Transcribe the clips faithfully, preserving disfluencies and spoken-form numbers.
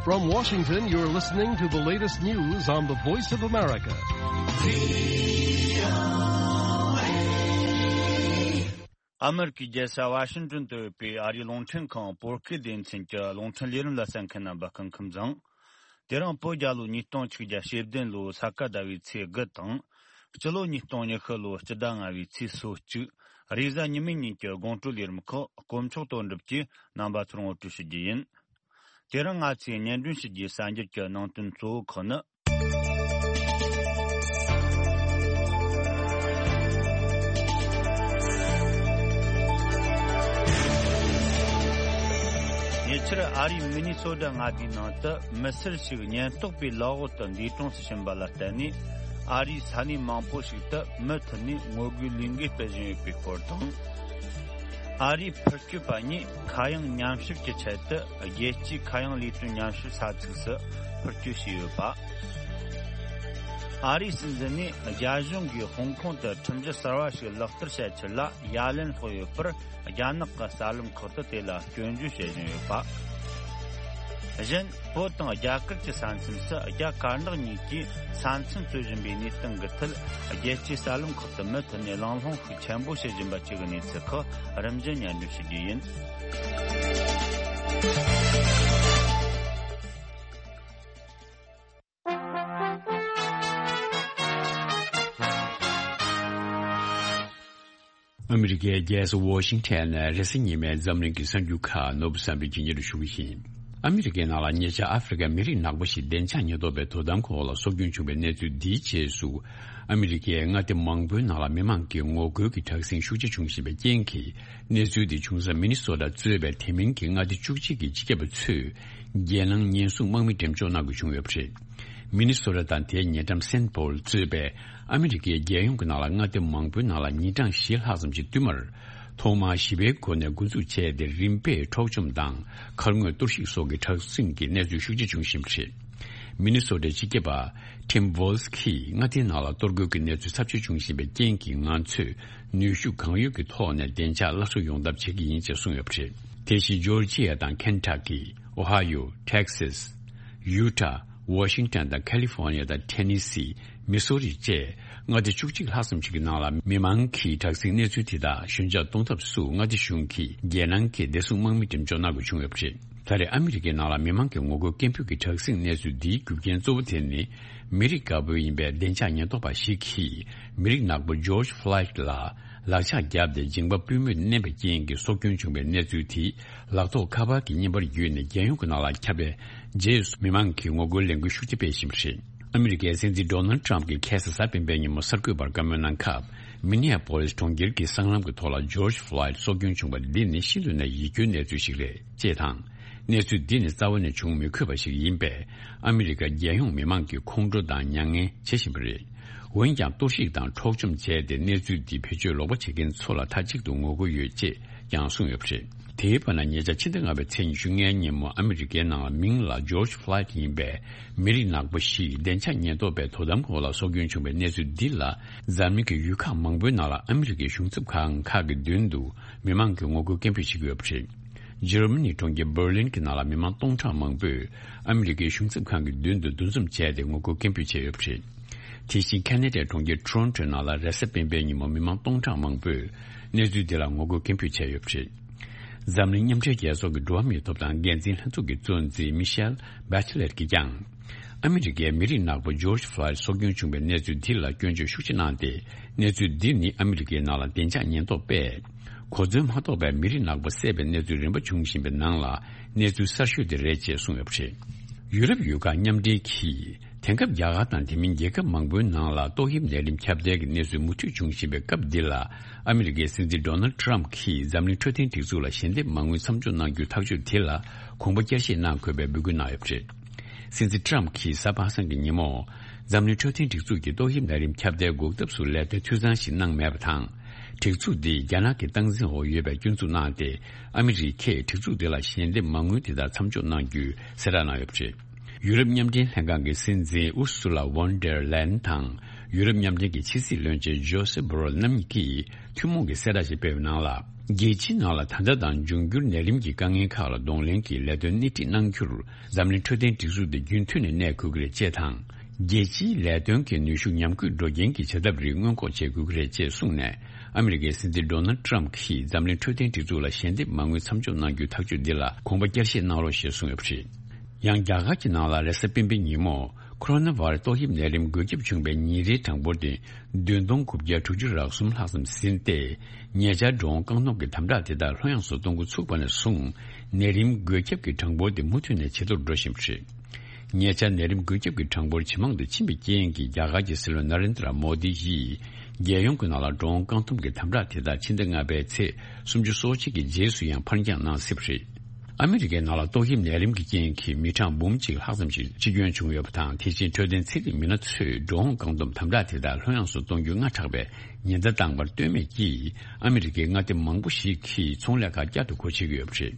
From Washington, you're listening to the latest news on the Voice of America. ཨ་མེ་རི་ཀའི་རྒྱལ་ས་ཝ་ཤིང་ཏོན་དུ་ཡོད་པའི་ཨ་རིའི་རླུང་འཕྲིན་ཁང་བོད་སྐད་སྡེ་ཚན་གྱི་རླུང་འཕྲིན་ལས་རིམ་ལ་གསན་མཁན་རྣམ་པ་སྐུ་ཁམས་བཟང་། དེ་རིང་བོད་རྒྱལ་ལོ་ཉིས་སྟོང་ཆིག་བརྒྱ་ཞེ་བདུན་ལོའི་ས་ག་ཟླ་བའི་ཚེས་དགུ་དང་། སྤྱི་ལོ་ཉིས་སྟོང་ཉི་ཤུ་ལོའི་སྤྱི་ཟླ་ལྔ་བའི་ཚེས་སོ་གཅིག་རེས་གཟའ་ཉི་མའི་ཉིན་གྱི་དགོང་དྲོའི་ལས་རིམ་ཁག་དཀོན་མཆོག་དོན་གྲུབ་ཀྱིས་རྣམ་པ་ཚོར་ངོ་སྤྲོད་ཞུ་རྒྱུ་ཡིན། དེ་རིང་ང་ཚོས་སྙན་སྒྲོན་ཞུ་རྒྱུའི་གསར་འགྱུར་གྱི་ནང་དོན་གཙོ་བོ་ཁག་ནི། ཉེ་ཆར་ཨ་རིའི་མི་ནི་སོ་ཌ་མངའ་སྡེའི་ནང་དུ་མི་སེར་ཞིག་ཉེན་རྟོག་པའི་ལག་འོག་ཏུ་འདས་གྲོངས་སུ་ཕྱིན་པ་ལ་བརྟེན་ནས། ཨ་རིའི་ས་གནས་མང་པོ་ཞིག་ཏུ་མུ་མཐུད་ནས་ངོ་རྒོལ་ལས་འགུལ་སྤེལ་བཞིན་ཡོད་པའི་སྐོར་དང་། ཨ་རིའི་འཕུར་སྐྱོད་པ་གཉིས་མཁའ་དབྱིངས་ཉམས་ཞིབ་ཀྱི་ཆེད་དུ་རྒྱལ་སྤྱིའི་མཁའ་དབྱིངས་ལས་དོན་ཉམས་ཞིབ་ས་ཚིགས་སུ་འཕུར་སྐྱོད་བྱས་ཡོད་པ། ཨ་རིའི་སྲིད་འཛིན་ནས་རྒྱ་གཞུང་གིས་ཧོང་ཀོང་དུ་ཁྲིམས་གཞི་གསར་བ་ཞིག་ལག་བསྟར་བྱ་ཕྱིར་ལ་ཡ་ལན་སློག་ཡོད་པར། རྒྱ་ནག་གི་གསར་ལམ་ཁག་ཏུ་དེ་ལ་སྐྱོན་བརྗོད་བྱེད་བཞིན་ཡོད་པ། གཞན། བོད་དང་རྒྱ་གར་གྱི་ས་མཚམས་སུ་རྒྱ་དཀར་ནག་གཉིས་ཀྱིས་ས་མཚམས་རྩོད་བཞིན་པའི་གནས་སྟངས་ཀྱི་ཐད། རྒྱལ་སྤྱིའི་གསར་ལམ་ཁག་ཏུ་མུ་མཐུད་ནས་གླེང་སློང་ཤུགས་ཆེན་པོ་བྱེད་བཞིན་པ་བཅས་ཀྱི་གནས་ཚུལ་ཁག་རིམ་བཞིན་སྙན་སྒྲོན་ཞུ་རྒྱུ་ཡིན། ཨ་མི་རི་ཀའི་རྒྱལ་ས་ཝོ་ཤིང་ཊོན་ནས་རེས་གཟའ་ཉི་མའི་འཛམ་གླིང་གི་གསར་འགྱུར་ཁག་ནོར་བུ་བསམ་འཕེལ་གྱིས་སྙན་སྒྲོན་ཞུ་གི་ཡིན། ཨ་མི་རི་ཀའི་ནང་ལ་ཉེ་ཆར་ཨ་ཧྥེ་རི་ཀའི་མི་རིགས་ནག་པོ་ཞིག་བདེ་འཇགས་ཉེན་རྟོག་པའི་དོ་དམ་ཁོངས་ལ་སྲོག་སྐྱོན་བྱུང་བའི་གནས་ཚུལ་འདིའི་རྗེས་སུ། ཨ་མི་རི་ཀའི་མངའ་སྡེ་མང་པོའི་ནང་ལ་མི་མང་གི་ངོ་རྒོལ་གྱི་དྲག་ཟིང་ཤུགས་ཆེ་བྱུང་བཞིན་པའི་རྐྱེན་གྱིས། གནས་ཚུལ་འདི་བྱུང་ས་མི་ནི་སོ་ཊ་གཙོས་པའི་དེ་མིན་གྱི་མངའ་སྡེ་བཅུ་གཅིག་གི་སྤྱི་ཁྱབ་པ་ཚོས་རྒྱལ་ནང་ཉེན་སྲུང་དམག་མི་འགྲེམས་འཇོག་གནང་དགོས་བྱུང་ཡོད་པ་རེད། མི་ནི་སོ་ཊ་དང་དེའི་ཉེ་འགྲམ་སེན་ཕོལ་གཙོས་པའི་ཨ་མི་རི་ཀའི་རྒྱལ་ཡོངས་ཀྱི་ནང་ལ་མངའ་སྡེ་མང་པོའི་ནང་ལ་ཉིན་གྲངས་བཞི་ལྷག་ཙམ་གྱི་བསྟུད་མར། ཐོག་མར་ཞི་བའི་སྒོ་ནས་འགོ་འཛུགས་བྱས་ཏེ། རིམ་པས་འཕྲོག་བཅོམ་དང་མཁར་རྔོག་གཏོར་བཤིག་སོགས་ཀྱི་དྲག་ཟིང་གི་གནས་ཚུལ་ཤུགས་ཆེ་བྱུང་བཞིན་པ་རེད། མི་ནི་སོ་ཊའི་སྤྱི་ཁྱབ་པ་ཊིམ་ཝོལ་སི་ཀིས་མངའ་སྡེའི་ནང་ལ་གཏོར་རྒོལ་གྱི་གནས་ཚུལ་ཚབས་ཆེ་བྱུང་བཞིན་པའི་རྐྱེན་གྱིས། ང་ཚོས་ནུས་ཤུགས་གང་ཡོད་ཀྱི་ཐོག་ནས་བདེ་འཇགས་སླར་གསོ་ཡོང་ཐབས་བྱེད་ཀྱི་ཡིན་ཅེས་གསུངས་ཡོད་པ་རེད། དེ་བཞིན་ཇོར་ཇི་ཡ་དང་ཁེན་ཊ་ཀི། ཨོ་ཧ་ཡོ། ཊེག་སཱས། ཡུ་ཊ། ཝོ་ཤིང་ཊོན་དང་ཁ་ལི་ཧྥོར་ནི་ཡ་དང་ཊེ་ནི་སི། མི་སོ་རི་བཅས་མངའ་སྡེ་བཅུ་གཅིག་ལྷག་ཙམ་ཞིག་གི་ནང་ལ་མི་མང་གིས་དྲག་ཟིང་གནས་ཚུལ་དེ་དག་ཞོད་འཇགས་གཏོང་ཐབས་སུ་མངའ་སྡེ་གཞུང་གིས་རྒྱལ་ནང་གི་བདེ་སྲུང་དམག་མི་འགྲེམས་འཇོག་གནང་དགོས་བྱུང་ཡོད་པ་རེད། ད་རེས་ཨ་མི་རི་ཀའི་ནང་ལ་མི་མང་གི་ངོ་རྒོལ་སྐད་འབོད་ཀྱི་དྲག་ཟིང་གནས་ཚུལ་འདིའི་རྒྱུ་རྐྱེན་གཙོ་བོ་དེ་ནི། མི་རིགས་དཀར་པོ་ཡིན་པའི་བདེ་འཇགས་ཉེན་རྟོག་པ་ཞིག་གིས་མི་རིགས་ནག་པོ་ཇོར་ཇི་ཕློའི་ཌི་ལ་ལག་ཆ་བརྒྱབ་སྟེ་མཇིང་པ་པུས་མོས་མནན་པའི་རྐྱེན་གྱིས་སྲོག་སྐྱོན་བྱུང་བའི་གནས་ཚུལ་དེས། ལག་ཐོགས་ཁ་པར་གྱི་བརྙན་པར་བརྒྱུད་ནས་རྒྱལ་ཡོངས་ཀྱི་ནང་ལ་ཁྱབ་པའི་རྗེས་སུ། མི་མང་གིས་ངོ་རྒོལ་ལས་འགུལ་ཤུགས་ཆེ་སྤེལ་བཞིན་པ་རེད། ཨ་མི་རི་ཀའི་སྲིད་འཛིན་ཌོ་ནལ་ཊམ་གྱིས་ཁ་སང་གཟའ་སྤེན་པའི་ཉིན་མོ་གསར་འགོད་པར་བཀའ་མོལ་གནང་སྐབས། མི་ནི་ཡ་པོ་ལིས་གྲོང་ཁྱེར་གྱི་སྲང་ལམ་གྱི་ཐོག་ལ་ཇོར་ཇི་ཕློའི་ཌི་སྲོག་སྐྱོན་བྱུང་བ་འདི་ནི་ཤིན་ཏུ་ནས་ཡིད་སྐྱོའི་གནས་ཚུལ་ཞིག་རེད། ཅེས་དང་། གནས་ཚུལ་འདི་ནི་རྩ་བ་ནས་བྱུང་མི་དགོས་པ་ཞིག་ཡིན་པས། ཨ་མི་རི་ཀ་རྒྱལ་ཡོངས་མི་མང་གིས་ཁོང་ཁྲོ་དང་མྱ་ངན་བྱེད་བཞིན་པ་རེད། འོན་ཀྱང་གཏོར་བཤིག་དང་འཕྲོག་བཅོམ་བྱས་ཏེ། གནས་ཚུལ་འདི་བེད་སྤྱོད་ལོག་པ་བྱེད་མཁན་ཚོ་ལ་མཐའ་གཅིག་ཏུ་ངོ་རྒོལ་ཡོད་ཅེས་ཀྱང་གསུངས་ཡོད་པ་རེད། དེའི་བར་ན། ཉེ་ཆར་ཕྱི་ཟླ་ལྔ་པའི་ཚེས་ཉི་ཤུ་ལྔའི་ཉིན་མོ་ཨ་མི་རི་ཀའི་ནང་ལ་མིང་ལ་ཇོར་ཇི་ཕློའི་ཌི་ཡིན་པའི་མི་རིགས་ནག་པོ་ཞིག་བདེ་འཇགས་ཉེན་རྟོག་པའི་དོ་དམ་འོག་ལ་སྲོག་སྐྱོན་བྱུང་བའི་གནས་ཚུལ་འདི་ལ། འཛམ་གླིང་གི་ཡུལ་ཁག་མང་པོའི་ནང་ལ་ཨ་མི་རི་ཀའི་གཞུང་ཚབ་ཁང་ཁག་གི་མདུན་དུ་མི་མང་གིས་ངོ་རྒོལ་སྐད་འབོད་བྱེད་ཀྱི་ཡོད་པ་རེད། འཇར་མ་ནིའི་གྲོང་ཁྱེར་འབར་ལིན་གྱི་ནང་ལ་མི་མང་སྟོང་ཕྲག་མང་པོས་ཨ་མི་རི་ཀའི་གཞུང་ཚབ་ཁང་གི་མདུན་དུ་འདུ་འཛོམས་བྱས་ཏེ་ངོ་རྒོལ་སྐད་འབོད་བྱས་ཡོད་པ་རེད། དེ་བཞིན་ཁ་ན་ཌའི་གྲོང་ཁྱེར་ཊོ་རོན་ཊོའི་ནང་ལ་རེས་གཟའ་སྤེན་པའི་ཉིན་མོ་མི་མང་སྟོང་ཕྲག་མང་པོས་གནས་ཚུལ་འདི་ལ་ངོ་རྒོལ་སྐད་འབོད་བྱས་ཡོད་པ་རེད། འཛམ་གླིང་མཉམ་འབྲེལ་རྒྱལ་ཚོགས་ཀྱི་འགྲོ་བ་མིའི་ཐོབ་ཐང་འགན་འཛིན་ལྷན་ཚོགས་ཀྱི་གཙོ་འཛིན་མི་ཤེལ་བྷེ་ཆེ་ལེཊ་ཀྱིས་ཀྱང་། ཨ་མི་རི་ཀའི་མི་རིགས་ནག་པོ་ཇོར་ཇི་ཕློའི་ཌི་སྲོག་སྐྱོན་བྱུང་བའི་གནས་ཚུལ་འདི་ལ་སྐྱོན་བརྗོད་ཤུགས་ཆེ་གནང་སྟེ། གནས་ཚུལ་འདི་ནི་ཨ་མི་རི་ཀའི་ནང་ལ་བདེ་འཇགས་ཉེན་རྟོག་པས་གོ་མཚོན་མ་ཐོབ་པའི་མི་རིགས་ནག་པོ་བསད་པའི་གནས་ཚུལ་རིམ་པ་བྱུང་བཞིན་པའི་ནང་ལ། གནས་ཚུལ་གསར་ཤོས་དེ་རེད་ཅེས་གསུངས་ཡོད་པ་རེད། ཡུ་རོབ་ཡུལ་ཁག་མཉམ་འབྲེལ་གྱིས། དེང་སྐབས་རྒྱ་གར་དང་དེ་མིན་རྒྱལ་ཁབ་མང་པོའི་ནང་ལ་ཏོག་དབྱིབས་ནད་རིམས་ཁྱབ་གདལ་གྱི་གནས་ཚུལ་མུ་མཐུད་འབྱུང་བཞིན་པའི་སྐབས་འདི་ལ། ཨ་མི་རི་ཀའི་སྲིད་འཛིན་ཌོ་ནལ་ཊམ་གྱིས་འཛམ་གླིང་འཕྲོད་བསྟེན་སྒྲིག་འཛུགས་ལ་ཞལ་འདེབས་མ་དངུལ་མཚམས་འཇོག་གནང་རྒྱུའི་ཐག་གཅོད་དེ་ལ་གོམ་པ་བསྐྱར་བཞེས་གནང་དགོས་པའི་འབོད་སྐུལ་གནང་ཡོད་པ་རེད། སྲིད་འཛིན་ཊམ་གྱིས་གཟའ་པ་སངས་ཀྱི་ཉིན་མོ། འཛམ་གླིང་འཕྲོད་བསྟེན་སྒྲིག་འཛུགས་ཀྱིས་ཏོག་དབྱིབས་ནད་རིམས་ཁྱབ་གདལ་འགོག་ཐབས་སུ་ལས་དོན་འཐུས་ཚང་ཞིག་གནང་མེད་པ་དང་། སྒྲིག་འཛུགས་འདིས་རྒྱ་ནག་གི་སྟངས་འཛིན་འོག་ཡོད་པའི་སྐྱོན་འཛུགས་གནང་སྟེ། ཨ་མི་རི་ཀས་སྒྲིག་འཛུགས་དེ་ལ་ཞལ་འདེབས་མ་དངུལ་དེ་དག་མཚམས་འཇོག་གནང་རྒྱུའི་གསལ་བསྒྲགས་གནང་ཡོད་པ་རེད། ཡུ་རོབ་མཉམ་འབྲེལ་ལྷན་ཁང་གི་སྲིད་འཛིན་ཨུར་སུ་ལ་ཝོན་ཌེར་ལེན་དང་། ཡུ་རོབ་མཉམ་འབྲེལ་གྱི་ཕྱི་སྲིད་བློན་ཆེན་ཇོ་སེབ་བྷོ་རེལ་རྣམ་གཉིས་ཀྱིས་ཐུན་མོང་གི་གསལ་བསྒྲགས་ཤིག་སྤེལ་བའི་ནང་ལ། རྒྱལ་སྤྱིའི་ནང་ལ་ད་ལྟ་དང་འབྱུང་འགྱུར་ནད་རིམས་ཀྱི་དཀའ་ངལ་ཁག་ལ་གདོང་ལེན་གྱིས་ལས་དོན་སྣེ་ཁྲིད་གནང་རྒྱུར་འཛམ་གླིང་འཕྲོད་བསྟེན་སྒྲིག་འཛུགས་དེ་རྒྱུན་མཐུད་ནས་གནས་དགོས་ཀྱི་རེད་ཅེས་དང་། རྒྱལ་སྤྱིའི་ལས་དོན་གྱི་ནུས་ཤུགས་ཉམས་རྒུད་འགྲོ་རྐྱེན་གྱི་བྱེད་ཐབས་རིགས་སྔོན་འགོག་བྱེད་དགོས་ཀྱི་རེད་ཅེས་གསུངས་ནས། ཨ་མི་རི་ཀའི་སྲིད་འཛིན་ཌོ་ནལ་ཏྲམ་གྱིས་འཛམ་གླིང་འཕྲོད་བསྟེན་སྒྲིག་འཛུགས་ལ་ཞལ་འདེབས་མ་དངུལ་མཚམས་འཇོག་གནང་རྒྱུའི་ཐག་གཅོད་འདི་ལ་དགོངས་པ་བསྐྱར་བཞེས་གནང་རོགས་ཞེས་གསུངས་ཡོད་པ་རེད། ཡང་རྒྱ་གར་གྱི་ནང་ལ་རེས་གཟའ་སྤེན་པའི་ཉིན་མོ། ཁོ་རོ་ན་བྷ་ར་ཏོག་དབྱིབས་ནད་རིམས་འགོས་ཁྱབ་བྱུང་བའི་ཉིན་རེའི་གྲངས་འབོར་དེ་བདུན་སྟོང་དགུ་བརྒྱ་དྲུག་ཅུ་རེ་གསུམ་ལྷག་ཙམ་ཟིན་ཏེ། ཉེ་ཆར་འགྲོ་འོང་རྐང་སྟོང་གི་དམ་དྲག་དེ་དག་ལྷོད་ཡངས་སུ་གཏོང་འགོ་ཚུགས་པ་ནས་བཟུང་། ནད་རིམས་འགོས་ཁྱབ་ཀྱི་གྲངས་འབོར་དེ་མུ་མཐུད་ནས་ཇེ་མཐོར་འགྲོ་བཞིན་པ་རེད། ཉེ་ཆར་ནད་རིམས་འགོས་ཁྱབ་ཀྱི་གྲངས་འབོར་ཇེ་མང་དུ་ཕྱིན་པའི་རྐྱེན་གྱིས། རྒྱ་གར་གྱི་སྲིད་བློན་ན་རེན་དྲ་མོ་དི་ཡིས། རྒྱལ་ཡོངས་ཀྱི་ནང་ལ་འགྲོ་འོང་རྐང་འཐུམ་གྱི་དམ་དྲག་དེ་དག་ཕྱི་ཟླ་ལྔ་པའི་ཚེས་སུམ་ཅུ་སོ་གཅིག་གི་རྗེས་སུ་ཡང་ཕར་འགྱངས་གནང་སྲིད་པ་རེད། ཨ་མི་རི་ཀའི་ནང་ལ་ཏོག་དབྱིབས་ནད་རིམས་ཀྱི་རྐྱེན་གྱིས་མི་གྲངས་འབུམ་གཅིག་ལྷག་ཙམ་ཞིག་འཆི་སྐྱོན་བྱུང་ཡོད་པ་དང་། དེ་བཞིན་འཕྲོད་བསྟེན་ཚན་རིག་མི་སྣ་ཚོས་འགྲོ་འོང་རྐང་འཐུམ་དམ་དྲག་དེ་དག་ལྷོད་ཡངས་སུ་གཏོང་རྒྱུ་སྔ་དྲགས་པའི་ཉེན་བརྡ་བཏང་བར་ལྟོས་མེད་ཀྱིས། ཨ་མི་རི་ཀའི་མངའ་སྡེ་མང་པོ་ཞིག་གིས་ཚོང་ལས་ཁག་བསྐྱར་དུ་སྒོ་ཕྱེ་གི་ཡོད་པ་རེད།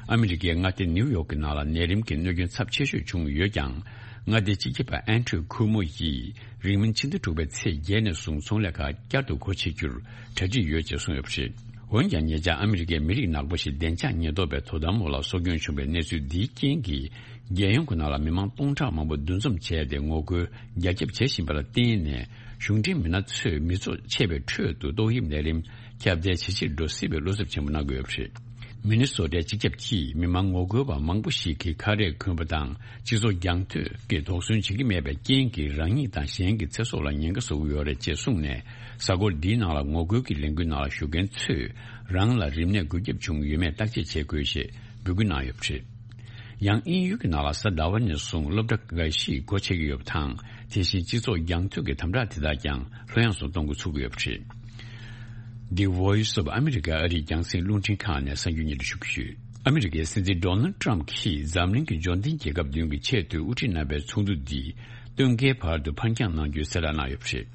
ཨ་མི་རི་ཀའི་མངའ་སྡེ་ནིའུ་ཡོག་གི་ནང་ལ་ནད་རིམས་ཀྱི་གནོད་སྐྱོན་ཚབས་ཆེ་ཤོས་བྱུང་ཡོད་ཀྱང་། མངའ་སྡེའི་སྤྱི་ཁྱབ་པ་ཨན་ཁྲུ་ཁུ་མོ་ཡིས་རིང་མིན་ཕྱི་ཟླ་དྲུག་པའི་ཚེས་བརྒྱད་ནས་བཟུང་ཚོང་ལས་ཁག་བསྐྱར་དུ་སྒོ་ཕྱེ་རྒྱུར་གྲ་སྒྲིག་ཡོད་ཅེས་གསུངས་ཡོད་པ་རེད། འོན་ཀྱང་། ཉེ་ཆར་ཨ་མི་རི་ཀའི་མི་རིགས་ནག་པོ་ཞིག་བདེ་འཇགས་ཉེན་རྟོག་པའི་དོ་དམ་འོག་ལ་སྲོག་སྐྱོན་བྱུང་བའི་གནས་ཚུལ་འདིའི་རྐྱེན་གྱིས། རྒྱལ་ཡོངས་ཀྱི་ནང་ལ་མི་མང་སྟོང་ཕྲག་མང་པོ་འདུ་འཛོམས་བྱས་ཏེ་ངོ་རྒོལ་རྒྱ་ཁྱབ་བྱེད་བཞིན་པ་ལ་བརྟེན་ནས། གཞུང་འབྲེལ་མི་སྣ་ཚོས་མི་ཚོགས་ཆེ་བའི་ཁྲོད་དུ་ཏོག་དབྱིབས་ནད་རིམས་ཁྱབ་གདལ་ཇེ་ཆེར་འགྲོ་སྲིད་པའི་བློ་འཚབ་ཆེན་པོ་གནང་གི་ཡོད་པ་རེད། མི་ནི་སོ་ཊའི་སྤྱི་ཁྱབ་ཀྱིས་མི་མང་ངོ་རྒོལ་བ་མང་པོ་ཞིག་གིས་ཁ་རས་གོན་པ་དང་སྤྱི་ཚོགས་རྒྱང་མཐུད་ཀྱིས་དོགས་ཟོན་བྱེད་ཀྱི་མེད་པའི་རྐྱེན་གྱིས། རང་ཉིད་དང་གཞན་གྱི་ཚེ་སྲོག་ལ་ཉེན་ཁ་བཟོ་གི་ཡོད་རེད་ཅེས་གསུངས་ནས། གཟའ་འཁོར་འདིའི་ནང་ལ་ངོ་རྒོལ་གྱི་ལས་འགུལ་ནང་ལ་ཞུགས་མཁན་ཚོས་རང་ལ་རིམས་ནད་འགོས་ཁྱབ་བྱུང་ཡོད་མེད་བརྟག་དཔྱད་བྱེད་དགོས་ཞེས་འབོད་སྐུལ་གནང་ཡོད་པ་རེད། ཡང་དབྱིན་ཡུལ་གྱི་ནང་ལ་གཟའ་ཟླ་བ་ནས་བཟུང་སློབ་གྲྭ་འགའ་ཞིག་སྒོ་ཕྱེ་གི་ཡོད་པ་དང་། དེ་བཞིན་སྤྱི་ཚོགས་རྒྱང་མཐུད་ཀྱི་དམ་དྲག་དེ་དག་ཀྱང་ལྷོད་ཡངས་སུ་གཏོང་འགོ་ཚུགས་ཀྱི་ཡོད་པ་རེད། The Voice of America ཨ་རིའི་རྒྱང་སྲིང་རླུང་འཕྲིན་ཁང་ནས་གསར་འགྱུར་སྙན་སྒྲོན་ཞུ་གི་ཡོད། ཨ་མི་རི་ཀའི་སྲིད་འཛིན་ཌོ་ནལ་ཏྲམ་གྱིས་འཛམ་གླིང་གི་འབྱོར་ལྡན་རྒྱལ་ཁབ་བདུན་གྱི་ཆེས་མཐོའི་དབུ་ཁྲིད་རྣམ་པའི་ཚོགས་འདུ་འདི་སྟོན་ཁའི་བར་དུ་ཕར་འགྱངས་གནང་རྒྱུའི་གསལ་བསྒྲགས་གནང་ཡོད་པ་རེད།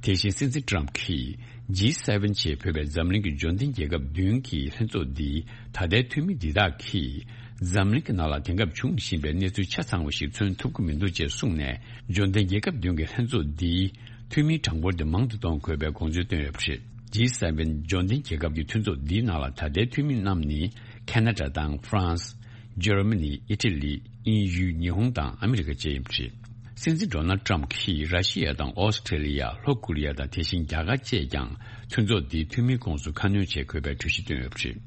དེ་བཞིན་སྲིད་འཛིན་ཏྲམ་གྱིས་ཇི་སེ་ཝེན་ཅེས་འབོད་པའི་འཛམ་གླིང་གི་འབྱོར་ལྡན་རྒྱལ་ཁབ་བདུན་གྱི་ལྷན་ཚོགས་འདིའི་ད་ལྟའི་འཐུས་མི་འདི་དག་གིས་འཛམ་གླིང་གི་ནང་ལ་དེང་སྐབས་བྱུང་བཞིན་པའི་གནས་ཚུལ་ཆ་ཚང་བ་ཞིག་མཚོན་ཐུབ་ཀྱི་མི་འདུག་ཅེས་གསུངས་ནས། འབྱོར་ལྡན་རྒྱལ་ཁབ་བདུན་གྱི་ལྷན་ཚོགས་འདིའི་འཐུས་མིའི་གྲངས་འབོར་དེ་མང་དུ་གཏོང་དགོས་པའི་དགོངས་ཚུལ་བཏོན་ཡོད་པ་རེད། ཇི་སེ་ཝེན་འབྱོར་ལྡན་རྒྱལ་ཁབ་ཀྱི་མཐུན་ཚོགས་འདིའི་ནང་ལ་ད་ལྟའི་འཐུས་མི་རྣམས་ནི་ཁེ་ན་ཌ་དང་ཧྥ་རན་སི། འཇར་མ་ནི། ཨི་ཊ་ལི། དབྱིན་ཡུལ། ཉི་ཧོང་དང་ཨ་མི་རི་ཀ་བཅས་ཡིན་པ་རེད། སྲིད་འཛིན་ཌོ་ནལ་ཏྲམ་གྱིས་ར་ཤི་ཡ་དང་ཨོ་སི་ཁྲེ་ལི་ཡ། ལྷོ་ཀོ་རི་ཡ་དང་དེ་བཞིན་རྒྱ་གར་བཅས་ཀྱང་མཐུན་ཚོགས་འདིའི་འཐུས་མིའི་ཁོངས་སུ་ཁ་སྣོན་བྱེད་དགོས་པའི་གྲོས་གཞི་བཏོན་ཡོད་པ་རེད།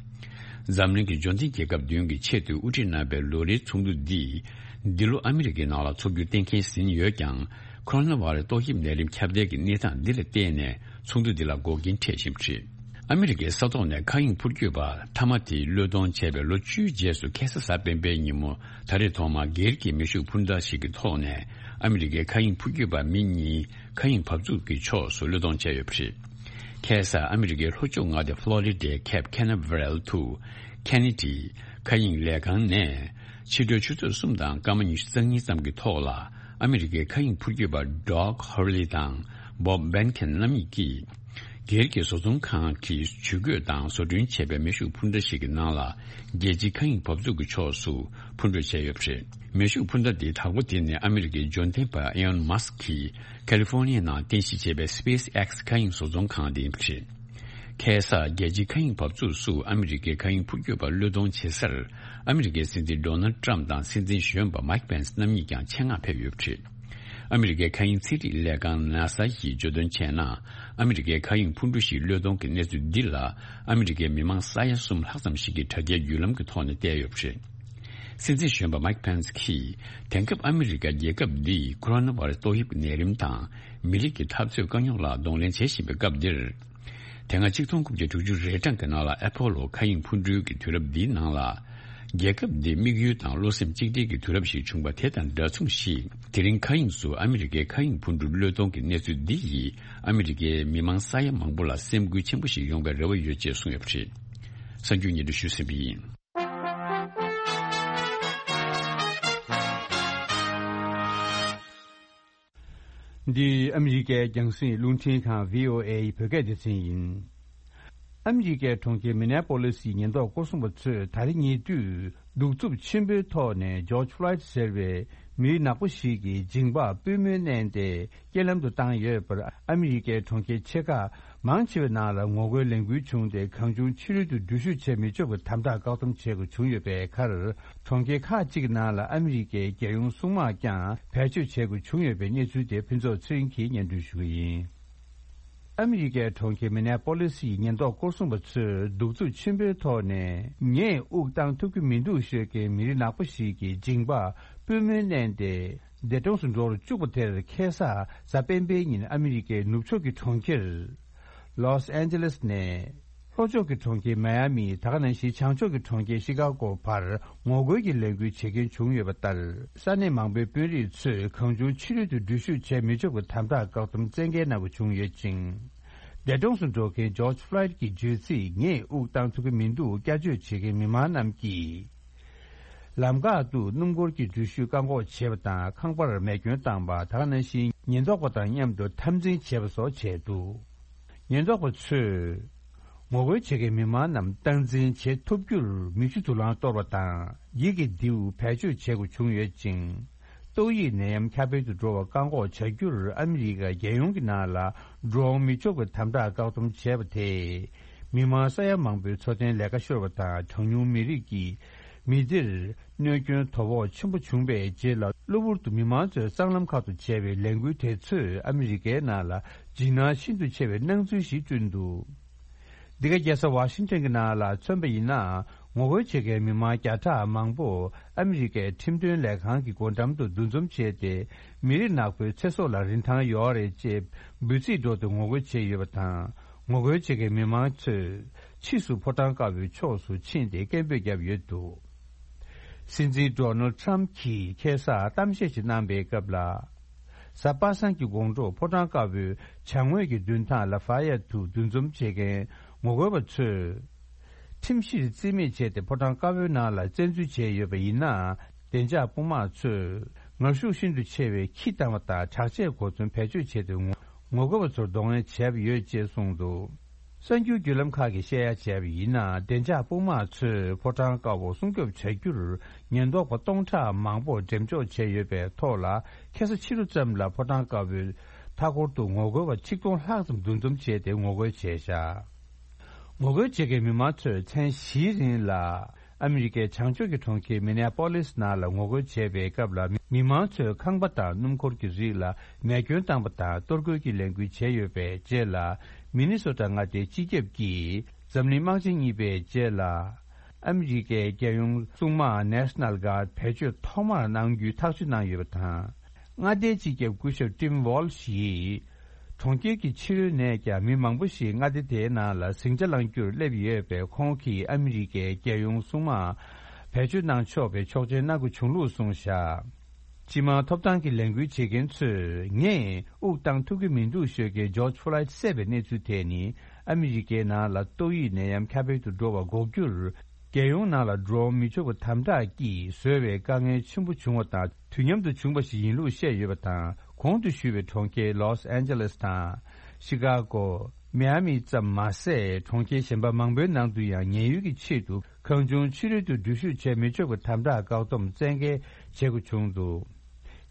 འཛམ་གླིང་གི་འབྱོར་ལྡན་རྒྱལ་ཁབ་བདུན་གྱི་ཆེས་མཐོའི་དབུ་ཁྲིད་རྣམ་པའི་ལོ་རེའི་ཚོགས་འདུ་འདིས་འདི་ལོ་ཨ་མི་རི་ཀའི་ནང་ལ་འཚོགས་རྒྱུ་གཏན་འཁེལ་ཟིན་ཡོད་ཀྱང་། ཁོ་རོ་ན་བྷ་ར་ཏོག་དབྱིབས་ནད་རིམས་ཁྱབ་གདལ་གྱི་གནས་སྟངས་འདི་ལ་བརྟེན་ནས་ཚོགས་འདུ་འདི་ལ་འགོག་རྐྱེན་འཕྲད་བཞིན་པ་རེད། ཨ་མི་རི་ཀའི་ས་ཐོག་ནས་མཁའ་དབྱིངས་འཕུར་སྐྱོད་པ་མཐའ་མ་དེ་བློས་གཏོང་བྱས་པའི་ལོ་བཅུའི་རྗེས་སུ་ཁ་སང་གཟའ་སྤེན་པའི་ཉིན་མོ་ད་རེས་ཐོག་མར་སྒེར་གྱི་མེ་ཤུགས་འཕུར་མདའ་ཞིག་གི་ཐོག་ནས་ཨ་མི་རི་ཀའི་མཁའ་དབྱིངས་འཕུར་སྐྱོད་པ་མི་གཉིས་མཁའ་དབྱིངས་འབབ་ཚུགས་ཀྱི་ཕྱོགས་སུ་བློས་གཏོང་བྱས་ཡོད་པ་རེད། ཁ་སང་ཨ་མི་རི་ཀའི་ལྷོ་ཕྱོགས་མངའ་སྡེ་ཕློ་རི་ཌའི་ཁེབ་ཁེ་ན་ཝེ་རལ་དུ་ཁེ་ནེ་ཌི་མཁའ་དབྱིངས་ལས་ཁང་ནས་ཕྱི་དྲོའི་ཆུ་ཚོད་གསུམ་དང་སྐར་མ་ཉི་ཤུ་རྩ་གཉིས་ཙམ་གྱི་ཐོག་ལ་ཨ་མི་རི་ཀའི་མཁའ་དབྱིངས་འཕུར་སྐྱོད་པ་ཌོག་ཧར་ལི་དང་བོབ་བན་ཁེན་རྣམ་གཉིས་ཀྱིས། སྒེར་གྱི་བཟོ་ཚོང་ཁང་གིས་ཇུས་འགོད་དང་བཟོ་སྐྲུན་བྱས་པའི་མེ་ཤུགས་འཕུར་མདའ་ཞིག་གི་ནང་ལ་རྒྱལ་སྤྱིའི་མཁའ་དབྱིངས་འབབ་ཚུགས་ཀྱི་ཕྱོགས་སུ་འཕུར་འགྲོ་བྱས་ཡོད་པ་རེད། མེ་ཤུགས་འཕུར་མདའ་འདི་དྭགས་པོ་དེ་ནི་ཨ་མི་རི་ཀའི་འབྱོར་ལྡན་པ་ཨེ་ལོན་མཱ་སི་ཀྱིས་ཁ་ལི་ཧྥོ་ནི་ཡའི་ནང་རྟེན་གཞི་བྱས་པའི་སི་པེ་སི་ཨེག་སི་མཁའ་དབྱིངས་བཟོ་ཚོང་ཁང་དེ་ཡིན་པ་རེད། ཁ་སང་རྒྱལ་སྤྱིའི་མཁའ་དབྱིངས་འབབ་ཚུགས་སུ་ཨ་མི་རི་ཀའི་མཁའ་དབྱིངས་འཕུར་སྐྱོད་པ་བློས་གཏོང་བྱེད་སར་ཨ་མི་རི་ཀའི་སྲིད་འཛིན་ཌོ་ནལ་ཏྲམ་དང་སྲིད་འཛིན་གཞོན་པ་མཱིག་པེན་སི་རྣམ་གཉིས་ཀྱང་ཆེད་མངགས་ཕེབས་ཡོད་པ་རེད། ཨ་མི་རི་ཀའི་མཁའ་དབྱིངས་ཚན་རིག་ལས་ཁང་ནཱ་ས་ཡིས་བརྗོད་དོན་བྱས་ན། ཨ་མི་རི་ཀའི་མཁའ་དབྱིངས་འཕུར་གྲུ་ཞིག་བློས་གཏོང་གི་གནས་ཚུལ་འདི་ལ་ཨ་མི་རི་ཀའི་མི་མང་ས་ཡ་གསུམ་ལྷག་ཙམ་ཞིག་གིས་དྲ་རྒྱའི་བརྒྱུད་ལམ་གྱི་ཐོག་ནས་བལྟས་ཡོད་པ་རེད། སྲིད་འཛིན་གཞོན་པ་མཱིག་པེན་སི་གིས་དེང་སྐབས་ཨ་མི་རི་ཀ་རྒྱལ་ཁབ་འདིས་ཁོ་རོ་ན་བྷ་ར་སི་ཏོག་དབྱིབས་ཀྱི་ནད་རིམས་དང་མི་རིགས་ཀྱི་འཐབ་རྩོད་དཀའ་རྙོག་ལ་གདོང་ལེན་བྱེད་བཞིན་པའི་སྐབས་འདིར། དེ་སྔ་ཆིག་སྟོང་དགུ་བརྒྱ་དྲུག་ཅུ་རེ་གྲངས་ཀྱི་ནང་ལ་ཨེ་ཕོ་ལོ་མཁའ་དབྱིངས་འཕུར་གྲུའི་གི་དུས་རབས་འདིའི་ནང་ལ། རྒྱལ་ཁབ་འདི་དམིགས་ཡུལ་དང་བློ་སེམས་གཅིག་སྒྲིལ་གྱི་དུས་རབས་ཤིག་བྱུང་བ་དེ་དང་འདྲ་མཚུངས་ཤིག་དེ་རིང་མཁའ་དབྱིངས་སུ་ཨ་མི་རི་ཀའི་མཁའ་དབྱིངས་འཕུར་གྲུ་བློས་གཏོང་གི་གནས་ཚུལ་འདི་ཡིས་ཨ་མི་རི་ཀའི་མི་མང་ས་ཡ་མང་པོ་ལ་སེམས་འགུལ་ཆེན་པོ་ཞིག་ཡོང་བའི་རེ་བ་ཡོད་ཅེས་གསུངས་ཡོད་པ་རེད། གསར་འགྱུར་སྙན་སྒྲོན་ཞུས་ཟིན་པ་ཡིན། འདི་ཨ་མི་རི་ཀའི་རྒྱང་སྲིང་རླུང་འཕྲིན་ཁང་བྷི་ཨོ་ཨེ་ཡི་བོད་སྐད་སྡེ་ཚན་ཡིན། ཨ་མི་རི་ཀའི་གྲོང་ཁྱེར་མི་ནེ་པོ་ལི་སིའི་ཉེན་རྟོག་སྐོར་སྲུང་པ་ཚོས་ད་རེས་ཉེ་དུས་གདུག་རྩུབ་ཆེན་པོའི་ཐོག་ནས་ཇོརྗ་ཕློའི་ཌི་ཟེར་བའི་མི་ནག་པོ་ཞིག་གི་མཇིང་པར་པུས་མོ་མནན་ཏེ་རྐྱེན་ལམ་དུ་བཏང་ཡོད་པར། ཨ་མི་རི་ཀའི་གྲོང་ཁྱེར་ཆེ་ཁག་ མང་ཆེ་བའི་ནང་ལ་ངོ་རྒོལ་ལས་འགུལ་བྱུང་སྟེ། གང་བྱུང་ཕྱི་རོལ་དུ་འགྲུལ་བཞུད་བྱེད་མི་ཆོག་པའི་དམ་དྲག་བཀག་སྡོམ་བྱེད་དགོས་བྱུང་ཡོད་པའི་ཁར། གྲོང་ཁྱེར་ཁག་ཅིག་གི་ནང་ལ་ཨ་མི་རི་ཀའི་རྒྱལ་ཡོངས་སྲུང་དམག་ཀྱང་བེད་སྤྱོད་བྱེད་དགོས་བྱུང་ཡོད་པའི་གནས་ཚུལ་དེ་ཕུན་ཚོགས་ཚེ་རིང་གིས་སྙན་སྒྲོན་ཞུ་གི་ཡིན། ཨ་མི་རི་ཀའི་གྲོང་ཁྱེར་མི་ནེ་པོ་ལིས་ཡི་ཉེན་རྟོག་སྐོར་སྲུང་པ་ཚོས་གདུག་རྩུབ་ཆེན་པོའི་ཐོག་ནས། ངས་དབུགས་གཏང་ཐུབ་ཀྱི་མི་འདུག་ཞུ་མཁན་མི་རིགས་ནག་པོ་ཞིག་གི་མཇིང་པ་པུས་མོས་མནན་ཏེ། འདས་གྲོངས་སུ་འགྲོ་རུ་བཅུག་པ་དེར། ཁ་སང་གཟའ་སྤེན་པའི་ཉིན་ཨ་མི་རི་ཀའི་ནུབ་ཕྱོགས་ཀྱི་གྲོང་ཁྱེར་ལོས་ཨན་ཇེ་ལེས་ནས། ལྷོ་ཕྱོགས་ཀྱི་གྲོང་ཁྱེར་མའི་ཨ་མི། ད་ག་ནང་བཞིན་བྱང་ཕྱོགས་ཀྱི་གྲོང་ཁྱེར་ཤི་ཀ་གོ་བར་ངོ་རྒོལ་གྱི་ལས་འགུལ་བྱེད་མཁན་བྱུང་ཡོད་པ་ལྟར། ས་གནས་མང་པོའི་དཔོན་རིགས་ཚོས་གང་བྱུང་ཕྱི་རོལ་དུ་འགྲུལ་བཞུད་བྱེད་མི་ཆོག་པའི་དམ་དྲག་བཀག་སྡོམ་བཙན་འགེལ་གནང་དགོས་བྱུང་ཡོད་ཅིང་། འདས་གྲོངས་སུ་འགྲོ་མཁན་ཇོརྗ་ཕློའིཌ་ཀྱི་བརྗོད་ཚིག་ངས་དབུགས་གཏང་ཐུབ་ཀྱི་མི་འདུག་བསྐྱར་བརྗོད་བྱེད་མཁན་མི་མང་རྣམས་ཀྱིས། ལམ་ཁ་དུ་སྣུམ་འཁོར་གྱི་འགྲུལ་བཞུད་བཀག་འགོག་བྱས་པ་དང་། ཁང་པར་མེ་སྐྱོན་བཏང་པ། ད་ག་ནང་བཞིན་ཉེན་རྟོག་པ་དང་མཉམ་དུ་འཐབ་འཛིང་བྱས་པ་སོགས་བྱས་འདུག་ཉེན་རྟོག་པ་ཚོས་ངོ་རྒོལ་བྱེད་མཁན་མི་མང་རྣམས་སྟངས་འཛིན་བྱེད་ཐུབ་རྒྱུར་མིག་ཆུ་དུག་རླངས་གཏོར་བ་དང་། འགྱིག་གི་མདེའུ་བེད་སྤྱོད་བྱེད་དགོས་བྱུང་ཡོད་ཅིང་། ཏོག་དབྱིབས་ནད་ཡམས་ཁྱབ་སྤེལ་དུ་འགྲོ་བ་བཀག་འགོག་བྱ་རྒྱུར་ཨ་མི་རི་ཀ་རྒྱལ་ཡོངས་ཀྱི་ནང་ལ་འགྲོ་འོང་མི་ཆོག་པའི་དམ་དྲག་བཀག་སྡོམ་བྱས་པ་དེས། མི་མང་ས་ཡ་མང་པོའི་འཚོ་རྟེན་ལས་ཀ་ཤོར་བ་དང་། གྲངས་ཉུང་མི་རིགས་ཀྱི་མི་སྡེར་གནོད་སྐྱོན་དོ་ཕོག་ཆེན་པོ་བྱུང་བའི་རྗེས་ལ། གློ་བུར་དུ་མི་མང་ཚོས་སྲང་ལམ་ཁག་ཏུ་བྱས་པའི་ལས་འགུལ་དེ་ཚོས་ཨ་མི་རི་ཀའི་ནང་ལ་འཇིགས་སྣང་ཤིན་ཏུ་ཆེ་བའི་སྣང་ཚུལ་ཞིག་བསྐྲུན་འདུག་འདི་ག་རྒྱལ་ས་ཝ་ཤིང་ཊོན་གྱི་ནང་ལ་མཚོན་པ་ཡིན་ན། ངོ་རྒོལ་བྱེད་མཁན་མི་མང་བརྒྱ་ཕྲག་མང་པོ་ཨ་མི་རི་ཀའི་ཁྲིམས་དོན་ལས་ཁང་གི་སྒོ་འགྲམ་དུ་འདུ་འཛོམས་བྱས་ཏེ། མི་རིགས་ནག་པོའི་ཚེ་སྲོག་ལ་རིན་ཐང་ཡོད་རེད་ཅེས་འབོད་ཚིག་སྒྲོག་སྟེ་ངོ་རྒོལ་བྱས་ཡོད་པ་དང་། ངོ་རྒོལ་བྱེད་མཁན་མི་མང་ཚོས་ཕྱིས་སུ་ཕོ་བྲང་དཀར་པོའི་ཕྱོགས་སུ་ཕྱིན་ཏེ་སྐད་འབོད་བརྒྱབ་ཡོད་འདུག་སྲིད་འཛིན་ཌོ་ནལ་ཌི་ཊརམ་ཕི་གྱིས་ཁ་སང་གཏམ་བཤད་ཅིག་གནང་པའི་སྐབས་ལ། གཟའ་པ་སངས་ཀྱི་དགོང་དྲོ་ཕོ་བྲང་དཀར་པོའི་བྱང་ངོས་ཀྱི་མདུན་ཐང་ལ་ཕ་ཡ་དུ་འདུ་འཛོམས་བྱེད་མཁན་ངོ་རྒོལ་བ་ཚོས། ཁྲིམས་གཞིར་རྩིས་མེད་བྱས་ཏེ་ཕོ་བྲང་དཀར་པོའི་ནང་ལ་བཙན་འཛུལ་བྱས་ཡོད་པ་ཡིན་ན། བདེ་འཇགས་དཔུང་དམག་ཚོས་ངར་ཤུགས་ཤིན་ཏུ་ཆེ་བའི་ཁྱི་བཏང་བ་དང་། དྲག་ཆས་གོ་མཚོན་བེད་སྤྱོད་བྱས་ཏེ་ངོ་ངོ་རྒོལ་བ་ཚོར་གདོང་ལེན་བྱས་པ་ཡོད་ཅེས་གསུངས་འདུག་གསར་འགྱུར་བརྒྱུད་ལམ་ཁག་གིས་བཤད་ཡ་བྱས་པ་ཡིན་ན། བདེ་འཇགས་དཔུང་དམག་ཚོས་ཕོ་བྲང་དཀར་པོ་སྲུང་སྐྱོབ་བྱ་རྒྱུར་ཉེན་རྟོག་པ་སྟོང་ཕྲག་མང་པོ་འགྲེམས་འཇོག་བྱས་ཡོད་པའི་ཐོག་ལ། ཁ་སང་ཕྱི་དྲོ་ཙམ་ལ་ཕོ་བྲང་དཀར་པོའི་མཐའ་འཁོར་དུ་ངོ་རྒོལ་བ་ཆིག་སྟོང་ལྷག་ཙམ་འདུ་འཛོམས་བྱས་ཏེ་ངོ་རྒོལ་བྱས་བཞག་ངོ་རྒོལ་བྱེད་མཁན་མི་མང་ཚོས་མཚན་བཞིའི་རིང་ལ། ཨ་མི་རི་ཀའི་བྱང་ཕྱོགས་ཀྱི་གྲོང་ཁྱེར་མི་ནེ་པོ་ལིས་ནང་ལ་ངོ་རྒོལ་བྱས་པའི་སྐབས་ལ། མི་མང་ཚོས་ཁང་པ་དང་སྣུམ་འཁོར་གྱི་རིགས་ལ་མེ་སྐྱོན་བཏང་པ་དང་། གཏོར་རྒོལ་གྱི་ལས་འགུལ་བྱས་ཡོད་པའི་རྗེས་ལ། མི་ནི་སོ་ཊ་མངའ་སྡེའི་སྤྱི་ཁྱབ་ཀྱིས་འཛམ་གླིང་དམག་ཆེན་གཉིས་པའི་རྗེས་ལ། ཨ་མི་རི་ཀའི་རྒྱལ་ཡོངས་སྲུང་དམག་National Guard་བེད་སྤྱོད་ཐོག་མར་གནང་རྒྱུའི་ཐག་གཅོད་གནང་ཡོད་པ་དང་། མངའ་སྡེའི་སྤྱི་ཁྱབ་སྐུ་ཞབས་Tim Walz་ཡིས། གྲོང་ཁྱེར་གྱི་ཕྱི་རོལ་ནས་ཀྱང་མི་མང་པོ་ཞིག་མངའ་སྡེ་དེའི་ནང་ལ་ཟིང་ཆ་བསླང་རྒྱུར་སླེབས་ཡོད་པས། ཁོང་གིས་ཨ་མི་རི་ཀའི་རྒྱལ་ཡོངས་སྲུང་དམག་བེད་སྤྱོད་གནང་ཆོག་པའི་ཆོག་མཆན་གནང་དགོས་བྱུང་ལུགས་གསུངས་བཞག་སྤྱི་དམངས་ཐོབ་ཐང་གི་ལས་འགུལ་བྱེད་མཁན་ཚོས། ངས་དབུགས་གཏང་ཐུབ་ཀྱི་མི་འདུག་ཞུ་མཁན་ཇོརྗ་ཕོ་ལོའིཌ་བསད་པའི་གནས་ཚུལ་དེ་ནི། ཨ་མི་རི་ཀའི་ནང་ལ་ཏོག་དབྱིབས་ནད་ཡམས་ཁྱབ་སྤེལ་དུ་འགྲོ་བ་འགོག་རྒྱུར། རྒྱལ་ཡོངས་ནང་ལ་འགྲོ་མི་ཆོག་པའི་དམ་དྲག་གིས་བཟོས་པའི་དཀའ་ངལ་ཆེན་པོ་བྱུང་བ་དང་། དུས་མཉམ་དུ་བྱུང་བ་ཞིག་ཡིན་ལུགས་བཤད་ཡོད་པ་དང་། གོང་དུ་ཞུས་པའི་གྲོང་ཁྱེར་ལོས་ཨན་ཇེ་ལེས་དང་། ཤི་ཀ་གོ། མི་ཨ་མི་ཙམ་མ་ཟད། གྲོང་ཁྱེར་གཞན་པ་མང་པོའི་ནང་དུ་ཡང་ཉེན་གཡོལ་གྱི་ཆེད་དུ། གང་བྱུང་ཕྱི་རོལ་དུ་འགྲུལ་བཞུད་བྱེད་མི་ཆོག་པའི་དམ་དྲག་བཀག་སྡོམ་བཙན་འགེལ་བྱེད་དགོས་བྱུང་འདུག་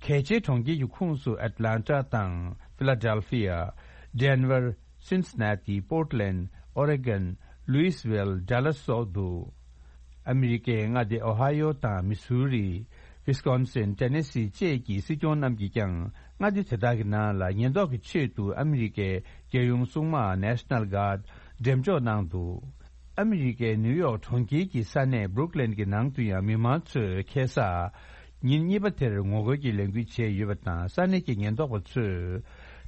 གལ་ཆེའི་གྲོང་ཁྱེར་གྱི་ཁོངས་སུ་ཨེཊ་ལན་ཊ་དང་། ཕི་ལ་ཌེལ་ཕི་ཡ། ཌེན་ཝར། སིན་སི་ན་ཏི། པོར་ཊི་ལེན། ཨོ་རེ་གོན། ལུའིས་ཝེལ། ཌ་ལ་སི་སོགས་འདུག་ཨ་མི་རི་ཀའི་མངའ་སྡེ་ཨོ་ཧའི་ཡོ་དང་མི་སུ་རི། ཝིས་ཀོན་སིན། ཊེ་ནེ་སི་བཅས་ཀྱི་སྲིད་སྐྱོང་རྣམས་ཀྱིས་ཀྱང་མངའ་སྡེ་དེ་དག་གི་ནང་ལ་ཉེན་རྟོག་གི་ཆེད་དུ་ཨ་མི་རི་ཀའི་རྒྱལ་ཡོངས་སྲུང་དམག་National Guard་འགྲེམས་འཇོག་གནང་འདུག་ཨ་མི་རི་ཀའི་ནིའུ་ཡོག་གྲོང་ཁྱེར་གྱི་ས་གནས་Brooklyn་གྱི་ནང་དུ་ཡང་མི་མང་ཚོས་ཁ་སང་ཉིན་གཉིས་པ་དེར་ངོ་རྒོལ་གྱི་ལས་འགུལ་བྱས་ཡོད་པ་དང་། ས་གནས་ཀྱི་ཉེན་རྟོག་པ་ཚོས་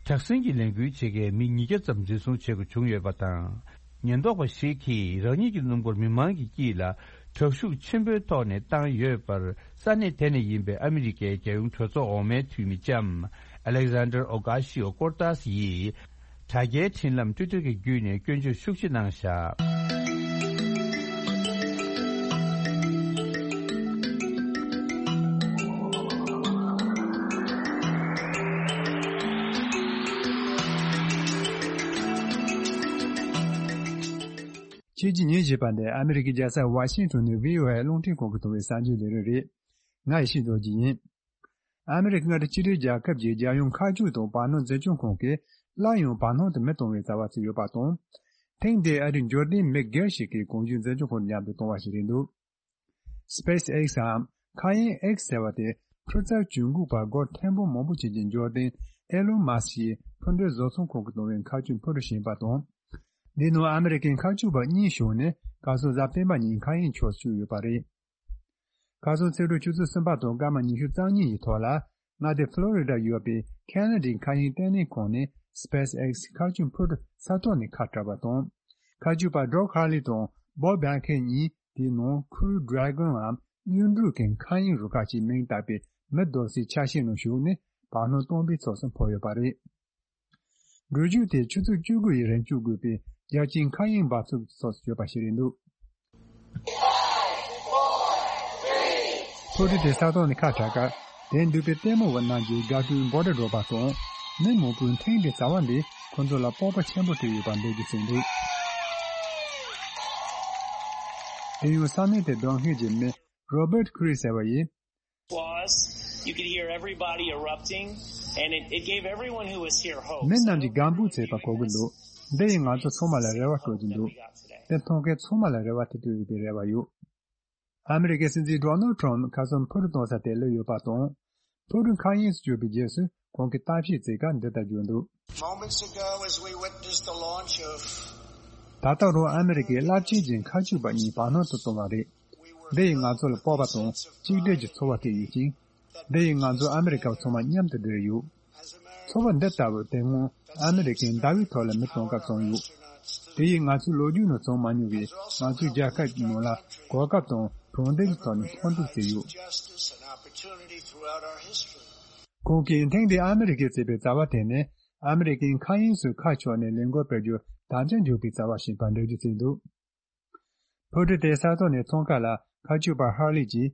དྲག་ཟིང་གི་ལས་འགུལ་བྱེད་མཁན་མི་ཉིས་བརྒྱ་ཙམ་འཛིན་བཟུང་བྱེད་དགོས་བྱུང་ཡོད་པ་དང་། ཉེན་རྟོག་པ་ཞིག་གིས་རང་ཉིད་ཀྱི་སྣུམ་འཁོར་མི་མང་གི་དཀྱིལ་ལ་དྲག་ཤུགས་ཆེན་པོའི་ཐོག་ནས་བཏང་ཡོད་པར། ས་གནས་དེ་ནས་ཡིན་པའི་ཨ་མི་རི་ཀའི་རྒྱལ་ཡོངས་གྲོས་ཚོགས་འོག་མའི་འཐུས་མི་ལྕམ་Alexander Ocasio-Cortez་ཡིས་དྲ་རྒྱའི་འཕྲིན་ལམ་Twitter་གྱི་བརྒྱུད་ནས་སྐྱོན་བརྗོད་ཤུགས་ཆེ་གནང་བཞག་ཁྱེད་ཀྱིས་ཉན་བཞིན་པ་ནི་ཨ་མི་རི་ཀའི་རྒྱལ་ས་ཝ་ཤིང་ཊོན་ནས་བྷི་ཨོ་ཨེ་རླུང་འཕྲིན་ཁང་གི་ཐོག་པའི་གསར་འགྱུར་ལས་རིམ་རེད། ང་ཡེ་ཤེས་རྡོ་རྗེ་ཡིན། ཨ་མི་རི་ཀ་མངའ་སྡེ་གཅིག་སྒྲིལ་རྒྱལ་ཁབ་ཀྱི་རྒྱལ་ཡོངས་མཁའ་སྤྱོད་དང་བར་སྣང་འཛིན་སྐྱོང་ཁང་གིས་ སླར་ཡང་བར་སྣང་དུ་མི་གཏོང་བའི་བྱ་བ་བྱས་ཡོད་པ་དང་། ཐེངས་འདིའི་ཨ་རིའི་འབྱོར་ལྡན་མི་སྒེར་ཞིག་གིས་གོང་ཞུས་འཛིན་སྐྱོང་ཁང་མཉམ་དུ་གཏོང་བ་ཞིག་རེད་འདུག SpaceX འམ་མཁའ་དབྱིངས་X ཟེར་བ་དེ་འཕུར་རྩལ་ཇུས་འགོད་པ་སྒོར་ཐེར་འབུམ་མང་པོ་བྱེད་ཀྱི་འབྱོར་ལྡན་ཨེ་ལོན་མཱ་སི་ཡིས་འཕུར་མདེལ་བཟོ་ཚོང་ཁང་གིས་བཏང་བའི་མཁའ་སྤྱོད་འཕུར་གྲུ་ཞིག་ཡིན་པ་དང་། འདིའི་ནང་ཨ་མི་རི་ཀའི་མཁའ་སྤྱོད་པ་གཉིས་ཞུགས་ནས་གར་སོང་གཟའ་སྤེན་པ་ཉིན་མཁའ་དབྱིངས་ཕྱོགས་སུ་བསྐྱོད་ཡོད་པ་རེད། གར་སོང་ཚེས་དྲུག་ཆུ་ཚོད་གསུམ་པ་དང་སྐར་མ་ཉི་ཤུ་རྩ་གཉིས་ཡི་ཐོག་ལ། མངའ་སྡེ་ཕློ་རི་ཌ་ཡོད་པའི་ཁེ་ན་ཌའི་མཁའ་དབྱིངས་ལྟེ་གནས་ཁང་ནས་SpaceX མཁའ་སྤྱོད་འཕུར་གྲུ་ས་ཐོག་ནས་ཁ་བྲལ་བ་དང་། མཁའ་སྤྱོད་པ་Doug Hurley དང་Bob Behnken གཉིས་དེའི་ནང་Crew Dragon འམ་གཡུ་འབྲུག་གི་མཁའ་དབྱིངས་རུ་ཁག་ཅེས་མིང་བཏགས་པའི་མི་སྡོད་སའི་ཆ་ཤས་ནང་ཞུགས་ནས་བར་སྣང་སྟོང་པའི་ཕྱོགས་སུ་འཕུར་ཡོད་པ་རེད། འགྲུལ་བཞུད་དེ་ཆུ་ཚོད་བཅུ་དགུ་ཡི་རིང་བསྐྱོད་དགོས་པའི་རྒྱལ་སྤྱིའི་མཁའ་དབྱིངས་འབབ་ཚུགས་ཀྱི་ཕྱོགས་སུ་བསྐྱོད་པ་ཞིག་རེད་འདུག་འཕུར་གྲུ་དེ་ས་ཐོག་ནས་ཁ་བྲལ་སྐབས། དེར་འདུས་པའི་ལྟད་མོ་བ་རྣམས་ཀྱིས་དགའ་སྤྲོའི་འབོད་སྒྲ་སྒྲོག་པ་དང་། མི་མང་པོས་ཐེངས་འདིའི་བྱ་བ་འདིས་ཁོ་ཚོ་ལ་སྤོབས་པ་ཆེན་པོ་སྤྲད་ཡོད་པ་འགྲེལ་བརྗོད་བྱས་འདུག་དེ་ཡང་ས་གནས་དེར་སྡོད་མཁན་གྱི་མི་Robert Creed ཟེར་བ་ཡིས། Applause. You could hear everybody erupting, and it, it gave everyone who was here hope. མི་རྣམས་ཀྱིས་དགའ་འབོད་བྱེད་པ་གོ་གི་འདུག་འདི་ཡིས་ང་ཚོ་ཚང་མ་ལ་རེ་བ་སྤྲོད་ཀྱི་འདུག་དེ་མཐོང་མཁན་ཚང་མ་ལ་རེ་བ་དེ་སྤྲོད་ཡོད་པའི་རེ་བ་ཡོད། ཨ་མི་རི་ཀའི་སྲིད་འཛིན་Donald Trump ཁ་སང་འཕུར་གཏོང་ས་དེར་སླེབས་ཡོད་པ་དང་། འཕུར་གྲུ་མཁའ་དབྱིངས་སུ་བསྐྱོད་པའི་རྗེས་སུ་ཁོང་གིས་གཏམ་བཤད་བྱེད་སྐབས་འདི་ལྟར་བརྗོད་འདུག Moments ago, as we witnessed the launch of ད་ལྟ་རང་ཨ་མི་རི་ཀའི་རླབས་ཆེན་གྱི་མཁའ་སྤྱོད་པ་གཉིས་བར་སྣང་དུ་བཏང་བ་རེད། འདི་ཡིས་ང་ཚོ་ལ་སྤོབས་པ་དང་གཅིག་སྒྲིལ་གྱི་ཚོར་བ་སྤྲད་ཡོད་ཅིང་། འདི་ཡིས་ང་ཚོ་ཨ་མི་རི་ཀ་བ་ཚང་མ་མཉམ་དུ་སྦྲེལ་ཡོད། ཚོར་བ་འདི་ལྟ་བུ་དེ་སྔོན་ཨ་མི་རི་ཀས་ཟླ་བའི་ཐོག་ལ་མི་གཏོང་སྐབས་བྱུང་ཡོད། དེ་ཡིས་ང་ཚོའི་ལོ་རྒྱུས་ནང་བྱུང་མ་མྱོང་བའི་ང་ཚོའི་རྒྱལ་ཁབ་ཀྱི་ནང་ལ་གོ་སྐབས་དང་གྲུབ་འབྲས་ཀྱི་ཐོག་ནས་ཕན་ཐོགས་བྱས་ཡོད། ཁོང་གིས་ཐེངས་འདིའི་ཨ་མི་རི་ཀས་བྱས་པའི་བྱ་བ་དེ་ནི་ཨ་མི་རི་ཀའི་མཁའ་དབྱིངས་སུ་ཁ་ཕྱོགས་ནས་ལས་འགུལ་སྤེལ་རྒྱུར་དམ་བཅའ་འཇོག་པའི་བྱ་བ་ཞིག་ཡིན་པར་འགྲེལ་བརྗོད་བྱས་འདུག་འཕུར་གྲུ་དེ་ས་ཐོག་ནས་ཚོང་ཁང་ལ་མཁའ་སྤྱོད་པ་Hurley གྱིས།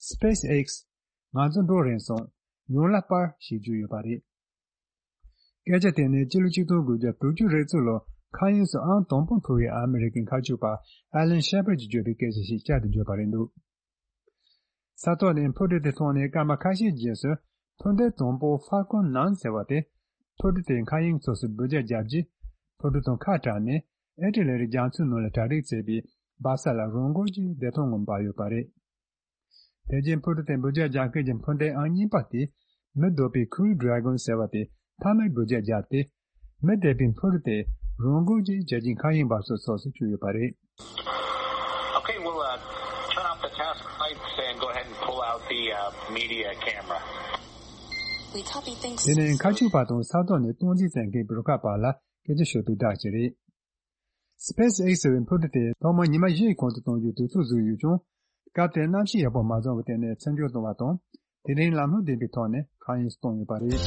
SpaceX ང་ཚོ་འགྲོ་རན་སོང་། ཡོང་ལ་སྤར་ཞེས་བརྗོད་ཡོད་པ་རེད། སྐད་ཆ་དེ་ནི་སྤྱི་ལོ་ཆིག་སྟོང་དགུ་བརྒྱ་དྲུག་ཅུ་རེ་གཅིག་ལོར་མཁའ་དབྱིངས་སུ་ཨང་དང་པོ་འཕུར་བའི་ཨ་མི་རི་ཀའི་མཁའ་སྤྱོད་པ་Alan Shepard གྱིས་བརྗོད་པའི་སྐད་ཆ་ཞིག་བསྐྱར་དུ་བརྗོད་པ་རེད་འདུག་ས་ཐོག་ནས་འཕུར་གྲུ་དེ་མཐོང་ནས་སྐར་མ་ཁ་ཤས་རྗེས་སུ་འཕུར་མདེལ་དང་པོ་Falcon nine ཟེར་བ་དེ་འཕུར་གྲུ་དེའི་མཁའ་དབྱིངས་ཕྱོགས་སུ་འབུད་རྒྱག་བརྒྱབ་རྗེས་འཕུར་གྲུ་དང་ཁ་བྲལ་ནས་ཨི་ཊ་ལི་རི་རྒྱ་མཚོའི་ནང་ལ་གྲ་སྒྲིག་བྱས་པའི་སྦ་ས་ལ་རང་འགུལ་གྱིས་བདེ་ཐང་ངང་འབབ་ཡོད་པ་རེད། དེ་རྗེས་འཕུར་གྲུ་དེ་འབུད་རྒྱག་རྒྱག་མཁན་གྱི་འཕུར་མདེལ་ཨང་གཉིས་པ་དེ་མི་སྡོད་པའི་Crew Dragon ཟེར་བ་དེ་མཐའ་མའི་འབུད་རྒྱག་བརྒྱབ་སྟེ། མི་སྡོད་པའི་འཕུར་གྲུ་དེ་རང་འགུལ་གྱིས་རྒྱལ་སྤྱིའི་མཁའ་དབྱིངས་འབབ་སའི་ཕྱོགས་སུ་བསྐྱོད་ཡོད་པ་རེད། Okay, we'll uh, turn off the task lights and go ahead and pull out the uh, media camera. We copy things. དེ་ནས་མཁའ་སྤྱོད་པ་དང་ས་ཐོག་ནས་སྟངས་འཛིན་བྱེད་མཁན་གྱི་རུ་ཁག་བར་ལ་སྐད་ཆ་ཤོད་པའི་བརྡ་ཅིག་རེད། SpaceX ཟེར་བའི་འཕུར་གྲུ་དེ་ཐོག་མར་ཉི་མ་བཞིའི་གོང་དུ་གཏོང་རྒྱུའི་དུས་ཚོད་བཟོས་ཡོད་ཀྱང་། སྐབས་དེར་གནམ་གཤིས་ཡག་པོ་མ་བྱུང་བའི་ཐད་ནས་མཚམས་འཇོག་བཏང་བ་དང་། དེ་རིང་ལམ་ལྷོང་ལྡན་པའི་ཐོག་ནས་མཁའ་དབྱིངས་སུ་བཏང་ཡོད་པ་རེད།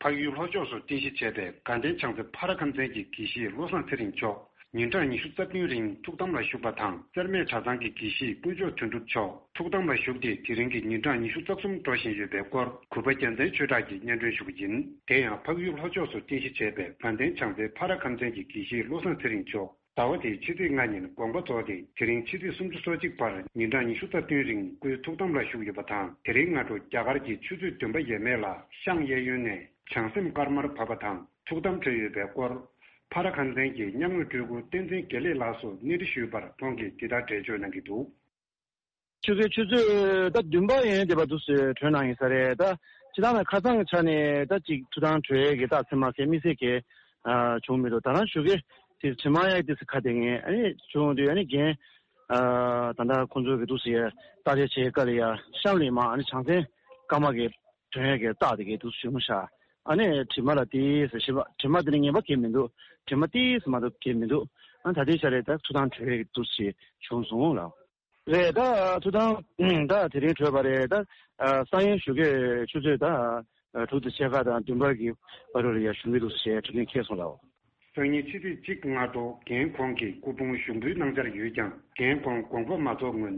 འཕགས་ཡུལ་ལྷོ་ཕྱོགས་སུ་རྟེན་གཞི་བྱས་པའི་དགའ་ལྡན་བྱང་རྩེ་ཕ་ར་ཁམས་ཚན་གྱི་དགེ་བཤེས་བློ་བཟང་ཚེ་རིང་མཆོག་ཉིན་གྲངས་ཉི་ཤུ་རྩ་བདུན་རིང་ཐུགས་དམ་ལ་བཞུགས་པ་དང་། རྩེར་སྨད་གྲྭ་ཚང་གི་དགེ་བཤེས་དཀོན་མཆོག་དོན་གྲུབ་མཆོག་ཐུགས་དམ་ལ་བཞུགས་ཏེ། དེ་རིང་གི་ཉིན་གྲངས་ཉི་ཤུ་རྩ་གསུམ་འགྲོ་བཞིན་ཡོད་པའི་སྐོར་གུས་པ་རྒྱལ་མཚན་ཆོས་གྲགས་ཀྱིས་སྙན་སྒྲོན་ཞུ་གི་ཡིན། དེ་ཡང་འཕགས་ཡུལ་ལྷོ་ཕྱོགས་སུ་རྟེན་གཞི་བྱས་པའི་དགའ་ལྡན་བྱང་རྩེ་ཕ་ར་ཁམས་ཚན་གྱི་དགེ་བཤེས་བློ་བཟང་ཚེ་རིང་མཆོག་ཟླ་བ་འདིའི་ཕྱི་ཚེས་ལྔ་ཉིན་དགོངས་པ་རྫོགས་ཏེ། དེ་རིང་ཕྱི་ཚེས་སུམ་ཅུ་སོ་གཅིག་བར་ཉིན་གྲངས་ཉི་ཤུ་རྩ་བདུན་རིང་སྐུའི་ཐུགས་དམ་ལ་བཞུགས་ཡོད་པ་དང་། དེ་རིང་སྔ་དྲོ་རྒྱ་གར་གྱི་ཆུ་ཚོད་བདུན་པ་ཡས་མས་ལ་ཤངས་གཡས་གཡོན་ནས་བྱང་སེམས་དཀར་དམར་བབས་པ་དང་ཐུགས་དམ་འཁྲོལ་ཡོད་པའི་སྐོར། ཕ་ར་ཁམས་ཚན་གྱི་མཉམ་ངོས་སྤྲུལ་སྐུ་བསྟན་འཛིན་དགེ་ལེགས་ལགས་སུ་གནས་འདྲི་ཞུས་པར་ཁོང་གིས་འདི་ལྟར་འགྲེལ་བརྗོད་གནང་གི་འདུག་ཆུ་ཚོད་ཆུ་ཚོད་ད་བདུན་པ་ཡན་དེ་བར་དུ་གྲོལ་གནང་ཡིན་ས་རེད། ད་སྤྱིར་བཏང་ན་ཁ་སང་གི་ཆ་ནས་ད་ཅིག་ཐུགས་དམ་གྲོལ་ཡས་ཀྱི་རྟགས་མཚན་མ་གས་དམིགས་བསལ་གས་བྱུང་མི་འདུག་ད་རང་ཞོགས་ཀས་དེ་དྲི་མ་ཡག་དེ་ཁ་གཏད་ངས་ཨ་ནི་བྱུང་དུས་ཨ་ནི་རྒན་ད་ལྟ་ཁོང་ཚོ་གི་འདུག་སེ་ཡ་རྟགས་དཔྱད་བྱེད་སྐབས་ལ་ཡ་ཤམ་ལས་མ་ཨ་ནི་བྱང་སེམས་དཀར་དམར་གི་གྲོལ་ཡས་ཀྱི་རྟགས་དེ་གས་འདུག་སེ་བྱུང་ཤག་ཨ་ནི་དྲི་མ་ལ་དེ་ཟེར་ཞིབ་པ་དྲི་མ་དེ་ནི་ངན་པ་གས་མི་འདུག་དྲི་མ་དེ་ཟེར་མ་གཏོགས་གས་མི་འདུག་ཨ་ད་ལྟའི་ཆ་རེད། ད་ཐུགས་དམ་གྲོལ་ཡས་འདུག་སེ་བྱུང་སོང་ལགས། རེད། ད་ཐུགས་དམ་ད་དེ་རིང་གྲོལ་བ་རེད། ད་སང་ཉིན་ཞོགས་ཀས་ཆུ་ཚོད་ད་དྲུག་དང་ཕྱེད་ཀ་དང་བདུན་པ་གི་བར་དུ་ལ་ཡ་བཞུགས་ཀྱི་འདུག་ཟེར་གྲུབ་དོན་འཁེལ་སོང་ལགས། སང་ཉིན་ཕྱི་ཚེས་གཅིག་སྔ་དྲོ་རྒན་ཁོང་གིས་སྐུ་ཕུང་ཞུགས་འབུལ་གནང་འཆར་ཡོད་ཀྱང་། རྒན་ཁོང་དགོངས་པ་མ་རྫོགས་སྔོན།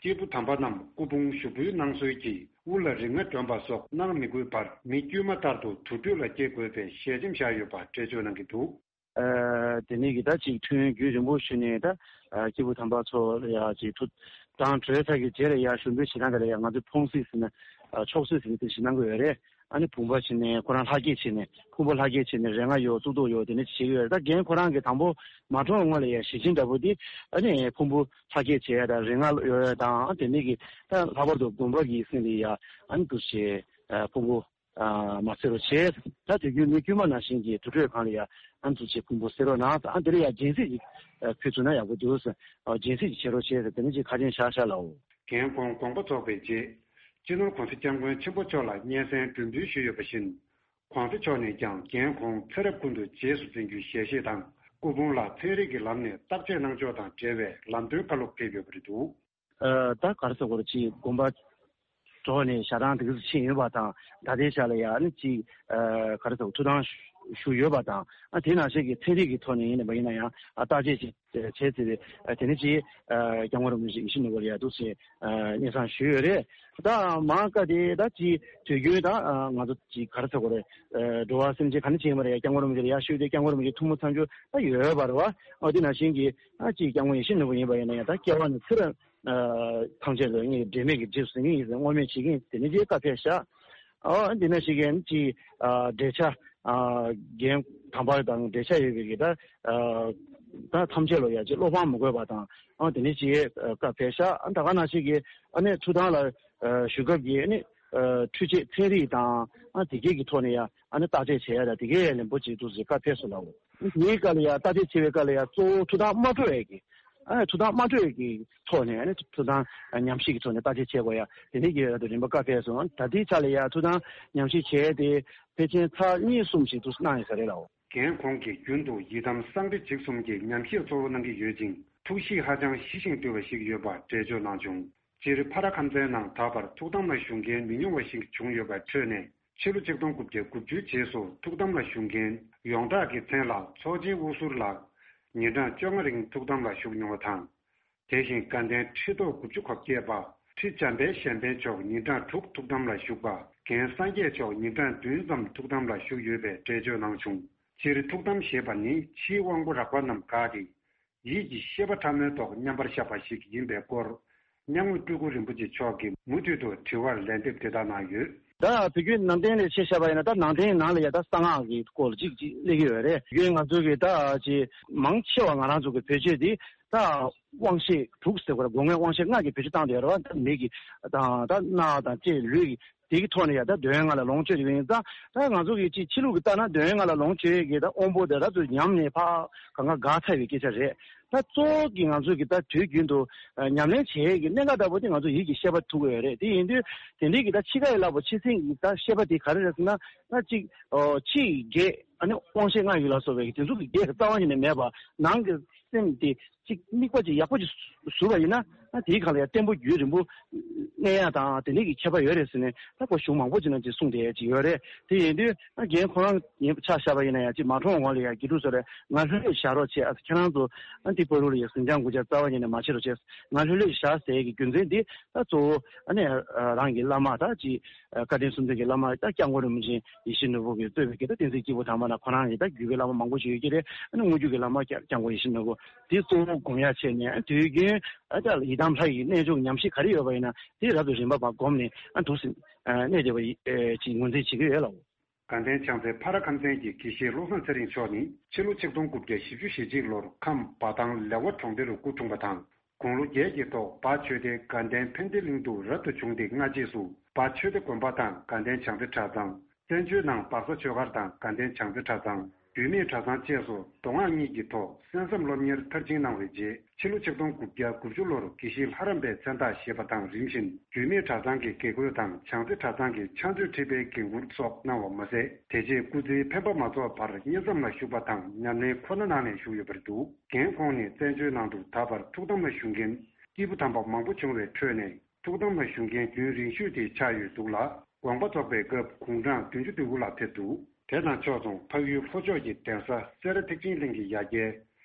སྐྱེས་བུ་དམ་པ་རྣམས་སྐུ་ཕུང་ཞུགས་འབུལ་གནང་སྲོལ་གྱིས་དབུ་ལ་རིག་སྔགས་སྒྲོན་པ་སོགས་གནང་མི་དགོས་པར་མི་དཀྱུས་མ་ལྟར་དུ་དུར་ཁྲོད་ལ་སྐྱེལ་དགོས་པའི་ཞལ་ཆེམས་བཞག་ཡོད་པ་འགྲེལ་བརྗོད་གནང་གི་འདུག། ཨ་དེ་ནས་ཀྱི་ད་ཅིག་ཐུན་རྒྱུན་རིང་པོ་ཞུས་ནས་ད་ཨ་སྐྱེས་བུ་དམ་པ་ཚོ་ལ་ཡ་ཅིག་ཐུགས་དང་གྲོལ་ཚར་གྱི་རྗེས་ལ་ཡ་ཞུགས་འབུལ་བྱེད་སྟངས་དེ་ལ་ཡ་ང་ཚོས་ཕུང་གསེབ་ཟེར་ན་ཨ་མཆོག་གསེབ་ཟེར་ནས་དེ་ཞུ་གནང་གི་ཡོད་རེད། ཨ་ནི་བུམ་པ་བྱས་ནས་ཁོ་རང་ལྷ་བསྐྱེད་བྱས་ནས་ཕུང་པོ་ལྷ་བསྐྱེད་བྱས་ནས་རེ་སྔགས་ཡོད་གཙུག་ཏོར་ཡོད་དེ་འདྲ་བྱེད་ཀྱི་ཡོད་རེད། ད་རྒན་ཁོ་རང་གི་དང་པོ་མ་གྲོངས་སྔོན་ལ་ཡ་ཞལ་ཆེམས་འདྲ་པོ་དེ་ཨ་ནི་ཕུང་པོ་ལྷ་བསྐྱེད་བྱས་ཡ་དང་རེ་སྔགས་ཡོད་ཡ་དང་ཨ་དེ་ནས་ཀྱི་ད་ལྷག་པར་དུ་བུམ་པ་གི་སྟེང་ལ་ཡ་ཨ་ནི་འདུ་བྱས་ཕུང་པོ་ཨ་མ་བསད་རོགས་བྱས། ད་དུས་རྒྱུན་མི་དཀྱུས་མ་ནང་བཞིན་གྱི་དུར་ཁྲོད་སྒང་ལ་ཡ་ཨ་ནི་འདུ་བྱས་ཕུང་པོ་བསད་རོགས་གནང་། ཨ་འདི་ལ་ཡ་སྦྱིན་སྲེག་ཅིག་ཕུལ་ཚུགས་ན་ཡག་པོ་འདུག་ཟེར། སྦྱིན་སྲེག་ཅིག་བྱེད་རོགས་བྱས་ཟེར་དེ་ནས་ཅིག་ཁ་ཆེམས་བཞག་བཞག་ལའོ། རྒན་ཁོང་དགོངས་པ་རྫོགས་པའི་རྗེས། སྤྱི་ནོར་གོང་ས་སྐྱབས་མགོན་ཆེན་པོ་མཆོག་ལ་སྙན་སེང་སྒྲོན་འབུལ་ཞུས་ཡོད་པ་བཞིན། གོང་ས་མཆོག་ནས་ཀྱང་རྒན་ཁོང་ཚེ་རབས་ཀུན་ཏུ་རྗེས་སུ་འཛིན་རྒྱུའི་ཞལ་བཞེས་དང་སྐུ་ཕུང་ལ་ཚན་རིག་གི་ལམ་ནས་བརྟག་དཔྱད་གནང་ཕྱོགས་དང་འབྲེལ་བའི་ལམ་སྟོན་བཀའ་སློབ་ཕེབས་ཡོད་པ་རེད་འདུག། ཨ་ད་ག་རེ་ཟེར་དགོས་རེད། ཅིག་དགོངས་པ་རྫོགས་ནས་ཞལ་ཐང་དེ་ག་ཚོད་ཕྱིན་ཡོད་པ་དང་ད་ལྟའི་ཆ་ལ་ཡང་ནི་ཅིག་ཨ་ག་རེ་ཟེར་དགོས། ཐུགས་དམ་ཞུ་ཡོད་པ་དང་ཨ་དེ་ནང་བཞིན་གྱི་ཚན་རིག་གི་ཐོག་ནས་ཡིན་ནའི་མ་ཡིན་ན་ཡང་ཨ་བརྟག་དཔྱད་ཅིག་བྱས་ཚེ་དེ་ནས་ཅིག་སྐྱབས་མགོན་རིན་པོ་ཆེ་ཡིད་བཞིན་ནོར་བུ་ལ་ཡ་འདུག་ཅེས་སྙན་སེང་ཞུས་ཡོད་རེད། ད་མང་ཀ་དེ་ད་ཅིག་དུས་རྒྱུན་ད་ང་ཚོ་ཅིག་ག་རེ་ཟེར་དགོས་རེད། འགྲོ་བ་སེམས་ཅན་ག་ནས་ཕྱིན་པ་རེད། སྐྱབས་མགོན་རིན་པོ་ཆེ་ལ་ཡ་ཞུས་ཏེ་སྐྱབས་མགོན་རིན་པོ་ཆེ་ཐུགས་སྨོན་མཚམས་སྦྱོར་ད་ཡོད་པ་རེད་བ། འོ་དེ་ནང་བཞིན་གྱི་ཅིག་སྐྱབས་མགོན་ཡིད་བཞིན་ནོར་བུ་ཡིན་པ་ཡིན་ན་ཡང་ད་སྐྱེ་བ་ནས་ཚེ་རབས་ཐམས་ཅད་ལ་ངས་འབྲལ་མེད་ཀྱི་རྗེས་སུ་འཛིན་གྱི་ཡིན་ཟེར་བསྔོ་སྨོན་བྱེད་ཀྱི་ཡིན་དེ་ནས་ཅིག་བཀའ་ཕེབས་ཤག། ཨོ་འདི་ནང་བཞིན་གྱི་ཅིག་འབྲེལ་ཆགས། རྒན་དམ་པ་དང་འབྲེལ་ཆགས་ཡོད་པའི་གི་ད་ད་ཐམས་ཅད་ལ་ཡ་ཅིག་བློ་ཕམ་མི་དགོས་པ་དང་ཨ་དེ་ནས་ཅིག་བཀའ་ཕེབས་ཤག། ཨ་ད་ག་ནང་བཞིན་གྱི་ཨ་ནི་ཐུགས་དམ་ལ་བཞུགས་སྐབས་ཀྱི་ཨ་ནི་འཕྲུལ་ཆས་ཚན་རིག་དང་ཨ་དེ་གའི་གི་ཐོག་ནས་ཡ་ཨ་ནི་བརྟག་དཔྱད་བྱེད་ཡ་ད་དེ་གའི་ལན་པོ་ཅིག་འདུག་ཟེར་བཀའ་ཕེབས་སོང་ལགས། དེའི་སྐབས་ལ་ཡ་བརྟག་དཔྱད་བྱེད་པའི་སྐབས་ལ་ཡ་གཙོ་བོ་ཐུགས་དམ་མ་སྤྲོ་བའི་གི་ཨ་ཐུགས་དམ་མ་སྤྲོ་བའི་གི་ཐོག་ནས་ཨ་ནི་ཐུགས་དམ་ཉམས་བཞེས་ཀྱི་ཐོག་ནས་བརྟག་དཔྱད་བྱེད་དགོས་ཡ་དེ་འདྲའི་གི་རིམ་པ་བཀའ་ཕེབས་སོང་། ད་ལྟའི་ཆ་ལ་ཡ་ཐུགས་དམ་ཉམས་བཞེས་བྱས་ཏེ་ཕལ་ཆེར་ཚར་གཉིས་གསུམ་ཞིག་ཏུ་གནང་ཡོད་ས་རེད་ལགས། རྒན་ཁོང་གིས་རྒྱུན་དུ་ཡི་དམ་གསང་བདེ་འཇིགས་གསུམ་གྱི་ཉམས་བཞེས་གཙོ་བོ་གནང་གི་ཡོད་ཅིང་ཐུགས་གཤིས་ཧ་ཅང་ཞི་ཞིང་དུལ་བ་ཞིག་ཡོད་པ་འགྲེལ་བརྗོད་གནང་བྱུང་། སྤྱིར་ཕ་ར་ཁམས་ཚན་ནང་ད་བར་ཐུགས་དམ་ལ་བཞུགས་མཁན་མི་ཉུང་བ་ཞིག་བྱུང་ཡོད་པའི་ཁྲོད་ནས། ཕྱི་ལོ་ཆིག་སྟོང་དགུ་བརྒྱ་དགུ་བཅུའི་རྗེས་སུ་ཐུགས་དམ་ལ་བཞུགས་མཁན་ཡོངས་གྲགས་ཀྱི་མཚན་ལ་ཚོགས་ཆེན་དབུ་ཟུར་ལགས་ཉིན་གྲངས་བཅོ་ལྔ་རིང་ཐུགས་དམ་ལ་བཞུགས་མྱོང་བ་དང་། དེ་བཞིན་དགའ་ལྡན་ཁྲི་ཐོག་དགུ་བཅུ་གོ་བརྒྱད་པ་ཁྲི་འཇམ་དཔལ་གཞན་ཕན་མཆོག་ཉིན་གྲངས་དྲུག་ཐུགས་དམ་ལ་བཞུགས་པ། རྒན་སངས་རྒྱས་མཆོག་ཉིན་གྲངས་བདུན་ཙམ་ཐུགས་དམ་ལ་བཞུགས་ཡོད་པའི་འགྲེལ་བརྗོད་གནང་བྱུང་། སྤྱིར་ཐུགས་དམ་ཞེས་པ་ནི་ཕྱིའི་དབང་པོ་རགས་པ་རྣམས་དགག་སྟེ། ཡིད་ཀྱི་ཤེས་པ་ཕྲ་མོའི་ཐོག་མཉམ་པར་བཞག་པ་ཞིག་ཡིན་པའི་སྐོར། སྙན་ངག་སྤྲུལ་སྐུ་རིན་པོ་ཆེ་མཆོག་གིས་མུ་མཐུད་དུ་དྲི་བར་ལན་འདེབས་དེ་ལྟར་གནང་ཡོད། ད་དུས་རྒྱུན་ནང་བསྟན་ལ་ཆ་བཞག་པ་ཡིན་ན་ད་ནང་བསྟན་ནང་ལ་ཡ་ད་གསང་སྔགས་ཀྱི་སྐོར་ལ་ཅིག་ཅིག་སླེབས་ཀྱི་ཡོད་རེད། དུས་རྒྱུན་ང་ཚོ་གི་ད་ཅིག་མང་ཆེ་བ་ང་རང་ཚོ་གི་བེད་སྤྱོད་འདི་ད་དབང་ཤེས་དྲུག་ཟེར་དགོས་རེད། སྒོ་ལྔའི་དབང་ཤེས་ལྔ་གི་བེད་སྤྱོད་བཏང་བསྡད་ཡོད་རེད་བ། ད་མིག་གི་དང་ད་རྣ་དང་ལྕེ་ལུས་ཀྱི་དེ་གི་ཐོག་ནས་ཡ་ད་འདོད་ཡོན་ལྔ་ལ་ལོངས་སྤྱོད་ཡོད་ཡིན་ཙང་ད་ང་ཚོ་གི་ཅིག་ཕྱི་ལུགས་ཀྱི་ལྟ་ན་འདོད་ཡོན་ལྔ་ལ་ལོངས་སྤྱོད་ཀྱི་ད་དབང་པོ་དེ་རབ་ཏུ་ཉམས་ནས་ཕར་གང་ག་འགག་ཚར་བའི་སྐད་ཆ་རེད། ད་གཙོ་བོ་གི་ང་ཚོ་གི་ད་དུས་རྒྱུན་དུ་ཉམས་ལེན་བྱེད་ཡས་ཀྱི་གནད་འགག་ལྟ་བུ་དེ་ང་ཚོ་ཡིད་ཀྱི་ཤེས་པ་ཐུག་གི་ཡོད་རེད། དེ་ཡིན་དུས་དེ་འདྲའི་གི་ད་འཆི་ཁ་ཡི་རླབས་པོ་ཆེ་ཟིན་གྱི་ད་ཤེས་པ་དེ་ག་རེ་རེད་ཟེར་ན་ད་ཅིག་ཕྱི་ཡི་བགེགས་ཨ་ནི་དབང་ཤེས་ལྔ་ཡོད་ལ་སོགས་པའི་དེ་ཚོ་གི་བགེགས་རྩ་བ་ཉིད་ནས་མེད་པ་ནང་གི་སེམས་དེ། གཅིག་དམིགས་པ་ཅིག་ཡག་པོ་ཅིག་བཟུང་བ་ཡིན་ན་ཨ་དེའི་སྒང་ལ་ཡང་བརྟན་པོ་རྒྱུན་རིང་པོ་གནས་ཡག་དང་དེ་འདྲའི་གི་ཁྱད་པར་ཡོད་རེད་ཟེར་ནས་ད་ཁོ་གཞུང་མང་པོ་ཅིག་ནང་ཅིག་གསུངས་བསྡད་ཡག་ཅིག་ཡོད་རེད། དེ་ཡིན་དུས་ཨ་རྒན་ཁོ་རང་ཡིན་ཆ་བཞག་པ་ཡིན་ན་ཡང་ཅིག་མ་གྲོངས་གོང་ལ་ཡང་དགེ་ཕྲུག་ཚོ་ལ་ང་ལྷོད་ལྷོད་བཞག་རོགས་བྱེད། ཨ་ཁྱེད་རང་ཚོ་ཨ་འདི་བར་དུ་ལ་ཡང་ཟིང་ཆ་འགུལ་ཆ་རྩ་བ་ཉིད་ནས་མ་བྱེད་རོགས་བྱེད། ང་ལྷོད་ལྷོད་བཞག་ཟེར་ཡག་གི་རྒྱུ་མཚན་འདི་ད་གཙོ་བོ་ཨ་ནི་རང་གི་བླ་མ་ད་ཅིག་བཀའ་དྲིན་གསུམ་ལྡན་གྱི་བླ་མ་ད་སྐྱབས་མགོན་རིན་པོ་ཆེ་ཡིད་བཞིན་ནོར་བུ་གིས་གཙོས་པའི་གི་ད་བསྟན་འཛིན་སྐྱེས་བུ་དམ་པ་ན་ཁོ་རང་གི་ད་བརྒྱུད་པའི་བླ་མ་མང་པོ་ཞིག་ཡོད་ཀྱི་རེད། ཨ་ནི་དངོས་བརྒྱུད་ཀྱི་བླ་མ་སྐྱབས་སྐྱབས་མགོན་ཡིད་བཞིན་ནོར་བུ་དེ་གཙོ་བོ་སྒོམ་ཡ་བྱས་ནས་དུས་རྒྱུན་ཨ་ད་ཡི་དམ་ལྷ་ཡི་རྣལ་འབྱོར་གྱི་ཉམས་ཞིབ་ག་རེ་ཡོད་པ་ཡིན་ན་དེ་རབ་ཏུ་རིམ་པ་བར་བསྒོམས་ནས་ཨ་འདུག་སེ་གནས་བསྡད་པ་ཅིག་ངོས་འཛིན་བྱེད་ཀྱི་ཡོད་ལགས། དགའ་ལྡན་བྱང་རྩེ་ཕ་ར་ཁམས་ཚན་གྱི་དགེ་བཤེས་བློ་བཟང་ཚེ་རིང་མཆོག་ནི་ཕྱི་ལོ་ཆིག་སྟོང་དགུ་བརྒྱ་བཞི་བཅུ་ཞེ་གཅིག་ལོར་ཁམས་འབའ་ཐང་ལེ་དབར་གྲོང་སྡེ་རུ་སྐུ་འཁྲུངས་པ་དང་། དགུང་ལོ་བརྒྱད་ཀྱི་ཐོག་འབའ་ཆོས་སྡེ་དགའ་ལྡན་ཕན་བདེ་གླིང་དུ་རབ་ཏུ་བྱུང་སྟེ་སྔ་རྗེས་སུ་འབའ་ཆོས་སྡེ་དགོན་པ་དང་དགའ་ལྡན་བྱང་རྩེ་གྲྭ་ཚང་། བཙན་བྱོལ་ནང་སྦག་ས་ཆོས་སྒར་དང་དགའ་ལྡན་བྱང་རྩེ་གྲྭ་ཚང་། རྒྱུད་སྨད་གྲྭ་ཚང་བཅས་སུ་མདོ་སྔགས་གཉིས་ཀྱི་ཐོག་གསན་བསམ་སློབ་གཉེར་མཐར་ཕྱིན་གནང་བའི་རྗེས་ཕྱི་ལོ་ཆིག་སྟོང་དགུ་བརྒྱ་དགུ་བཅུ་ལོར་དགེ་བཤེས་ལྷ་རམས་པའི་མཚན་རྟགས་བཞེས་པ་དང་རིམ་བཞིན་རྒྱུད་སྨད་གྲྭ་ཚང་གི་དགེ་བསྐོས་དང་བྱང་རྩེ་གྲྭ་ཚང་གི་ཕྱག་མཛོད་ཁྲི་པའི་འགན་འཁུར་སོགས་གནང་བ་མ་ཟད་དེ་རྗེས་སྐུ་ཚེའི་འཕེན་པ་མ་རྫོགས་བར་དབྱེ་མཚམས་ལ་བཞུགས་པ་དང་ཉམས་ལེན་ཁོ་ན་གནང་ནས་བཞུགས་ཡོད་པ་རེད་འདུག། རྒན་ཁོང་ནི་བཙན་བྱོལ་ནང་དུ་ད་བར་ཐུགས་དམ་ལ་བཞུགས་མཁན་སྐྱེས་བུ་དམ་པ་མང་པོ་བྱུང་བའི་ཁྲོད་ནས། ཐུགས་དམ་ལ་བཞུགས་མཁན་རྒྱུན་རིང་ཤོས་དེ་ཆགས་ཡོད་འདུག་ལ། དགོངས་པ་རྫོགས་པའི་སྐབས་དགུང་གྲངས་བདུན་ཅུ་དོན་དགུ་ལ་ཕེབས་འདུག། དེ་དང་ཕྱོགས་མཚུངས་འཕགས་ཡུལ་ལྷོ་ཕྱོགས་ཀྱི་གདན་ས་སེ་ར་ཐེག་ཆེན་གླིང་གི་ཡ་གྱལ་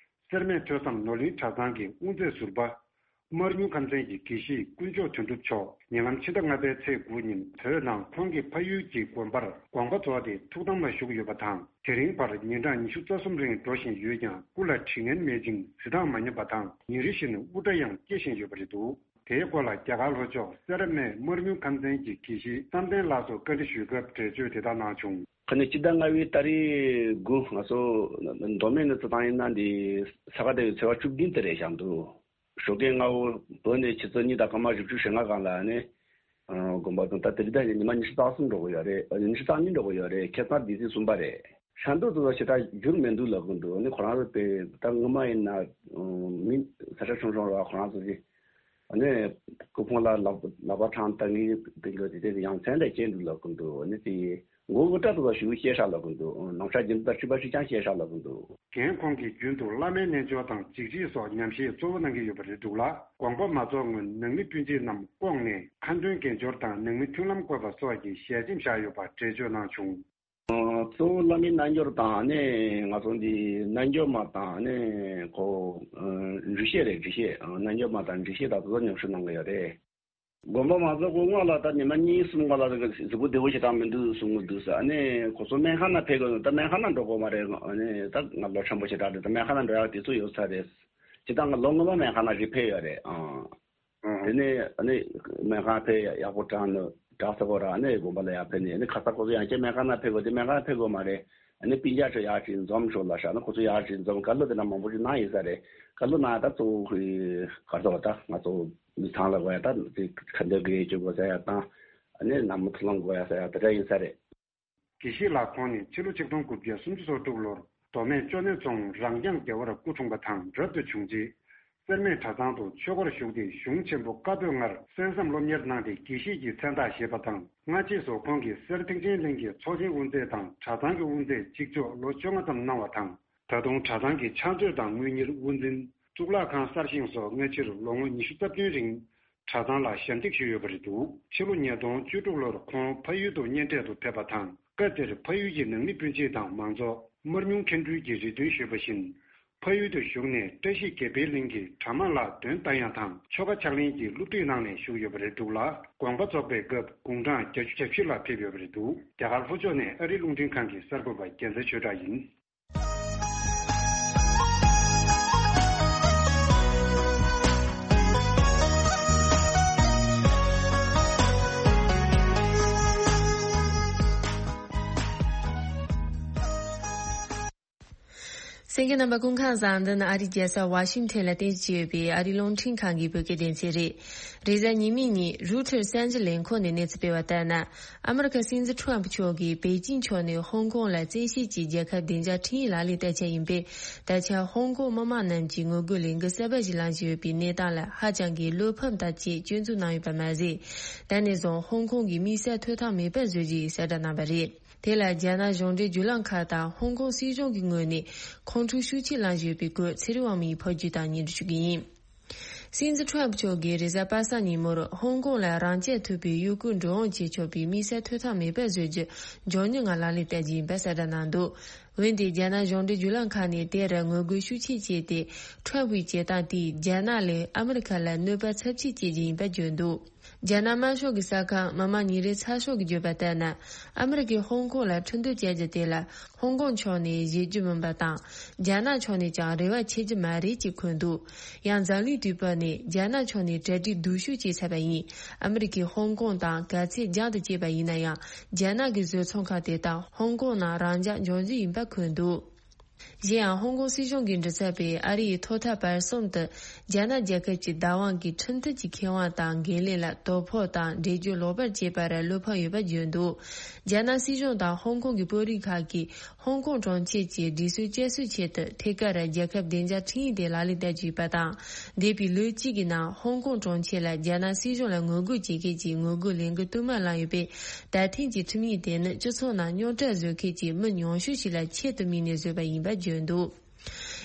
སེར་སྨད་ཐོས་བསམ་ནོར་གླིང་གྲྭ་ཚང་གི་དབུ་མཛད་ཟུར་པ་ སྨར་ཉུང་ཁམས་ཚན་གྱི་དགེ་བཤེས་དཀོན་མཆོག་དོན་གྲུབ་མཆོག་ཉེ་ལམ་ཕྱི་ཟླ་ལྔ་པའི་ཚེས་དགུ་ཉིན་བོད་ནང་ཁོང་གི་ཕ་ཡུལ་གྱི་དགོན་པར་དགོངས་པ་རྫོགས་ཏེ་ཐུགས་དམ་ལ་བཞུགས་ཡོད་པ་དང་། དེ་རིང་བར་ཉིན་གྲངས་ཉི་ཤུ་རྩ་གསུམ་རིང་འགྲོ་བཞིན་ཡོད་ཀྱང་། སྐུ་ལ་དྲི་ངན་མེད་ཅིང་གཟི་མདངས་མ་ཉམས་པ་དང་། ཉིན་རེ་བཞིན་དབུ་སྐྲ་ཡང་སྐྱེ་བཞིན་ཡོད་པ་རེད་འདུག་དེའི་སྐོར་ལ་རྒྱ་གར་ལྷོ་ཕྱོགས་སེ་ར་སྨད་སྨར་ཉུང་ཁམས་ཚན་གྱི་དགེ་བཤེས་བསམ་གཏན་ལགས་སུ་བཀའ་འདྲི་ཞུས་སྐབས་འགྲེལ་བརྗོད་དེ་ལྟར་གནང་བྱུང་། ཁ་ནས་སྤྱི་ཟླ་ལྔ་པའི་ཏ་རིག་དགུ་ང་ཚོ་མདོ་སྨད་ནས་བརྩི་སྟངས་ཡིན་ན་འདི་ས་ག་ཟླ་བའི་ཚེས་པ་བཅུ་བདུན་དེ་རེད་བཞག་འདུག་ཞོགས་ཀས་སྔ་པོ་བོད་ནས་ཆུ་ཚོད་གཉིས་དང་སྐར་མ་བཞི་བཅུ་ཞེ་ལྔ་སྒང་ལ་ནི་དགོན་པ་དང་ད་དེ་རིང་ད་ཉི་མ་ཉི་ཤུ་རྩ་གསུམ་འགྲོ་གི་ཡོད་རེད། ཉི་ཤུ་རྩ་གཉིས་འགྲོ་གི་ཡོད་རེད། ཁ་སང་དེ་ཚེས་གསུམ་པ་རེད། ཤ་འདུག་ཏུ་ཞེ་དྲག་འགྱུར་མི་འདུག་ལབ་ཀྱི་འདུག་ནི་ཁོ་རང་ཚོ་དེ་ད་སྔོན་མ་ཡིན་ན་མི་ས་ཆ་ཆུང་ཆུང་ར་ཁོ་རང་ཚོ་གི་ཨ་ནི་སྐུ་ཕུང་ལ་ལག་ལག་པ་འཕྲང་བཏང་གི་དེ་འདྲ་དེ་དེ་ཡང་མཚན་ལས་སྐྱེས་འདུག་ལབ་ཀྱི་འདུག་ཨ་ནི་དེ་མགོ་དགུ་སྐྲ་དུ་བ་ཞུ་ཤེས་ཤག་ལབ་ཀྱི་འདུག་ནམ་ཞག་རྒྱུན་དུ་ཕྱི་པ་ཞིག་ཀྱང་ཤེས་ཤག་ལབ་ཀྱི་འདུག་རྒན་ཁོང་གིས་རྒྱུན་དུ་བླ་མའི་རྣལ་འབྱོར་དང་འཇིགས་བྱེད་སོགས་ཉམས་བཞེས་གཙོ་བོ་གནང་གི་ཡོད་པ་རེད་འདུག་ལ། དགོངས་པ་མ་རྫོགས་སྔོན་ནང་མི་སྤུན་མཆེད་རྣམས་བསྐོངས་ནས་ཁ་འདོན་དགེ་སྦྱོར་དང་ནང་མི་མཐུན་ལམ་བཀོད་པ་སོགས་ཀྱི་ཞལ་ཆེམས་བཞག་ཡོད་པ་འགྲེལ་བརྗོད་གནང་བྱུང་། གཙོ་བོ་བླ་མའི་རྣལ་འབྱོར་དང་ནི་ང་ཚོ་འདི་རྣལ་འབྱོར་མ་དང་ནི་ཁོ་འགྲེལ་བཤད་རེད། འགྲེལ་བཤད་རྣལ་འབྱོར་མ་དང་འགྲེལ་བཤད་དང་དེ་ཚོ་ཉམས་ཞིབ་གནང་གི་ཡོད་རེད། དགོངས་པ་མ་རྫོགས་གོང་སྔོན་ལ་ད་ཉི་མ་གཉིས་གསུམ་སྔོན་ལ་གཟུགས་པོ་བདེ་བོ་ཞེ་དྲག་མི་འདུག་གསུང་གི་འདུག་ཟེར། ཨ་ནི་ཁོ་ཚོ་སྨན་ཁང་ནང་ཕེབས་དགོས། ད་སྨན་ཁང་ནང་འགྲོ་དགོས་མ་རེད། ཨ་ནི་ད་ང་ལོ་ཆེན་པོ་ཞེ་དྲག་རེད། ད་སྨན་ཁང་ནང་འགྲོ་ཡག་དུས་ཚོད་ཡོད་ས་རེད། སྤྱིར་བཏང་ང་ལོ་སྔོན་མ་སྨན་ཁང་ནང་རེ་ཕེབས་ཡོད་རེད། ཨང་། དེ་ནས་ཨ་ནི་སྨན་ཁང་ཕེབས་ཡག་པོ་དྲག་ནི་དྲག་ས་གོ་ར། ཨ་ནི་དགོན་པ་ལ་ཡར་ཕེབས་ནས་ཨ་ནི་ཁ་ས་ཁོ་ཚོ་ཡང་བསྐྱར་སྨན་ཁང་ནང་ཕེབས་དགོས། དེ་སྨན་ཁང་ཕེབས་དགོས་མ་རེད། ཨ་ནི་སྤུན་ཀྱག་ཚོ་ཡར་ཅིག་འཛོམས་ཤོག་ལབ་ཤག་ཨ་ནི་ཁོ་ཚོ་ཡར་ཅིག་འཛོམས། བཀའ་སློབ་དེ་འདྲ་མང་པོ་ཞིག་གནང་ཡིན་ས་རེད། བཀའ་སློབ་གནང་ཡ་ད་གཙོ་བོ་ག་རེ་ཟེར་བ། ད་ང་ཚོ་མི་ཚང་ལ་དགོས་ཡ་ད་དེ་ཁ་འདོན་དགེ་སྦྱོར་དགོས་ས་ཡ་དང་། ཨ་ནི་ནང་མི་མཐུན་ལམ་དགོས་ཡ་ས་ཡ་དེ་འདྲ་ཡིན་ས་རེད། དགེ་བཤེས་ལགས་ཁོང་ནི་ཕྱི་ལོ་ཆིག་སྟོང་དགུ་བརྒྱ་སུམ་ཅུ་སོ་དྲུག་ལོར་མདོ་སྨད་ཅོ་ནེ་རྫོང་རང་རྐྱང་རྒྱལ་བར་སྐུ་འཁྲུངས་པ་དང་། རབ་ཏུ་བྱུང་རྗེས་སེར་སྨད་གྲྭ་ཚང་དུ་ཆོས་སྒོར་ཞུགས་ཏེ་གཞུང་ཆེན་པོ་བཀའ་པོད་ལྔར་གསན་བསམ་སློབ་གཉེར་གནང་སྟེ་དགེ་བཤེས་ཀྱི་མཚན་རྟགས་བཞེས་པ་དང་། སྔ་རྗེས་སུ་ཁོང་གིས་སེར་ཐེག་ཆེན་གླིང་གི་ཚོགས་ཆེན་དབུ་མཛད་དང་གྲྭ་ཚང་གི་དབུ་མཛད་གཅིག་ལྕོགས་ལོ་བཅོ་ལྔ་ཙམ་གནང་བ་དང་། ད་དུང་གྲྭ་ཚང་གི་ཕྱག་མཛོད་དང་དངུལ་གཉེར་དབུ་འཛིན། གཙུག་ལག་ཁང་གསར་བཞེངས་སོགས་སྔ་ཕྱིར་ལོ་ངོ་ཉི་ཤུ་རྩ་བདུན་རིང་གྲྭ་ཚང་ལ་ཞབས་འདེགས་ཞུས་ཡོད་པ་རེད་འདུག་ཕྱི་ལོ་ཉིས་སྟོང་བཅུ་དྲུག་ལོར་ཁོང་ཕ་ཡུལ་དུ་གཉེན་འཕྲད་དུ་ཕེབས་པ་དང་། སྐབས་དེར་ཕ་ཡུལ་གྱི་ནང་མི་སྤུན་མཆེད་དང་མང་ཚོགས་སྨར་ཉུང་མཁན་སྤྲུལ་གྱི་རེ་འདུན་ཞུས་པ་བཞིན། ཕ་ཡུལ་དུ་བཞུགས་ནས་བཀྲ་ཤིས་དགེ་འཕེལ་གླིང་གི་གྲྭ་མང་ལ་འདོན་རྟ་དབྱངས་དང་ཆོ་ག་ཕྱག་ལེན་གྱི་སློབ་ཁྲིད་གནང་ནས་བཞུགས་ཡོད་པ་རེད་འདུག་ལ། དགོངས་པ་རྫོགས་པའི་སྐབས་དགུང་གྲངས་བརྒྱད་ཅུ་གྱ་བཞི་ལ་ཕེབས་ཡོད་པ་རེད་འདུག་རྒྱ་གར་ལྷོ་ཕྱོགས་ནས་ཨ་རིའི་རླུང་འཕྲིན་ཁང་གི་གསར་འགོད་པ་རྒྱལ་མཚན་ཆོས་གྲགས་ཡིན། གསན་མཁན་རྣམ་པ་སྐུ་ཁམས་བཟང་། འདི་ནི་ཨ་རིའི་རྒྱལ་ས་ཝ་ཤིང་ཐན་ལ་རྟེན་གཞི་བྱས་ཡོད་པའི་ཨ་རིའི་རླུང་འཕྲིན་ཁང་གི་བོད་སྐད་སྡེ་ཚན་རེད། རེས་གཟའ་ཉི་མའི་ཉིན་རུ་ཐར་གསར་འགྱུར་ལས་ཁུངས་ནས་གནས་ཚུལ་སྤེལ་བ་ལྟར་ན། ཨ་མི་རི་ཀ་སྲིད་འཛིན་ཁྲོམ་ཕུ་མཆོག་གིས་པེ་ཅིང་ཕྱོགས་ནས་ཧོང་ཀོང་ལ་བཙན་ཤེད་ཀྱིས་རྒྱལ་ཁབ་བདེ་འཇགས་ཁྲིམས་ཡིག་ལག་ལེན་བསྟར་འཆར་ཡིན་པས། ད་ཆ་ཧོང་ཀོང་མི་མང་རྣམས་ཀྱིས་ངོ་རྒོལ་ལས་འགུལ་གསར་པ་ཞིག་ལངས་བཞིན་ཡོད་པའི་གནས་སྟངས་ལ་ཧ་ཅང་གི་བློ་ཕམ་དང་བཅས་སྐྱོན་འཛུགས་གནང་ཡོད་པ་མ་ཟད། ད་ནས་བཟུང་ཧོང་ཀོང་གི་དམིགས་བསལ་ཐོབ་ཐང་མེད་པར་བཟོ་རྒྱུ་ཡིན་གསལ་བསྒྲགས་གནང་བ་རེད། དེ་ལ་རྒྱ་ནག་གཞུང་འབྲེལ་བརྒྱུད་ལམ་ཁག་དང་ཧོང་ཀོང་སྲིད་གཞུང་གི་ངོས་ནས་ཁོང་ཁྲོ་ཤུགས་ཆེ་ལངས་བཞིན་ཡོད་པའི་སྐོར་ཚེ་རིང་དབང་མོའི་ཕབ་སྒྱུར་དང་སྙན་སྒྲོན་ཞུ་གི་ཡིན། སྲིད་འཛིན་ཁྲོམ་མཆོག་གིས་རེས་གཟའ་པ་སངས་ཉིན་མོར་ཧོང་ཀོང་ལ་རང་རྐྱ་ཐུབ་པའི་གཡོ་འགུལ་འགྲོ་འོང་བྱེད་ཆོག་པའི་དམིགས་བསལ་ཐོབ་ཐང་མེད་པར་བཟོ་རྒྱུ་མགྱོགས་མྱུར་ངང་ལག་ལེན་བསྟར་རྒྱུ་ཡིན་པ་གསལ་བསྒྲགས་གནང་འདུག་འོན་ཏེ་རྒྱ་ནག་གཞུང་འབྲེལ་བརྒྱུད་ལམ་ཁག་ནས་དེར་ངོ་རྒོལ་ཤུགས་ཆེ་བྱས་ཏེ། ཁྲོམ་པུའི་བྱེད་སྟངས་དེས་རྒྱ་ནག་ལས་ཨ་མི་རི་ཁ་ལ་གནོད་པ་ཚབས་ཆེ་སྐྱེལ་རྒྱུ་ཡིན་པ་བརྗོད་འདུག་རྒྱ་ནག་དམར་ཤོག་གི་གསར་ཁང་མི་དམངས་ཉིན་རེའི་ཚགས་ཤོག་གིས་བརྗོད་པ་ལྟར་ན། ཨ་མི་རི་ཀས་ཧོང་ཀོང་ལ་ཁྲིམས་གཏུག་བྱ་རྒྱུ་དེ་ལ་ཧོང་ཀོང་ཕྱོགས་ནས་བཞེས་རྒྱུ་མིན་པ་དང་། རྒྱ་ནག་ཕྱོགས་ནས་ཀྱང་རེ་བ་བྱེད་རྒྱུ་མ་རེད་ཅེས་འཁོད་འདུག་ཡང་འཛམ་གླིང་དུས་བབ་ནས་རྒྱ་ནག་ཕྱོགས་ནས་གྲ་སྒྲིག་སྡུག་ཤོས་བྱས་ཚར་བ་ཡིན། ཨ་མི་རི་ཀས་ཧོང་ཀོང་དང་ག་ཚད་རྒྱང་དུ་བཀྱེད་པ་ཡིན་ན་ཡང་། རྒྱ་ནག་གི་བཟོ་ཚོང་ཁང་དེ་དག་ཧོང་ཀོང་ནང་རང་འཇགས་འབྱུང་རྒྱུ་ཡིན་པ་འཁོད་འདུག་གཞན་ཡང་ཧོང་ཀོང་སྲིད་གཞུང་གིས་འབྲི་ཚར་བའི་ཨ་རིའི་ཐོག་མཐའ་བར་གསུམ་དུ་རྒྱ་ནག་རྒྱལ་ཁབ་ཀྱི་བདག་དབང་གི་ཁྲིམས་མཐུན་གྱི་ཁེ་དབང་དང་འགན་ལེན་ལ་དོ་ཕོག་དང་འགྲེལ་བརྗོད་ལོག་པར་བྱས་པར་བློ་ཕམ་ཡོད་པ་བརྗོད་འདུག་རྒྱ་ནག་སྲིད་གཞུང་དང་ཧོང་ཀོང་གི་དཔོན་རིགས་ཁག་གིས་ཧོང་ཀོང་གྲོང་ཁྱེར་གྱི་སྒྲིག་སྲོལ་བསྐྱར་གསོའི་ཆེད་དུ་ཐད་ཀར་རྒྱལ་ཁབ་བདེ་འཇགས་ཁྲིམས་ཡིག་དེ་ལག་ལེན་བསྟར་རྒྱུ་ཡིན་པ་དང་། འདས་པའི་ལོ་གཅིག་གི་ནང་ཧོང་ཀོང་གྲོང་ཁྱེར་ལ་རྒྱ་ནག་སྲིད་གཞུང་ལ་ངོ་རྒོལ་བྱེད་མཁན་གྱི་ངོ་རྒོལ་ལས་འགུལ་བསྟུད་མར་བསླངས་ཡོད་པས། ད་ཐེངས་ཀྱི་ཁྲིམས་ཡིག་དེ་ནི་སྤྱི་ཚོགས་ནང་རྙོག་དྲ་བཟོ་མཁན་གྱི་མི་ཉུང་ཤོས་ཤིག་ལ་ཆེད་དུ་དམིགས་ནས་བཟོས་པ་ཡིན་པ་བརྗོད་འདུག་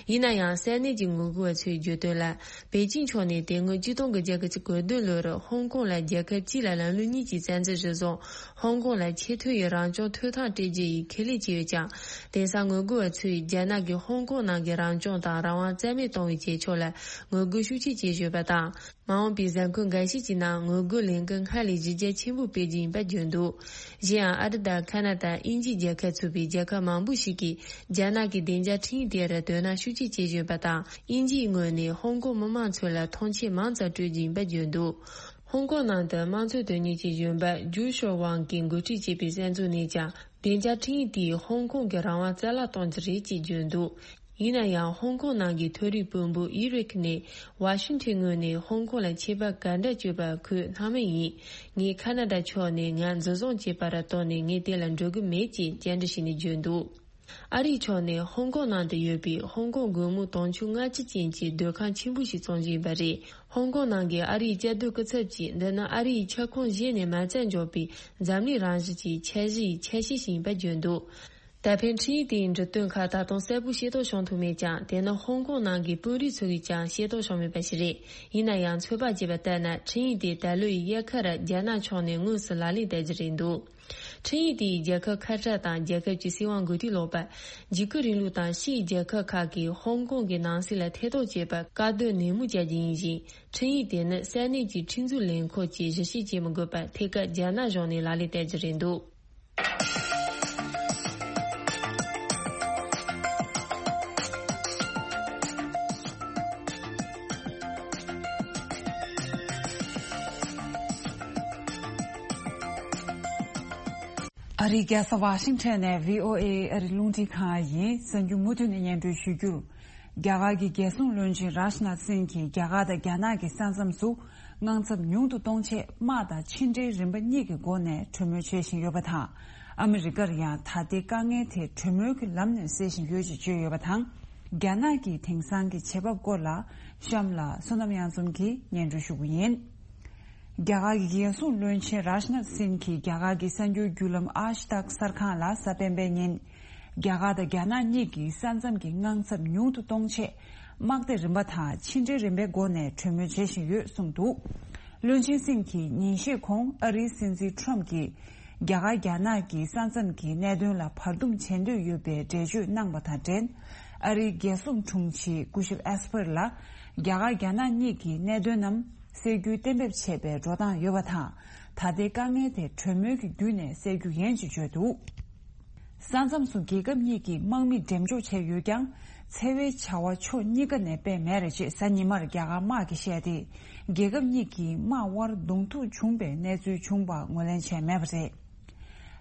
ཡིན་ན་ཡང་ས་གནས་ཀྱི་ངོ་རྒོལ་བ་ཚོས་བརྗོད་དོན་ལ། པེ་ཅིང་ཕྱོགས་ནས་དེ་སྔོན་ཆིག་སྟོང་དགུ་བརྒྱ་གྱ་གོ་བདུན་ལོར་ཧོང་ཀོང་ལ་རྒྱལ་ཁབ་གཅིག་ལ་ལམ་ལུགས་གཉིས་ཀྱི་རྩ་འཛིན་གཞིར་བཟུང་ཧོང་ཀོང་ལ་ཆེས་མཐོ་ཡི་རང་སྐྱོང་ཐོབ་ཐང་སྤྲད་རྒྱུ་ཡི་ཁས་ལེན་བྱས་ཡོད་ཀྱང་། དེང་སང་ངོ་རྒོལ་བ་ཚོས་རྒྱ་ནག་གིས་ཧོང་ཀོང་ནང་གི་རང་སྐྱོང་དང་རང་དབང་རྩ་མེད་གཏོང་བའི་བྱེད་ཕྱོགས་ལ་ངོ་རྒོལ་ཤུགས་ཆེ་བྱེད་བཞིན་ཡོད་པ་དང་། མ་འོངས་པའི་གཟའ་འཁོར་འགའ་ཤས་ཀྱི་ནང་ངོ་རྒོལ་ལས་འགུལ་སྔར་ལས་གཞི་རྒྱ་ཆེན་པོ་སྤེལ་རྒྱུ་ཡིན་པ་བརྗོད་འདུག་གཞན་ཡང་ཨ་རི་དང་ཁ་ན་ཌ། དབྱིན་ཇིའི་རྒྱལ་ཁབ་ཚུད་པའི་རྒྱལ་ཁབ་མང་པོ་ཞིག་གིས་རྒྱ་ནག་གི་བདེ་འཇགས་ཁྲིམས་ཡིག་དེར་དོ་སྣང་ཤུགས་ཆེ་བྱེད་བཞིན་པ་དང་། དབྱིན་ཇིའི་ངོས་ནས་ཧོང་ཀོང་མི་མང་ཚོ་ལ་མཐོང་ཆེན་མང་ཙམ་སྤྲོད་རྒྱུ་ཡིན་པ་བརྗོད་འདུག་ཧོང་ཀོང་ནང་དུ་དམངས་གཙོ་དོན་གཉེར་གྱི་གཞོན་པ་ཇུ་ཤོ་ཝང་གིས་འགོ་ཁྲིད་བྱས་པའི་གསར་འཛུགས་ནས་ཀྱང་། བདེ་འཇགས་ཁྲིམས་ཡིག་དེས་ཧོང་ཀོང་གི་རང་དབང་རྩ་བརླག་གཏོང་རྒྱུ་རེད་ཅེས་བརྗོད་འདུག་ཡིན་ན་ཡང་། ཧོང་ཀོང་ནང་གི་མཐོ་རིམ་དཔོན་པོ་ཨི་རིག་ནས་ཝ་ཤིང་ཊོན་ངོས་ནས་ཧོང་ཀོང་ལ་ཆད་པ་ག་འདྲ་གཅོད་པ་ཁོས་སྣང་མེད་ཡིན། ངས་ཁ་ན་ཌ་ཕྱོགས་ནས་ང་འཛིན་བཟུང་བྱས་པར་བརྟེན་ནས་ངས་དེ་ལ་འགྲོ་གི་མེད་ཅེས་བཅར་འདྲི་བྱས་ནས་བརྗོད་འདུག་ཨ་རིའི་ཕྱོགས་ནས་ཧོང་ཀོང་ནང་དུ་ཡོད་པའི་ཧོང་ཀོང་སྒོར་མོ་དུང་ཕྱུར་ལྔ་བཅུ་ཅན་གྱི་སྡོད་ཁང་ཆེན་པོ་ཞིག་བཙོང་རྒྱུ་ཡིན་པ་རེད། ཧོང་ཀོང་ནང་གི་ཨ་རིའི་བཅའ་སྡོད་སྐུ་ཚབ་ཀྱིས། འདི་ནི་ཨ་རིའི་ཁྱབ་ཁོངས་གཞན་ནས་མ་བཙལ་འཇོག་པའི་འཛམ་གླིང་རང་བཞིན་གྱི་འཆར་གཞིའི་ཆ་ཤས་ཤིག་ཡིན་པ་བརྗོད་འདུག་ད་ཕན་ཁྲིམས་ཡིག་དེའི་འབྲི་དོན་ཁག་ད་དུང་གསལ་པོ་ཤེས་རྟོགས་བྱུང་ཐུབ་མེད་ཀྱང་། དེ་ནི་ཧོང་ཀོང་ནང་གི་དཔོན་རིགས་ཚོ་གིས་ཀྱང་ཤེས་རྟོགས་བྱུང་མེད་པ་ཞིག་རེད། ཡིན་ན་ཡང་། ཚོད་དཔག་བྱས་པ་ལྟར་ན། ཁྲིམས་ཡིག་དེ་ད་ལོའི་དབྱར་ཁར་རྒྱ་ནག་ཕྱོགས་ནས་དངོས་སུ་ལག་ལེན་བསྟར་རྒྱུ་རེད་འདུག་ཁྲིམས་ཡིག་དེས་རྒྱལ་ཁབ་ཁ་བྲལ་དང་རྒྱལ་ཁབ་ཀྱི་སྲིད་དབང་འགོ་ཁྲིད་ལོག་པ། འཇིགས་སྐུལ་རིང་ལུགས་དང་ཕྱིའི་རྒྱལ་ཁབ་ཁག་གིས་ཧོང་ཀོང་གི་ནང་སྲིད་ལ་ཐེ་གཏོགས་བྱེད་པར་བཀག་སྡོམ་ནན་མོ་བྱ་རྒྱུ་ཡིན་ཞིང་། ཁྲིམས་ཡིག་དེ་ནི་ས་གནས་ཀྱི་ཁྲིམས་འཛུགས་ལས་ཁུངས་ཀྱིས་གཞི་བྱེད་བྱེད་མི་དགོས་པར་ཐད་ཀར་རྒྱ་ནག་གཞུང་ནས་ལག་ལེན་བསྟར་རྒྱུ་རེད་འདུག་ཨ་རིའི་རྒྱལ་ས་ཝ་ཤིང་ཊོན་ནས་བྷི་ཨོ་ཨེ་ཨ་རི་རླུང་འཕྲིན་ཁང་ཡིན། གསར་འགྱུར་མུ་མཐུད་ནས་སྙན་སྒྲོན་ཞུ་རྒྱུར། རྒྱ་གར་གྱི་རྒྱལ་སྲུང་བློན་ཆེན་རཱཇ་ནཱཐ་སིང་གིས་རྒྱ་གར་དང་རྒྱ་ནག་གི་ས་མཚམས་སུ་དངངས་འཚབ་ཉུང་དུ་གཏོང་ཆེད་དམག་དང་ཕྱི་འབྲེལ་རིམ་པ་གཉིས་ཀྱི་སྒོ་ནས་གྲོས་མོལ་བྱེད་བཞིན་ཡོད་པ་དང་། ཨ་མི་རི་ཀར་ཡང་ད་ལྟའི་དཀའ་ངལ་དེ་གྲོས་མོལ་གྱི་ལམ་ནས་སེལ་བཞིན་ཡོད་ཅེས་བརྗོད་ཡོད་པ་དང་། རྒྱ་ནག་གི་དེང་སང་གི་བྱེད་བབ་སྐོར་ལ་གཤམ་ལ་བསོད་ནམས་དབྱངས་འཛོམས་ཀྱིས་སྙན་སྒྲོན་ཞུ་རྒྱུ་ཡིན། རྒྱ་གར་གྱི་རྒྱལ་སྲུང་བློན་ཆེན་རཱཇ་ནཱཐ་སིང་གིས་རྒྱ་གར་གྱི་གསར་འགྱུར་བརྒྱུད་ལམ་ཨཱཇ་ཏག་གསར་ཁང་ལ་གཟའ་སྤེན་པའི་ཉིན། རྒྱ་གར་དང་རྒྱ་ནག་གཉིས་ཀྱིས་ས་མཚམས་ཀྱི་དངངས་འཚབ་ཉུང་དུ་གཏོང་ཆེད། དམག་སྡེ་རིམ་པ་དང་ཕྱི་འབྲེལ་རིམ་པའི་སྒོ་ནས་གྲོས་མོལ་བྱེད་བཞིན་ཡོད་གསུངས་འདུག་བློན་ཆེན་སིང་གིས་ཉིན་ཤས་གོང་ཨ་རིའི་སྲིད་འཛིན་ཁྲོམ་གྱིས། རྒྱ་གར་རྒྱ་ནག་གི་ས་མཚམས་ཀྱི་གནད་དོན་ལ་བར་འདུམ་བྱེད་འདོད་ཡོད་པའི་འགྲེལ་བརྗོད་གནང་བ་དང་འབྲེལ། ཨ་རིའི་རྒྱལ་སྲུང་དྲུང་ཆེ་སྐུ་ཞབས་ཨེས་པར་ལ། རྒྱ་གར་རྒྱ་ནག་གཉིས་ཀྱི་གནད་དོན་རྣམས། སེལ་རྒྱུའི་གཏན་འབེབས་བྱས་པའི་འགྲོ་སྟངས་ཡོད་པ་དང་། ད་ལྟའི་དཀའ་ངལ་དེ་གྲོས་མོལ་གྱི་བརྒྱུད་ནས་སེལ་རྒྱུ་ཡིན་ཅེས་བརྗོད་འདུག་ས་མཚམས་སུ་རྒྱལ་ཁབ་གཉིས་ཀྱིས་དམག་མི་འགྲེམས་འཇོག་བྱས་ཡོད་ཀྱང་། འཚེ་བའི་བྱ་བ་ཕྱོགས་གཉིས་ཀ་ནས་སྤེལ་མེད་རེད་ཅེས་གཟའ་ཉི་མར་རྒྱ་གར་དམག་གིས་བཤད་དེ། རྒྱལ་ཁབ་གཉིས་ཀྱི་དམག་དབར་གདོང་ཐུག་བྱུང་པའི་གནས་ཚུལ་བྱུང་བ་ངོས་ལེན་བྱས་མེད་པ་རེད།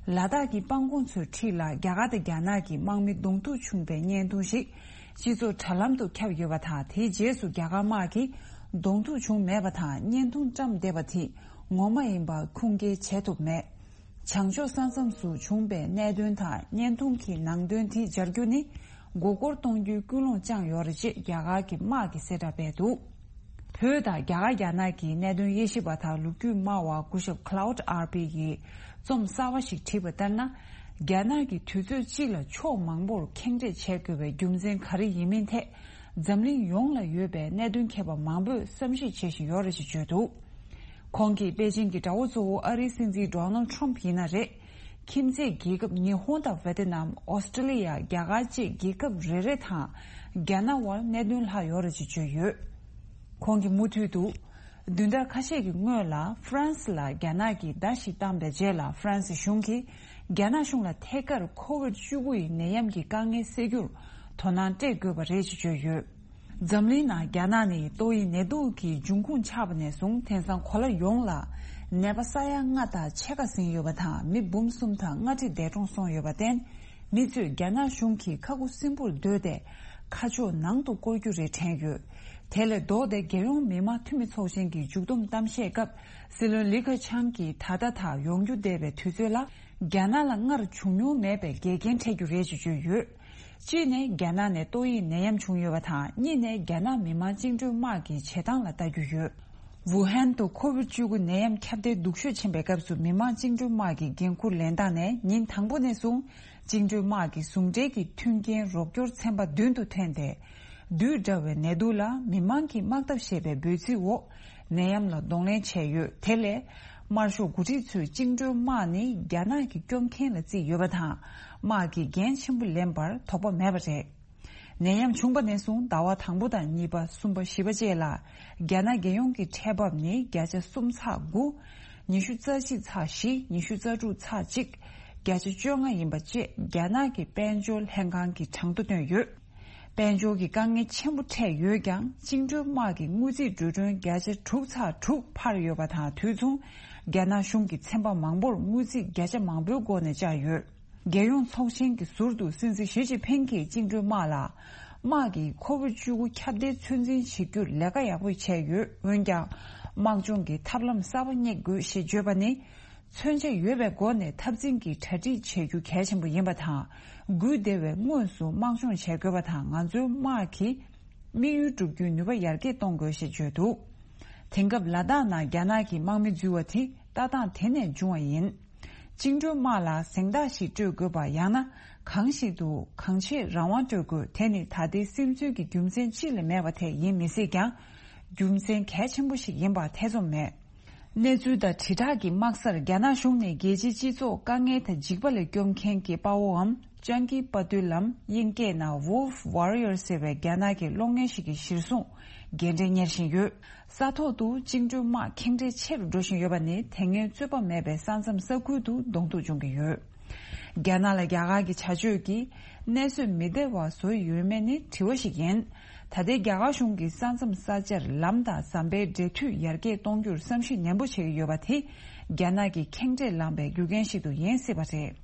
ལ་དྭགས་ཀྱི་སྤང་གོང་མཚོའི་འཁྲིས་ལ་རྒྱ་གར་དང་རྒྱ་ནག་གི་དམག་མི་གདོང་ཐུག་བྱུང་པའི་བརྙན་ཐུང་ཞིག་སྤྱི་ཚོགས་དྲ་ལམ་དུ་ཁྱབ་ཡོད་པ་དང་། དེའི་རྗེས་སུ་རྒྱ་གར་དམག་གིས་གདོང་ཐུག་བྱུང་མེད་པ་དང་། བརྙན་ཐུང་བཀྲམ་བསྡད་པ་དེ་ངོ་མ་ཡིན་པ་ཁུངས་སྐྱེལ་བྱེད་ཐུབ་མེད། བྱང་ཕྱོགས་ས་མཚམས་སུ་བྱུང་པའི་གནད་དོན་དང་བརྙན་ཐུང་གི་ནང་དོན་དེ་སྦྱར་རྒྱུ་ནི། མགོ་སྐོར་གཏོང་རྒྱུའི་ཀུན་སློང་བཅངས་ཡོད་རེད་ཅེས་རྒྱ་གར་གྱི་དམག་གིས་གསལ་བསྒྲགས་སྤེལ་འདུག་བོད་དང་རྒྱ་གར་རྒྱ་ནག་གི་གནད་དོན་དབྱེ་ཞིབ་པ་དང་ལོ་རྒྱུས་སྨྲ་བ་སྐུ་ཞབས་Claude Arpi་ཡིས་རྩོམ་གསར་བ་ཞིག་བྲིས་པ་ལྟར་ན། རྒྱ་ནག་གིས་དུས་ཚོད་གཅིག་ལ་ཕྱོགས་མང་པོར་ཁེངས་དྲེགས་བྱེད་དགོས་པའི་རྒྱུ་མཚན་ག་རེ་ཡིན་མིན་ཐད། འཛམ་གླིང་ཡོངས་ལ་ཡོད་པའི་གནད་དོན་མཁས་པ་མང་པོས་བསམ་གཞིག་བྱེད་བཞིན་ཡོད་རེད་ཅེས་བརྗོད་འདུག་ཁོང་གིས་པེ་ཅིང་གི་དགྲ་བོ་གཙོ་བོ་ཨ་རིའི་སྲིད་འཛིན་Donald Trump་ཡིན་ན་རེད། ཁྱིམ་མཚེས་རྒྱལ་ཁབ་ཉི་ཧོང་དང་ཝེ་ཏི་ནམ། ཨོ་སི་ཀྲི་ལི་ཡ། རྒྱ་གར་བཅས་རྒྱལ་ཁབ་རེ་རེ་དང་རྒྱ་ནག་དབར་གནད་དོན་ལྷག་ཡོད་རེད་ཅེས་བརྗོད་ཡོད། ཁོང་གིས་མུ་མཐུད་དུ། བདུན་ཕྲག་ཁ་ཤས་ཀྱི་སྔོན་ལ་ཧྥ་རན་སི་ལ་རྒྱ་ནག་གིས་མདའ་ཞིག་བཏང་པའི་རྗེས་ལ། ཧྥ་རན་སི་གཞུང་གིས་རྒྱ་ནག་གཞུང་ལ་ཐད་ཀར་ཁོ་ཝིཌ་བཅུ་དགུ་ཡི་ནད་ཡམས་ཀྱི་དཀའ་ངལ་སེལ་རྒྱུར་དོ་སྣང་སྤྲད་དགོས་པ་རེད་ཅེས་བརྗོད་ཡོད། འཛམ་གླིང་ནང་རྒྱ་ནག་ནི་ཏོག་དབྱིབས་ནད་དུག་གི་འབྱུང་ཁུངས་ཆགས་པ་ནས་བཟུང་དེང་སང་གོ་ལ་ཡོངས་ལ་ནད་པ་ས་ཡ་ལྔ་དང་ཕྱེད་ཀ་ཟིན་ཡོད་པ་དང་། མི་འབུམ་གསུམ་དང་ལྔ་ཁྲི་འདས་གྲོངས་སོང་ཡོད་པར་བརྟེན། མི་ཚོས་རྒྱ་ནག་གཞུང་གིས་ཁ་ཁུ་སིམ་པོར་སྡོད་དེ། ཁ་ཕྱོགས་ནང་དུ་བསྐོར་རྒྱུ་རེད་དྲན་ཡོད། དེ་ལས་ལྡོག་སྟེ། རྒྱལ་ཡོངས་མི་དམངས་འཐུས་མི་ཚོགས་ཆེན་གྱི་མཇུག་བསྡོམས་གཏམ་བཤད་སྐབས། སྲིད་བློན་ལི་ཁེ་ཆང་གིས་ད་ལྟ་དང་ཡོང་རྒྱུ་བསྡད་པའི་དུས་ཚོད་ལ། རྒྱ་ནག་ལ་སྔར་བྱུང་མྱོང་མེད་པའི་འགལ་རྐྱེན་འཕྲད་རྒྱུ་རེད་ཅེས་བརྗོད་ཡོད། གཅིག་ནས། རྒྱ་ནག་ནས་ཏོག་དབྱིབས་ནད་ཡམས་བྱུང་ཡོད་པ་དང་། གཉིས་ནས། རྒྱ་ནག་མི་དམངས་བཅིངས་འགྲོལ་དམག་གི་བྱེད་སྟངས་ལ་ལྟ་རྒྱུ་ཡོད། ཝུ་ཧན་དུ་ཁོ་ཝིཌ་བཅུ་དགུ་ནད་ཡམས་ཁྱབ་གདལ་སྡུག་ཤོས་ཕྱིན་པའི་སྐབས་སུ། མི་དམངས་བཅིངས་འགྲོལ་དམག་གི་འགན་འཁུར་ལེན་སྟངས་ནས་ཉིན་དང་པོ་ནས་བཟུང་། བཅིངས་འགྲོལ་དམག་གི་ཟུང་འབྲེལ་གྱི་མཐུན་རྐྱེན་རོགས་སྐྱོར་ཚན་པ་མདུན་དུ་ཐོན་ཏེ། བདུད་འདྲ་བའི་ནད་དུག་ལ་མི་དམངས་ཀྱི་དམག་འཐབ་ཞེས་པའི་འབོད་ཚིག་འོག་ནད་ཡམས་ལ་གདོང་ལེན་བྱས་ཡོད། དེ་ལས། དམར་ཤོག་འགོ་ཁྲིད་ཚོས་བཅིངས་འགྲོལ་དམག་ནི་རྒྱ་ནག་གི་སྐྱོབ་མཁན་ལ་བརྩིས་ཡོད་པ་དང་། དམག་གིས་འགན་ཆེན་པོ་ལེན་པར་དོགས་པ་མེད་པ་རེད། ནད་ཡམས་བྱུང་བ་ནས་བཟུང་ཟླ་བ་དང་པོ་དང་གཉིས་པ་གསུམ་པ་བཞི་པ་བཅས་ལ་རྒྱ་ནག་རྒྱལ་ཡོངས་ཀྱི་ཁྲལ་འབབ་ནི་བརྒྱ་ཆ་གསུམ་ཚེག་དགུ། ཉི་ཤུ་རྩ་བཞི་ཚེག་བཞི། ཉི་ཤུ་རྩ་དྲུག་ཚེག་གཅིག་བརྒྱ་ཆ་བཅོ་ལྔ་ཡིན་པ་བཅས་རྒྱ་ནག་གི་དཔལ་འབྱོར་ལྷན་ཁང་གིས་གྲངས་ཐོ་བཏོན་ཡོད། དཔལ་འབྱོར་གྱི་དཀའ་ངལ་ཆེན་པོ་འཕྲད་ཡོད་ཀྱང་བཅིངས་འགྲོལ་དམག་གི་དངུལ་རྩིས་འགྲོ་གྲོན་བརྒྱ་ཆ་དྲུག་ཚེག་དྲུག་འཕར་ཡོད་པ་དང་དུས་མཚུངས་རྒྱ་ནག་གཞུང་གིས་ཚན་པ་མང་པོར་དངུལ་རྩིས་བརྒྱ་ཆ་མང་པོའི་སྒོ་ནས་བཅག་ཡོད། རྒྱལ་ཡོངས་ཚོགས་ཆེན་གྱི་ཟུར་དུ་སྲིད་འཛིན་ཞི་ཅིན་ཕིང་གིས་བཅིངས་འགྲོལ་དམག་ལ་དམག་གིས་ཁོ་བོད་བཅུ་དགུ་ཁྱབ་གདལ་ཚོད་འཛིན་བྱེད་རྒྱུར་ལས་ཀ་ཡག་པོ་བྱས་ཡོད། འོན་ཀྱང་། དམག་སྦྱོང་གི་ཐབས་ལམ་གསར་པ་རྙེད་དགོས་ཞེས་བརྗོད་པ་ནི། མཚོན་ཆ་ཡོད་པའི་སྒོ་ནས་འཐབ་འཛིང་གི་གྲ་སྒྲིག་བྱེད་རྒྱུ་གལ་ཆེན་པོ་ཡིན་པ་དང་། སྒུལ་བདེ་བའི་དངོས་སུ་དམག་སྦྱོང་བྱེད་དགོས་པ་དང་ང་ཚོའི་དམག་གི་དམིགས་ཡུལ་བསྒྲུབ་རྒྱུའི་ནུས་པ་ཡར་རྒྱས་གཏོང་དགོས་ཞེས་བརྗོད་འདུག་དེང་སྐབས་ལ་དྭགས་ནང་རྒྱ་ནག་གི་དམག་མི་འཛུལ་བ་དེ་ལྟ་སྟངས་དེ་ནས་བྱུང་བ་ཡིན། བཅིངས་འགྲོལ་དམག་ལ་གཟེངས་རྟགས་ཤིག་སྤྲོད་དགོས་པ་ཡང་ན་གང་ཞིག་ཏུ་གང་ཆེ་རང་དབང་སྤྲོད་དགོས་དེ་ནི་ད་ལྟའི་སིམ་འཛུལ་གྱི་རྒྱུ་མཚན་གཅིག་ལས་མེད་པ་དེ་ཡིན་མི་སྲིད་ཀྱང་། རྒྱུ་མཚན་གལ་ཆེན་པོ་ཞིག་ཡིན་པ་ཐེ་ཚོམ་མེད། གནས་ཚུལ་དང་དྲིལ་བསྒྲགས་ཀྱི་དམག་སར་རྒྱ་ནག་གཞུང་ནས་རྒྱལ་སྤྱིའི་སྤྱི་ཚོགས་དཀའ་ངལ་དང་འཇིགས་པ་ལས་སྐྱོབ་མཁན་གྱི་དཔའ་བོའམ་ཅང་ཀི་དཔའ་རྟུལ་ལམ་དབྱིན་སྐད་ནང་Wolf Warrior ཟེར་བའི་རྒྱ་ནག་གི་གློག་བརྙན་ཞིག་གི་གཞིར་བཟུང་རྒྱས་འགྲེལ་གཉེར་བཞིན་ཡོད། ས་ཐོག་ཏུ་བཅིངས་འགྲོལ་དམག་ཁེངས་དྲེགས་ཆེ་རུ་འགྲོ་བཞིན་ཡོད་པ་ནི་དེ་སྔའི་རྩོད་པ་མེད་པའི་ས་མཚམས་ས་ཁུལ་དུ་གདོང་ཐུག་འབྱུང་གི་ཡོད། རྒྱ་ནག་ལ་རྒྱ་གར་གྱི་བྱ་སྤྱོད་ཀྱིས་གནས་སྲོལ་མི་བདེ་བ་བཟོ་ཡི་ཡོད་མེད་ནི་དྲི་བ་ཞིག་ཡིན། ད་ལྟའི་རྒྱ་གར་གཞུང་གིས་ས་མཚམས་ས་ཆར་ལམ་དང་ཟམ་པའི་འབྲེལ་མཐུད་ཡར་རྒྱས་གཏོང་རྒྱུར་བསམ་གཞིག་ནན་པོ་བྱེད་ཀྱི་ཡོད་པ་དེ་རྒྱ་ནག་གི་ཁེངས་དྲེགས་ལངས་པའི་རྒྱུ་རྐྱེན་ཞིག་ཏུ་ཡིན་སྲིད་པ་རེད།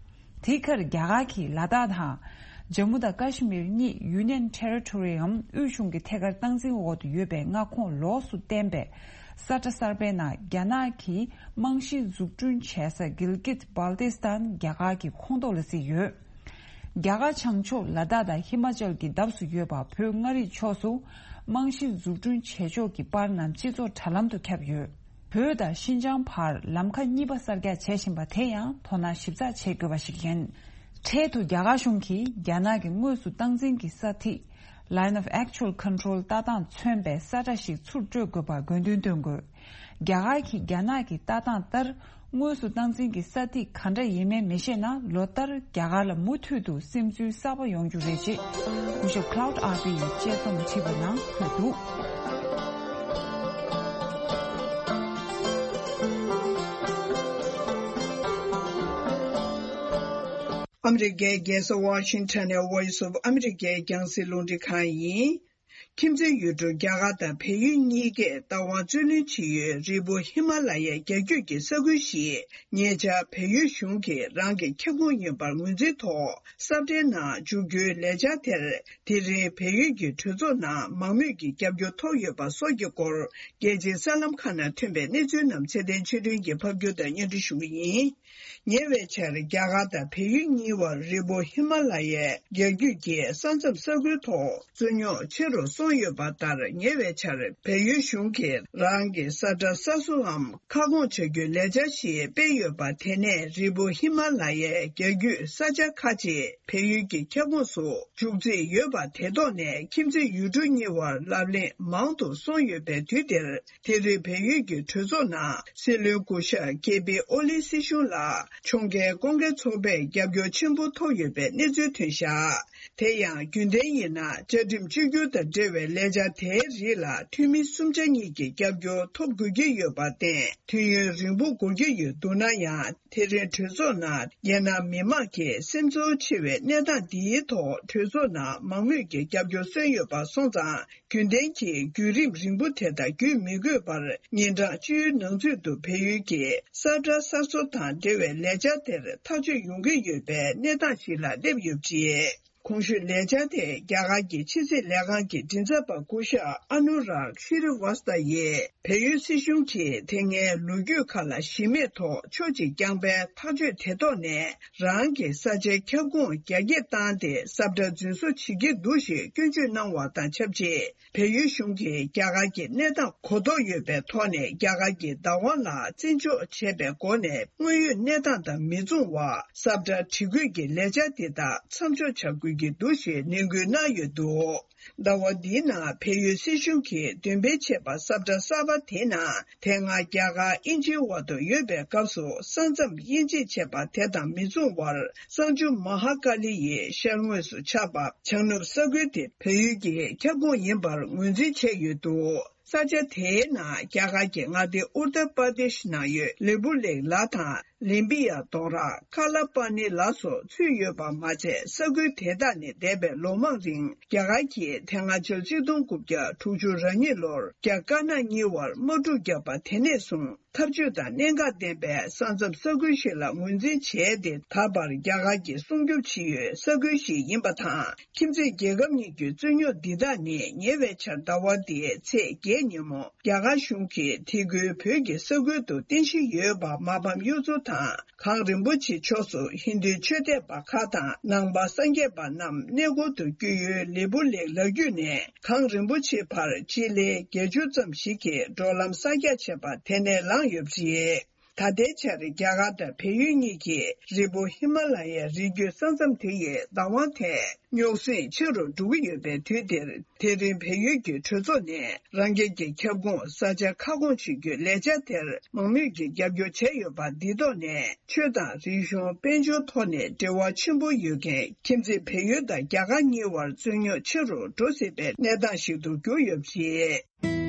དེའི་ཁར་རྒྱ་གར་གྱིས་ལ་དྭགས་དང་། ཇམ་མུ་དང་ཀ་ཤི་མིར་གཉིས་Union Territoryའམ་དབུས་གཞུང་གི་ཐད་ཀར་སྟངས་འཛིན་འོག་ཏུ་ཡོད་པའི་མངའ་ཁོངས་ལོགས་སུ་བརྟེན་པའི་ས་ཁྲ་གསར་པའི་ནང་རྒྱ་ནག་གིས་རྨང་གཞི་འཛུགས་སྐྲུན་བྱེད་ས་གིལ་གིད་བལ་ཏི་སྟན་རྒྱ་གར་གྱི་ཁོངས་གཏོགས་ལ་བརྩིས་ཡོད། རྒྱ་གར་བྱང་ཕྱོགས་ལ་དྭགས་དང་ཧི་མ་ཅལ་གྱི་འདབས་སུ་ཡོད་པ་བོད་མངའ་རིས་ཕྱོགས་སུ་རྨང་གཞི་འཛུགས་སྐྲུན་བྱེད་ཕྱོགས་ཀྱི་པར་རྣམས་སྤྱི་ཚོགས་དྲ་ལམ་དུ་ཁྱབ་ཡོད། བོད་དང་ཤིན་ཅང་བར་ལམ་ཁ་གཉིས་པ་གསར་རྒྱག་བྱེད་བཞིན་པ་དེ་ཡང་དོ་སྣང་ཞིབ་ཚགས་བྱེད་དགོས་པ་ཞིག་ཡིན། འཕྲལ་དུ་རྒྱ་གར་གཞུང་གིས་རྒྱ་ནག་གི་དངོས་སུ་སྟངས་འཛིན་གྱི་ས་ཐིག Line of Actual Control ལྟ་སྟངས་མཚོན་པའི་ས་ཁྲ་ཞིག་ཚུར་སྤྲོད་དགོས་པར་དགོས་འདུན་བཏོན་དགོས། རྒྱ་གར་གྱིས་རྒྱ་ནག་གི་ལྟ་སྟངས་ལྟར་དངོས་སུ་སྟངས་འཛིན་གྱི་ས་ཐིག་ག་འདྲ་ཡིན་མིན་མི་ཤེས་ན་ལོ་ལྟར་རྒྱ་གར་ལ་མུ་མཐུད་དུ་སིམ་འཛུལ་གསར་པ་ཡོང་རྒྱུ་རེད་ཅེས་སྐུ་ཞབས་Cloud R P ཡིས་དཔྱད་རྩོམ་བྲིས་པའི་ནང་འཁོད་འདུག་ཨ་མི་རི་ཀའི་རྒྱལ་ས་ཝ་ཤིང་ཊོན་ནས་Voice of America རྒྱང་སྲིང་རླུང་འཕྲིན་ཁང་ཡིན། ཁྱིམ་མཚེས་ཡུལ་གྲུ་རྒྱ་གར་དང་བལ་ཡུལ་གཉིས་ཀས་རྟ་དབང་རྩོད་ལེན་བྱེད་ཡུལ་རི་བོ་ཧི་མ་ལ་ཡའི་རྒྱ་རྒྱུད་ཀྱི་ས་ཁུལ་ཞིག་ཉེ་ཆར་བལ་ཡུལ་གཞུང་གིས་རང་གི་ཁྱབ་ཁོངས་ཡིན་པར་ངོས་འཛིན་ཐོག་ས་བཀྲའི་ནང་འཇུག་རྒྱུའི་ལས་འཆར་དེར་དེ་རིང་བལ་ཡུལ་གྱི་གྲོས་ཚོགས་ནང་མང་མོས་ཀྱི་རྒྱབ་སྐྱོར་ཐོབ་ཡོད་པ་སོགས་ཀྱི་སྐོར་རྒྱལ་སྤྱིའི་གསར་ལམ་ཁག་ནང་ཐོན་པའི་གནས་ཚུལ་རྣམས་ཚེ་བརྟན་ཆོས་སྒྲོན་གྱིས་ཕབ་སྒྱུར་དང་སྙན་སྒྲོན་ཞུ་གི་ཡིན། ཉེ་བའི་ཆར་རྒྱ་གར་དང་བལ་ཡུལ་གཉིས་བར་རི་བོ་ཧི་མ་ལ་ཡའི་རྒྱ་རྒྱུད་ཀྱི་ས་མཚམས་ས་ཁུལ་ཐོག་རྩོད་རྙོག་ཆེ་རུ་སོང་ཡོད་པ་ལྟར། ཉེ་བའི་ཆར་བལ་ཡུལ་གཞུང་གིས་རང་གི་ས་ཁྲ་གསར་བཟོའམ་ཁ་སྐོང་བྱ་རྒྱུའི་ལས་འཆར་ཞིག་སྤེལ་ཡོད་པ། དེ་ནས་རི་བོ་ཧི་མ་ལ་ཡའི་རྒྱ་རྒྱུད་ས་ཆ་ཁག་ཅིག་བལ་ཡུལ་གྱི་ཁྱབ་ཁོངས་སུ་འཇུག་རྩིས་ཡོད་པ། དེ་ཐོག་ནས་ཁྱིམ་མཚེས་ཡུལ་གྲུ་གཉིས་བར་ལབ་གླེང་མང་དུ་སོང་ཡོད་པའི་དུས་འདིར། དེ་རིང་བལ་ཡུལ་གྱི་གྲོས་ཚོགས་ནང་སྲིད་བློན་སྐུ་ཞབས་ཀེ་པི་ཨོ་ལི་སྲིད་གཞུང་ལ་ཕྱོགས་འགལ་སྐོར་འགལ་ཚོགས་པས་རྒྱབ་སྐྱོར་ཆེན་པོ་ཐོབ་ཡོད་པའི་གནས་ཚུལ་ཐོན་བཞག་དེ་ཡང་རྒྱུན་ལྡན་ཡིན་ན་བཅའ་ཁྲིམས་གཅིག་གྱུར་དང་འབྲེལ་བའི་ལས་འཆར་དེའི་རིགས་ལ་འཐུས་མི་གསུམ་ཆ་གཉིས་ཀྱི་རྒྱབ་སྐྱོར་ཐོབ་དགོས་ཀྱི་ཡོད་པར་བརྟེན། དུས་ཡུན་རིང་པོ་འགོར་གྱི་ཡོད་འདུག་ན་ཡང་། དེ་རིང་གྲོས་ཚོགས་ནང་རྒྱལ་ནང་མི་མང་གི་སེམས་ཚོར་ཆེ་བའི་གནས་སྟངས་འདིའི་ཐོག་གྲོས་ཚོགས་ནང་མང་མོས་ཀྱི་རྒྱབ་སྐྱོར་སོན་ཡོད་པ་སོང་ཙང་། རྒྱུན་ལྡན་གྱི་བརྒྱུད་རིམ་རིང་པོ་དེ་དག་བརྒྱུད་མི་དགོས་པར། ཉིན་གྲངས་བཅུའི་ནང་ཚུད་དུ་བལ་ཡུལ་གྱི་ས་ཁྲ་གསར་བཟོ་དང་འབྲེལ་བའི་ལས་འཆར་དེར་ཐག་གཅོད་ཡོང་གི་ཡོད་པའི་གནས་སྟངས་ཤིག་ལ་སླེབས་ཡོད་པ་རེད། གོང་ཞུས་ལས་འཆར་དེ་རྒྱ་གར་གྱི་ཕྱི་སྲིད་ལས་ཁང་གི་མགྲིན་ཚབ་པ་སྐུ་ཞབས་ཨ་ནུ་རག་ཤྲི་ཝ་སྟ་ཡིས་བལ་ཡུལ་སྲིད་གཞུང་གིས་དེ་སྔའི་ལོ་རྒྱུས་ཁག་ལ་གཞི་མེད་ཐོག་ཕྱོགས་གཅིག་རྐྱང་པའི་ཐག་གཅོད་དེ་ཐོག་ནས། རང་གི་ས་ཆའི་ཁྱབ་ཁོངས་རྒྱ་སྐྱེད་བཏང་སྟེ་ས་ཁྲ་རྫུན་བཟོ་བྱེད་ཀྱི་འདུག་ཞེས་སྐྱོན་བརྗོད་གནང་བ་དང་ཆབས་ཅིག་བལ་ཡུལ་གཞུང་གིས་རྒྱ་གར་གྱི་གནས་སྟངས་གོ་རྟོགས་ཡོད་པའི་ཐོག་ནས་རྒྱ་གར་གྱི་བདག་དབང་ལ་བརྩི་འཇོག་བྱས་པའི་སྒོ་ནས་དངོས་ཡོད་གནས་སྟངས་དང་མི་མཚུངས་པར་ས་ཁྲ་སྒྲིག་བཀོད་ཀྱི་ལས་འཆར་འདི་དག་མཚམས་འཇོག་བྱ་དགོས། ཡོད་ཀྱི་འདུག་ཞེས་ནན་སྐུལ་གནང་ཡོད་འདུག་ཟླ་བ་འདིའི་ནང་བལ་ཡུལ་སྲིད་གཞུང་གིས་འདོན་སྤེལ་བྱས་པ་ས་བཀྲ་གསར་པ་དེའི་ནང་དེ་སྔ་རྒྱ་གར་དབྱིན་ཇིའི་དབར་དུ་ཡོད་པའི་སྐབས་སུ་ས་མཚམས་དབྱེ་འབྱེད་བྱས་པ་དེ་དང་མི་མཚུངས་པར། གསང་ཆུ་མ་ཧཱ་ཀཱ་ལི་ཡི་ཤར་ངོས་སུ་ཆགས་པ་བྱང་ནུབ་ས་ཁུལ་དེ་བལ་ཡུལ་གྱི་ཁྱབ་ཁོངས་ཡིན་པར་ངོས་འཛིན་བྱས་ཡོད་འདུག་ས་ཆ་དེའི་ནང་རྒྱ་གར་གྱི་མངའ་སྡེ་ཨུར་ཏར་པར་དེཤ་ནང་ཡོད་ལེ་པུ་ལེག་ལ་དང་། ལིམ་པི་ཡ་རྡོ་ར། ཁ་ལ་པ་ནི་ལ་སོགས་ཚུད་ཡོད་པ་མ་ཚད། ས་ཁུལ་དེ་དག་ནས་འདས་པའི་ལོ་མང་རིང་རྒྱ་གར་གྱིས་དེ་སྔ་ཕྱི་ལོ་གཅིག་སྟོང་དགུ་བརྒྱ་དྲུག་ཅུ་རེ་གཉིས་ལོར་རྒྱ་དཀར་ནག་གཉིས་བར་དམག་འཁྲུག་བརྒྱབ་པ་དེ་ནས་བཟུང་། འཐབ་ཇུས་དང་གནད་འགག་ལྡན་པའི་ས་མཚམས་ས་ཁུལ་ཞིག་ལ་ངོས་འཛིན་བྱས་ཏེ། ད་བར་རྒྱ་གར་གྱིས་སྲུང་སྐྱོབ་བྱེད་ཡུལ་ས་ཁུལ་ཞིག་ཡིན་པ་དང་། ཁྱིམ་མཚེས་རྒྱལ་ཁབ་གཉིས་ཀྱི་རྩོད་རྙོག་འདི་དག་ནི་ཉེ་བའི་ཆར་ཟླ་བ་འདིའི་ཚེས་བརྒྱད་ཉིན་མོ། རྒྱ་གར་གཞུང་གིས་དེ་ཁུལ་བོད་ཀྱི་ས་ཁུལ་དུ་རྟེན་གཞི་ཡོད་པ་མ་ཕམ་གཡུ་མཚོ་དང་། གངས་རིན་པོ་ཆེ་ཕྱོགས་སུ་ཧིན་རྡུའི་ཆོས་དད་པ་ཁག་དང་ནང་པ་སངས་རྒྱས་པ་རྣམས་གནས་སྐོར་དུ་བསྐྱོད་ཡུལ་ལེ་པུ་ལེག་ལ་རྒྱུད་ནས་གངས་རིན་པོ་ཆེ་བར་སྤྱི་ལེ་བརྒྱད་ཅུ་ཙམ་ཞིག་གི་འགྲོ་ལམ་གསར་རྒྱག་བྱས་པ་དེ་ནས་ལངས་ཡོད་པ་རེད། ད་ལྟའི་ཆར་རྒྱ་གར་དང་བལ་ཡུལ་གཉིས་ཀྱིས་རི་བོ་ཧི་མ་ལ་ཡའི་རི་རྒྱུད་ས་མཚམས་དེ་ཡི་བདག་དབང་ཐད་རྙོག་ཟིང་ཆེ་རུ་འགྲོ་གི་ཡོད་པའི་དུས་འདིར། དེ་རིང་བལ་ཡུལ་གྱི་གྲོས་ཚོགས་ནས་རང་རྒྱལ་གྱི་ཁྱབ་ཁོངས་ས་ཆ་ཁ་སྐོང་བྱེད་རྒྱུའི་ལས་འཆར་དེར་མང་མོས་ཀྱིས་རྒྱབ་སྐྱོར་བྱས་ཡོད་པ་འདི་ཐོག་ནས། ཆོས་དང་རིག་གཞུང་དཔལ་འབྱོར་ཐོག་ནས་འབྲེལ་བ་ཆེན་པོ་ཡོད་མཁན་ཁྱིམ་མཚེས་བལ་ཡུལ་དང་རྒྱ་གར་གཉིས་བར་རྩོད་རྙོག་ཆེ་རུ་འགྲོ་སྲིད་པའི་གནས་སྟངས་ཤིག་ཏུ་གྱུར་ཡོད་པ་རེད།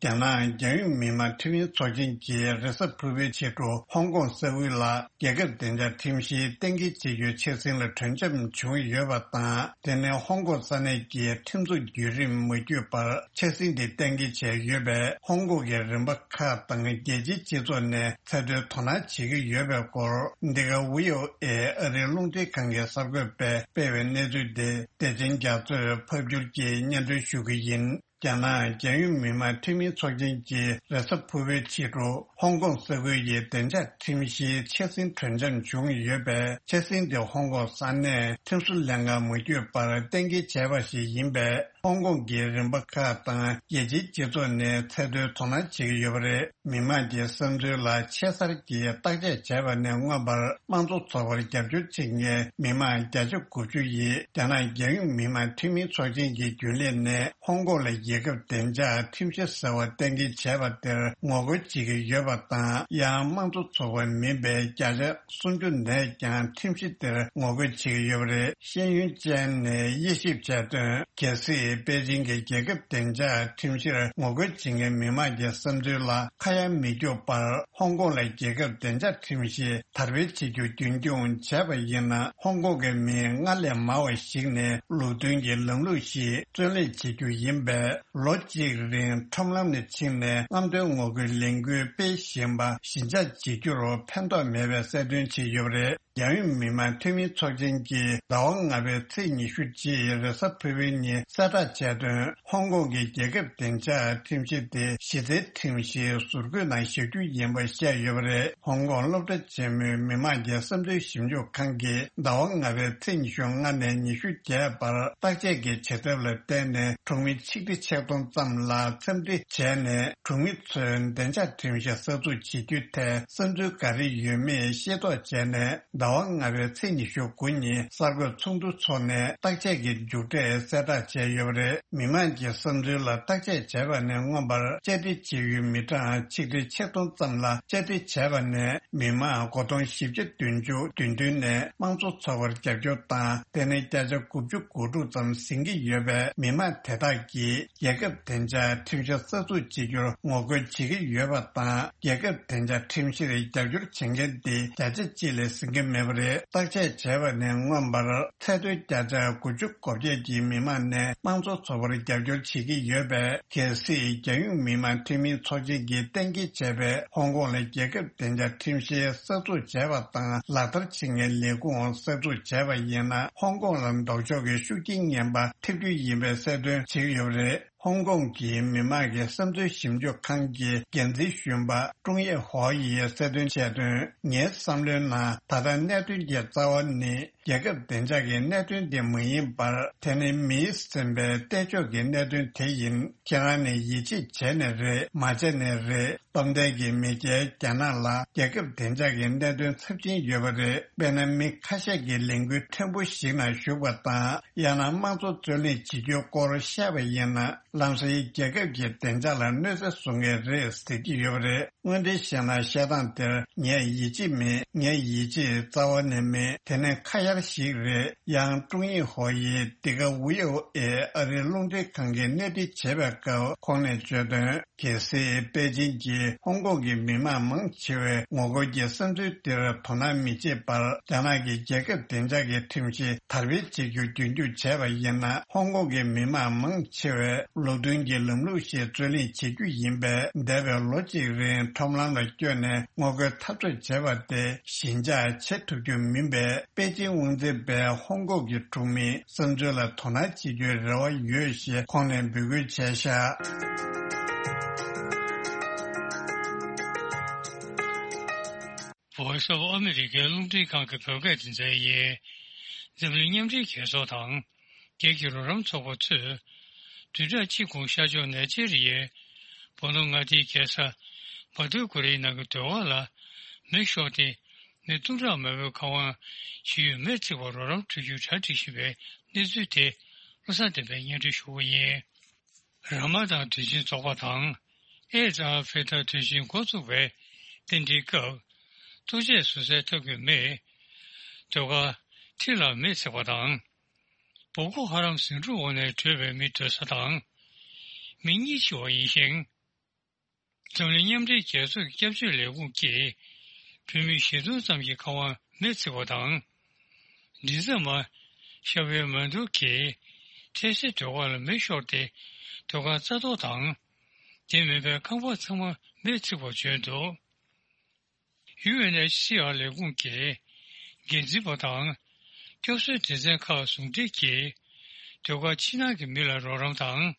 རྒྱ་ནག་རྒྱལ་ཡོངས་མི་དམངས་ཁྲིམས་ཡིག་ཚོགས་ཆེན་གྱིས་རེས་གཟའ་ཕུར་བུའི་ཕྱི་དྲོ་ཧོང་ཀོང་ས་ཁུལ་ལ་རྒྱལ་ཁབ་བདེ་འཇགས་ཁྲིམས་གཞིའི་གཏན་འཁེལ་བྱེད་རྒྱུའི་འཆར་ཟིན་ལ་གྲོས་འཆམ་བྱུང་ཡོད་པ་དང་། དེ་ནི་ཧོང་ཀོང་ས་གནས་ཀྱི་ཁྲིམས་འཛུགས་བརྒྱུད་རིམ་མ་བརྒྱུད་པར་འཆར་ཟིན་འདི་གཏན་འཁེལ་བྱས་ཡོད་པས། ཧོང་ཀོང་གི་རིམ་པ་ཁག་དང་རྒྱལ་སྤྱིའི་སྤྱི་ཚོགས་ནས་ཚད་མཐོའི་དོ་སྣང་བྱེད་ཀྱི་ཡོད་པའི་སྐོར། འདི་ག་བྷི་ཨོ་ཨེ་ཨ་རིའི་རླུང་འཕྲིན་ཁང་གི་གསར་འགོད་པས་སྤེལ་བའི་གནས་ཚུལ་དེ་བདེ་ཆེན་རྒྱ་མཚོས་ཕབ་སྒྱུར་གྱིས་སྙན་སྒྲོན་ཞུ་གི་ཡིན། རྒྱ་ནག་རྒྱལ་ཡོངས་མི་དམངས་འཐུས་མིའི་ཚོགས་ཆེན་གྱིས་རེས་གཟའ་ཕུར་བུའི་ཕྱི་དྲོ་ཧོང་ཀོང་ས་ཁུལ་གྱི་བདེ་འཇགས་ཁྲིམས་གཞིའི་འཆར་ཟིན་གྲོས་འཆམ་བྱུང་ཡོད་པས། འཆར་ཟིན་དེ་ཧོང་ཀོང་ས་གནས་ཁྲིམས་བཟོ་ལྷན་ཁང་མ་བརྒྱུད་པར་གཏན་འཁེལ་བྱས་པ་ཞིག་ཡིན་པས། ཧོང་ཀོང་གི་རིམ་པ་ཁག་དང་རྒྱལ་སྤྱིའི་སྤྱི་ཚོགས་ནས་ཚད་མཐོའི་དོ་སྣང་བྱེད་ཀྱི་ཡོད་པ་རེད། མི་དམངས་ཀྱི་བསམ་ཚུལ་ལ་ཆེ་སར་གྱིས་བརྟག་དཔྱད་བྱས་པ་ནས་མངོན་པར། དམངས་གཙོ་ཚོགས་པར་རྒྱབ་སྐྱོར་བྱེད་མཁན་མི་དམངས་བརྒྱ་ཆ་དགུ་བཅུ་ཡིས་རྒྱ་ནག་རྒྱལ་ཡོངས་མི་དམངས་འཐུས་མིའི་ཚོགས་ཆེན་གྱི་རྒྱུན་ལས་ནས་ཧོང་ཀོང་ལ་རྒྱལ་ཁབ་བདེ་འཇགས་ཁྲིམས་གཞི་ཟེར་བ་གཏན་འཁེལ་བྱས་པ་དེར་ངོ་རྒོལ་བྱེད་ཀྱི་ཡོད་པ་དང་། ཡང་དམངས་གཙོ་ཚོགས་པ་མིན་པའི་བརྒྱ་ཆ་སུམ་ཅུ་ནས་ཀྱང་ཁྲིམས་གཞི་དེར་ངོ་རྒོལ་བྱེད་ཀྱི་ཡོད་པ་རེད། ཤེས་ཡོན་ཅན་ནས་དབྱེ་ཞིབ་བྱས་དོན། གལ་སྲིད་པེ་ཅིང་གི་རྒྱལ་ཁབ་བདེ་འཇགས་ཁྲིམས་གཞིར་ངོ་རྒོལ་བྱེད་མཁན་མི་དམངས་ཀྱི་བསམ་ཚུལ་ལ་ཁ་ཡ་མི་རྒྱུག་པར། ཧོང་ཀོང་ལ་རྒྱལ་ཁབ་བདེ་འཇགས་ཁྲིམས་གཞི་དར་སྤེལ་བྱེད་རྒྱུ་རྒྱུན་འཁྱོངས་བྱས་པ་ཡིན་ན། ཧོང་ཀོང་གི་མི་སྔར་ལས་མང་བ་ཞིག་ནས་ལུགས་མཐུན་གྱི་ལམ་ལུགས་ཤིག་བརྩོན་ལེན་བྱེད་རྒྱུ་ཡིན་པས། ལོ་གཅིག་རིང་ཁྲོམ་ལམ་ནས་ཕྱིན་ནས་རྔམ་སྟོན་ངོ་རྒོལ་ལས་འགུལ་སྤེལ་བཞིན་པ་ཞི་འཇགས་བྱེད་རྒྱུར་ཕན་ཐོགས་མེད་པའི་གསལ་སྟོན་བྱས་ཡོད་པ་རེད། རྒྱལ་ཡོངས་མི་དམངས་འཐུས་མིའི་ཚོགས་ཆེན་གྱིས་ཟླ་བ་ལྔ་པའི་ཚེས་ཉི་ཤུ་རྗེས་རེས་གཟའ་ཕུར་བུའི་ཉིན་གསལ་བསྒྲགས་བྱས་དོན། ཧོང་ཀོང་གི་རྒྱལ་ཁབ་བདེ་འཇགས་ཁྲིམས་གཞི་དེ་གཞི་རྩའི་ཁྲིམས་གཞིའི་ཟུར་བཀོད་ནང་བཞག་རྒྱུ་ཡིན་པ་བཤད་ཡོད་པ་རེད། ཧོང་ཀོང་སློབ་གྲྭ་ཆེན་མོའི་མི་དམངས་ཀྱི་བསམ་ཚུལ་ཞིབ་འཇུག་ཁང་གིས་ཟླ་བ་ལྔ་པའི་ཚེས་ཉི་ཤུ་ལྔ་ནས་ཉི་ཤུ་བརྒྱད་བར་བརྟག་དཔྱད་ཀྱི་བྱེད་ཐབས་ལ་བརྟེན་ནས་གྲོང་མི་ཆིག་ཁྲི་ཆིག་སྟོང་ཙམ་ལ་འཚམས་འདྲི་བྱས་ནས། གྲོང་མི་ཚོས་བདེ་འཇགས་ཁྲིམས་གཞི་གསར་འཛུགས་བྱེད་རྒྱུའི་ཐད་བསམ་ཚུལ་ག་རེ་ཡོད་མེད་ཤེས་རྟོགས་བྱས་ནས། ཟླ་བ་ལྔ་པའི་ཚེས་ཉི་ཤུ་དགུ་ཉིན་གསར་འགོད་ཚོགས་འདུ་འཚོགས་ནས་བརྟག་དཔྱད་ཀྱི་མཇུག་འབྲས་གསལ་བསྒྲགས་བྱས་ཡོད་པ་རེད། མི་དམངས་ཀྱི་བསམ་ཚུལ་ལ་བརྟག་དཔྱད་བྱས་པ་ནས་མངོན་པར་བཅར་འདྲི་བྱེད་ཡུལ་མི་གྲངས་ཆིག་ཁྲི་ཆིག་སྟོང་ཙམ་ལ་བཅར་འདྲི་བྱས་པ་ནས། མི་དམངས་སྒོར་སྟོང་བཞི་བརྒྱ་བདུན་ཅུ་བདུན་བདུན་ནས་དམངས་གཙོ་ཚོགས་པར་རྒྱབ་སྐྱོར་དང་། དེ་ནས་བརྒྱ་ཆ་དགུ་བཅུ་གོ་དྲུག་ཙམ་ཟིན་གྱི་ཡོད་པས། མི་དམངས་དེ་དག་གིས་རྒྱལ་ཁབ་བདེ་འཇགས་ཁྲིམས་གཞི་གསར་འཛུགས་བྱེད་རྒྱུར་ངོ་རྒོལ་བྱེད་ཀྱི་ཡོད་པ་དང་། རྒྱལ་ཁབ་བདེ་འཇགས་ཁྲིམས་གཞིར་རྒྱབ་སྐྱོར་བྱེད་མཁན་དེ་བརྒྱ་ཆ་གཅིག་ལས་ཟིན་གྱི་མེད་པ་རེད། བརྟག་དཔྱད་བྱས་པ་ནས་མངོན་པར་ཚད་མཐོའི་བརྒྱ་ཆ་དགུ་བཅུ་གོ་བརྒྱད་ཀྱི་མི་དམངས་ནས་དམངས་གཙོ་ཚོགས་པར་རྒྱབ་སྐྱོར་བྱེད་ཀྱི་ཡོད་པས། གལ་སྲིད་རྒྱལ་ཡོངས་མི་དམངས་འཐུས་མིའི་ཚོགས་ཆེན་གྱིས་གཏན་འཁེལ་བྱས་པའི་ཧོང་ཀོང་ལ་རྒྱལ་ཁབ་བདེ་འཇགས་ཁྲིམས་གཞི་གསར་འཛུགས་བྱས་པ་དང་ལག་བསྟར་བྱེད་མཁན་ལས་ཁུངས་གསར་འཛུགས་བྱས་པ་ཡིན་ན། ཧོང་ཀོང་ལ་ལྡོག་ཕྱོགས་ཀྱི་ཤུགས་རྐྱེན་ངན་པ་ཐེབས་རྒྱུ་ཡིན་པའི་གསལ་སྟོན་བྱས་ཡོད་པ་རེད། ཧོང་ཀོང་གི་མི་དམངས་ཀྱི་བསམ་ཚུལ་ཞིབ་འཇུག་ཁང་གི་འགན་འཛིན་གཞོན་པ་ཀྲུང་ཡེ་ཧོ་ཡིས་གསལ་སྟོན་བྱས་དོན། ངའི་བསམ་བློའི་ནང་ད་ལྟ་གནད་དོན་གྱི་རྩ་བ་ནི། རྒྱལ་ཁབ་བདེ་འཇགས་ཀྱི་གནད་དོན་དེ་མ་ཡིན་པར། དེ་ནི་མིས་འཛིན་པའི་གཏད་ཕྱོགས་ཀྱི་གནད་དོན་དེ་ཡིན། ཁྱེད་རང་ནས་ཡིད་ཆེས་བྱས་ནས་རེད། མ་བྱས་ནས་རེད། སྟོབས་ལྡན་གྱི་མི་སྒེར་རྒྱ་ནག་ལ་རྒྱལ་ཁབ་བདེ་འཇགས་ཀྱི་གནད་དོན་ཚབས་ཆེན་ཡོད་པ་རེད། དཔེར་ན། མི་ཁ་ཤས་ཀྱིས་ལས་འགུལ་ཕྲན་བུ་ཞིག་ནང་ཞུགས་པ་དང་། ཡང་ན་དམངས་གཙོ་རྩོད་ལེན་བྱེད་རྒྱུའི་སྐོར་བཤད་པ་ཡིན་ན། ལམ་སང་རྒྱལ་ཁབ་ཀྱི་བདེ་འཇགས་ལ་གནོད་འཚེ་བཟོ་མཁན་རེད་ཟེར་གྱི་ཡོད་པ་རེད། དངོས་འབྲེལ་བཤད་ན། བཤད་སྟངས་དེར་ངས་ཡིད་ཆེས་མེད། ངས་ཡིད་ཆེས་རྩ་བ་ནས་མེད། དེ་ནི་ཁ་གཡར་ཞིག་རེད། ཡང་ཀྲུང་ཡིན་ཧོ་ཡིས་འདི་ག་ཝི་ཨོ་ཨེ་ཨ་རིའི་རླུང་འཕྲིན་ཁང་གི་གནས་འདྲི་བྱེད་པའི་སྐབས་ཁོང་ནས་བརྗོད་དོན། གལ་སྲིད་པེ་ཅིན་གྱིས་ཧོང་ཀོང་གི་མི་མང་མང་ཆེ་བའི་ངོ་རྒོལ་གྱི་བསམ་ཚུལ་དེར་དོ་སྣང་མི་བྱེད་པར། རྒྱ་ནག་གིས་རྒྱལ་ཁབ་བདེ་འཇགས་ཀྱི་ཁྲིམས་གཞི་དར་སྤེལ་བྱེད་རྒྱུ་རྒྱུན་འཁྱོངས་བྱས་པ་ཡིན་ན། ཧོང་ཀོང་གི་མི་མང་མང་ཆེ་བས་ལུགས་མཐུན་གྱི་ལམ་ལུགས་ཤིག་རྩོད་ལེན་བྱེད་རྒྱུ་ཡིན་པས། འདས་པའི་ལོ་གཅིག་རིང་ཁྲོམ་ལམ་ལ་བསྐྱོད་ནས་ངོ་རྒོལ་འཐབ་རྩོད་བྱས་པ་དེ་ཞི་འཇགས་བྱེད་ཐུབ་རྒྱུ་མིན་པས། པེ་ཅིན་དབང་འཛིན་པས་ཧོང་ཀོང་གི་གྲོང་མིའི་བསམ་ཚུལ་ལ་དོ་སྣང་བྱེད་རྒྱུའི་རེ་བ་ཡོད་ཞེས་ཁོང་ནས་འབོད་སྐུལ་བྱས་ཤག Voice of America རླུང་འཕྲིན་ཁང་གི་བོད་སྐད་སྡེ་ཚན་ཡིན། འཛམ་གླིང་མཉམ་འབྲེལ་རྒྱལ་ཚོགས་དང་། རྒྱལ་གྱི་རོགས་རམ་ཚོགས་པ་ཚོས། བདུན་ཕྲག་གཅིག་གོང་ཤར་ཕྱོགས་ནེ་ཇེ་རི་ཡའི་བོད་ནང་མངའ་སྡེའི་རྒྱལ་ས་མ་དུ་ཀུ་རིའི་ནང་གི་སྡོད་སྒར་ལ་མེ་ཤོར་ཏེ། མི་སྟོང་ཕྲག་མང་པོའི་ཁང་བ་ཞིག་ཡོད་མེད་བརྩིགས་པར་རོགས་རམ་སྤྲོད་རྒྱུའི་གྲ་སྒྲིག་བཞིན་པའི་གནས་ཚུལ་དེ་བློ་བཟང་བསྟན་པས་སྙན་སྒྲོན་ཞུ་གི་ཡིན། ར་མ་དང་དུས་ཆེན་ཚོགས་པ་དང་། ཨེ་ཛ་ཨལ་ཕི་ཏར་དུས་ཆེན་འགོ་བཙུགས་པའི་རྟེན་འབྲེལ་སྐབས། ལྟོ་ཆས་བཟོ་སའི་ཐབ་ཀྱི་མེས་སྡོད་སྒར་ཁྲི་ལ་མེ་བསྲེགས་པ་དང་། སྦག་སྦུག་ཧ་རམ་ཟིང་འཁྲུག་འོག་ནས་བྲོས་པའི་མི་སྡོད་ས་དང་། མི་གཉིས་འཆི་བ་ཡིན་ཞིང་། འཛམ་གླིང་མཉམ་འབྲེལ་རྒྱལ་ཚོགས་ཀྱི་སྐྱབས་བཅོལ་ལས་ཁུངས་ཀྱིས་བོད་མི་བཞི་སྟོང་ཙམ་གྱི་ཁང་བ་མེ་བརྩིགས་པ་དང་། མགྲིན་ཚབ་མ་ཤ་བེ་མན་ཏུ་གིས་ཐེ་སེ་སྡོད་སྒར་ལ་མེ་ཤོར་ཏེ་སྡོད་སྒར་རྩ་གཏོར་དང་། དེ་མིན་པའི་ཁང་པ་ཚང་མ་མེ་བརྩིགས་པ་བརྗོད་འདུག་ཡུ་ཨེན་ཨེཆ་སི་ཨར་ལས་ཁུངས་ཀྱི་འགན་འཛིན་པ་དང་། སྐྱོབ་གསོའི་སྡེ་ཚན་ཁག་ཟུང་འབྲེལ་གྱིས་སྡོད་སྒར་ཕྱི་ནང་གི་མི་ལ་རོགས་རམ་དང་།